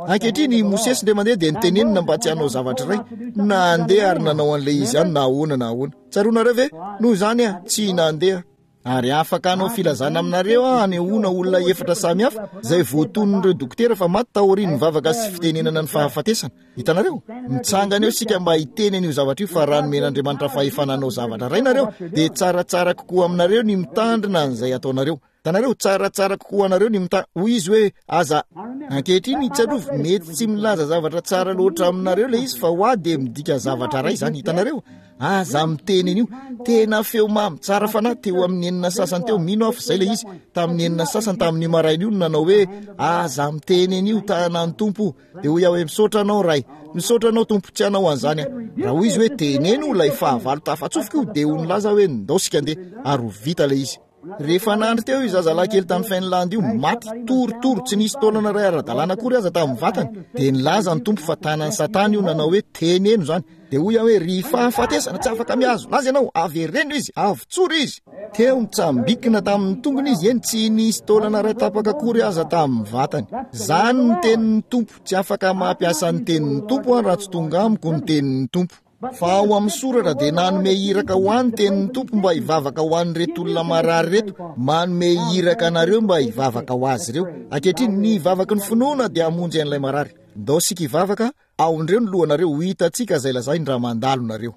Ankehitriny i Mosesy indray mandeha dia nitenenina mba tsy hanao zavatra iray. Nandeha ary nanao an'ilay izy ihany na ahoana na ahoana. Tsaroanareo ve? Noho izany aho tsy nandeha. Ary afaka hanao filazana aminareo aho hanehoana olona efatra samy hafa izay voatonon'ireo dokotera fa maty taorian'ny vavaka sy fitenenana ny fahafatesana. Hitanareo? Mitsangana eo isika mba hiteny an'io zavatra io fa raha nomen'Andriamanitra fahefana hanao zavatra iray nareo dia tsaratsara kokoa aminareo ny mitandrina an'izay ataonareo. Hitanareo? Tsaratsara kokoa anareo ny mita-, hoy izy hoe, aza. Ankehitriny, tsarovy, mety tsy milaza zavatra tsara loatra aminareo ilay izy fa ho ahy dia midika zavatra iray izany. Hitanareo? Aza miteny an'io. Tena feo mamy, tsara fanahy, teo amin'ny enina sasany teo, mino aho fa izay ilay izy, tamin'ny enina sasany tamin'io maraina io no nanao hoe, Aza miteny an'io, tanan'ny Tompo. Dia hoy aho hoe, Misaotra anao, Ray. Misaotra anao, Tompo, tsy hanao an'izany aho. Raha hoy izy hoe, Teneno ilay fahavalo tafatsofoka io, dia ho nilaza aho hoe, Ndao isika andeha, ary ho vita ilay izy. Rehefa nandry teo io zazalahy kely tany Finlande io, maty, torotoro, tsy nisy taolana iray ara-dalàna akory aza tamin'ny vatany, dia nilaza ny Tompo fa tanan'i Satana io nanao hoe, Teneno izany. Dia hoy aho hoe, Ry fahafatesana, tsy afaka mihazona azy ianao, avereno izy, avotsory izy. Teo nitsambikina tamin'ny tongony izy, eny, tsy nisy taolana iray tapaka akory aza tamin'ny vatany. Izany ny tenin'ny Tompo, tsy afaka mampiasa ny tenin'ny Tompo aho raha tsy tonga amiko ny tenin'ny Tompo. Fa ao amin'ny soratra dia nanome iraka ho ahy ny tenin'ny Tompo mba hivavaka ho an'ireto olona marary ireto, manome iraka anareo mba hivavaka ho azy ireo. Ankehitriny, ny vavaky ny finoana dia hamonjy an'ilay marary. Ndao isika hivavaka, aondreo ny lohanareo, ho hitantsika izay lazainy raha mandalo nareo.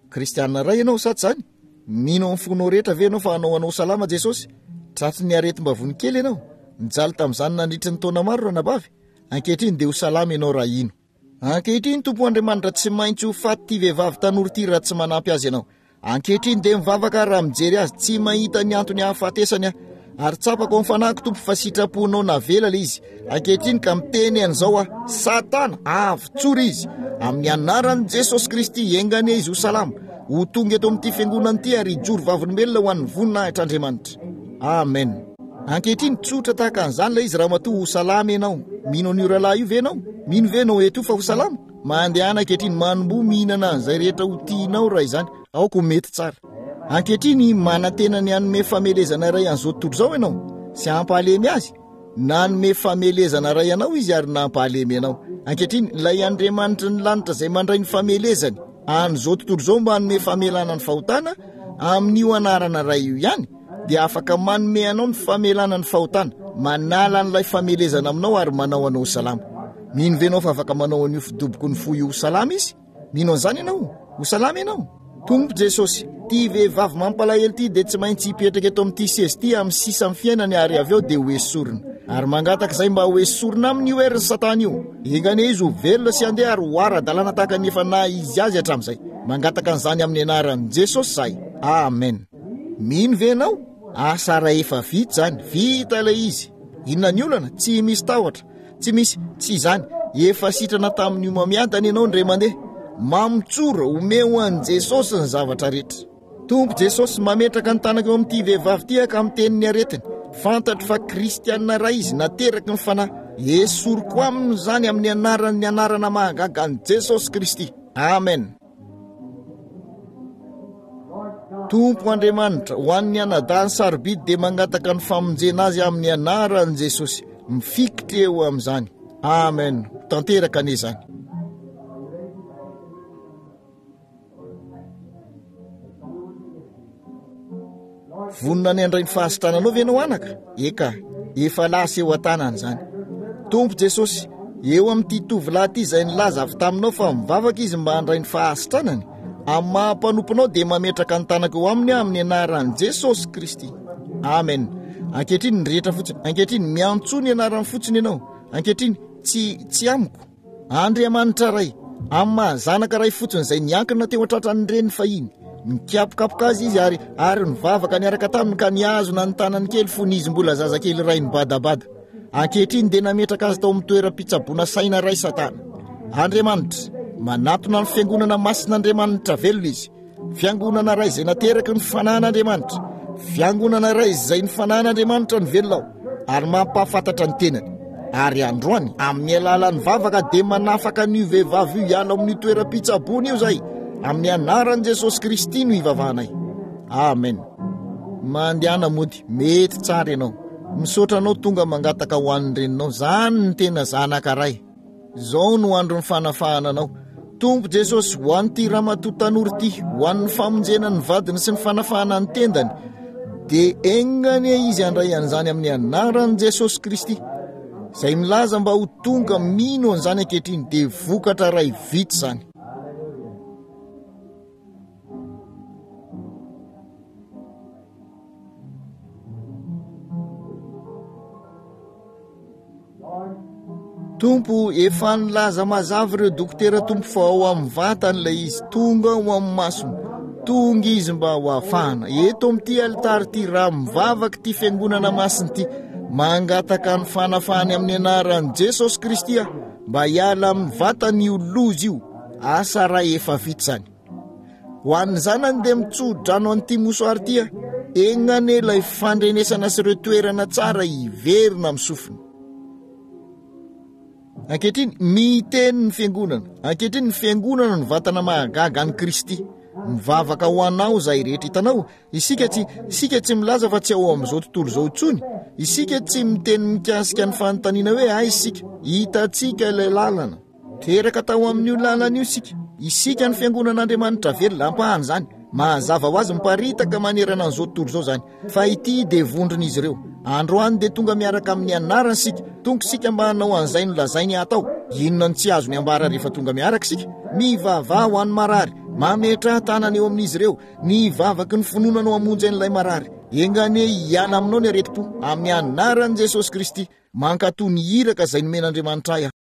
Kristiana iray ianao, sa tsy izany? Mino amin'ny fonao rehetra ve ianao fa hanao anao salama Jesosy? Tratry ny aretim-bavony kely ianao? Nijaly tamin'izany nandritry ny taona maro ranabavy? Ankehitriny dia ho salama ianao raha hino. Ankehitriny, Tompo Andriamanitra, tsy maintsy ho faty ity vehivavy tanora ity raha tsy manampy azy Ianao. Ankehitriny dia mivavaka aho raha mijery azy, tsy mahita ny antony hahafatesany aho. Ary tsapako amin'ny fanahiko, Tompo, fa sitraponao navela ilay izy. Ankehitriny ka miteny an'izao aho, Satana, avotsory izy. Amin'ny anaran'i Jesosy Kristy, enga anie izy ho salama, ho tonga eto amin'ity fiangonana ity ary hijoro vavolombelona ho an'ny voninahitr'Andriamanitra. Amen. Ankehitriny, tsotra tahaka an'izany ilay izy, ramatoa, ho salama ianao. Mino an'io rahalahy io ve ianao? Mino ve ianao eto io fa ho salama? Mandehana ankehitriny, manomboha mihinana an'izay rehetra ho tianao raha izany. Aoka ho mety tsara. Ankehitriny, manantena ny hanome famelezana iray an'izao tontolo izao ianao, sy hampahalemy azy. Nanome famelezana iray anao izy ary nampahalemy anao. Ankehitriny, ilay Andriamanitry ny lanitra izay mandray ny famelezany an'izao tontolo izao mba hanome famelana ny fahotana, amin'io anarana iray io ihany, dia afaka manome anao ny famelana ny fahotana, manala an'ilay famelezana aminao ary manao anao ho salama. Mino ve ianao fa afaka manao an'io fidoboky ny fo io ho salama izy? Mino an'izany ianao? Ho salama ianao? Tompo Jesosy, ity vehivavy mampalahelo ity dia tsy maintsy hipetraka eto amin'ity seza ity amin'ny sisa amin'ny fiainany ary avy eo dia ho esorina. Ary mangataka izay mba ho esorina aminy io herin'i Satana io. Enga anie izy ho velona sy handeha ary ho ara-dalàna tahaka ny efa naha izy azy hatramin'izay. Mangataka an'izany amin'ny anaran'i Jesosy izahay. Amen. Mino ve ianao? Asa rahefa vita izany. Vita ilay izy. Inona ny olana? Tsy misy tahotra. Tsy misy, tsy izany. Efa sitrana tamin'ny homamiadana ianao indray mandeha. Mamotsora, omeo an'i Jesosy ny zavatra rehetra. Tompo Jesosy, mametraka ny tanako eo amin'ity vehivavy ity aho ka miteny ny aretiny. Fantatro fa kristiana iray izy, nateraky ny Fanahy. Esoriko aminy izany amin'ny anaran'ny anarana mahagaga an'i Jesosy Kristy. Amen. Tompo Andriamanitra, ho an'ny anadahiny sarobidy dia mangataka ny famonjena azy amin'ny anaran'i Jesosy. Mifikitra eo amin'izany. Amen. Ho tanteraka anie izany. Vonona ny handray ny fahasitrananao ve ianao anaka? Eka, efa lasa eo an-tanana izany. Tompo Jesosy, eo amin'ity tovolahy ity izay nilaza avy taminao fa mivavaka izy mba handray ny fahasitranany, amin'ny maha mpanomponao dia mametraka ny tanako eo aminy aho amin'ny anaran'i Jesosy Kristy. Amen. Ankehitriny ny rehetra fotsiny. Ankehitriny miantsoa ny anarany fotsiny ianao. Ankehitriny tsy tsy amiko. Andriamanitra Ray, amin'ny maha zanaka ray fotsiny izay niankina teo an-tratran'ny reniny fahiny. Nikapokapoka azy izy ary ary nivavaka niaraka taminy ka nihazona ny tanany kely fony izy mbola zazakely iray nibadabada. Ankehitriny dia nametraka azy tao amin'ny toeram-pitsaboana saina iray Satana. Andriamanitra, manatona ny fiangonana masin'Andriamanitra velona izy. Fiangonana iray izay nateraky ny fanahin'Andriamanitra. Fiangonana iray izay ny fanahin'Andriamanitra no velona ao ary mampahafantatra ny tenany. Ary androany, amin'ny alalan'ny vavaka dia manafaka an'io vehivavy io hiala amin'io toeram-pitsaboana io izay. Amin'ny anaran'i Jesosy Kristy no ivavahanay. Amen. Mandehana mody, mety tsara ianao. Misaotra anao tonga mangataka ho an'ny reninao. Zany ny tena zanaka ray. Izao no andron'ny fanafahana anao. Tompo Jesosy, ho an'ity ramatoa tanora ity, ho an'ny famonjena ny vadiny sy ny fanafahana ny tendany, dia enga anie izy handray an'izany amin'ny anaran'i Jesosy Kristy. Izay milaza mba ho tonga mino an'izany ankehitriny dia vokatra iray vita izany. Tompo, efa nilaza mazava ireo dokotera Tompo fa ao amin'ny vatany ilay izy, tonga ao amin'ny masony, tonga izy mba ho afahana. Eto amin'ity alitara ity, raha mivavaka ity fiangonana masina ity, mangataka ny fanafahany amin'ny anaran'i Jesosy Kristy aho, mba hiala amin'ny vatany io loza io. Asa raha efa vita izany. Ho an'ny zanany dia mitso-drano an'ity mosoary ity aho. Enga anie ilay fandrenesana sy ireo toerana tsara hiverina amin'ny sofiny. Ankehitriny, miteny ny fiangonana. Ankehitriny, ny fiangonana no vatana mahagaga an'i Kristy. Mivavaka ho anao izahay rehetra. Hitanao, isika tsy, isika tsy milaza fa tsy ao amin'izao tontolo izao intsony. Isika tsy miteny mikasika ny fanontaniana hoe aiza isika. Hitantsika ilay lalana. Teraka tao amin'io lalana io isika. Isika no Fiangonan'Andriamanitra velona, ampahany izany. Mazava ho azy miparitaka manerana an'izao tontolo izao izany. Fa ity dia vondron'izy ireo. Androany dia tonga miaraka amin'ny anarany isika. Tonga isika mba hanao an'izay nolazainy hatao. Inona no tsy azony ambara rehefa tonga miaraka isika? Mivavaha ho an'ny marary. Mametraha tanana eo amin'izy ireo. Ny vavaky ny finoana no hamonjy an'ilay marary. Enga anie hiala aminao ny aretim-po, amin'ny anaran'i Jesosy Kristy. Mankatò ny iraka izay nomen'Andriamanitra ahy aho.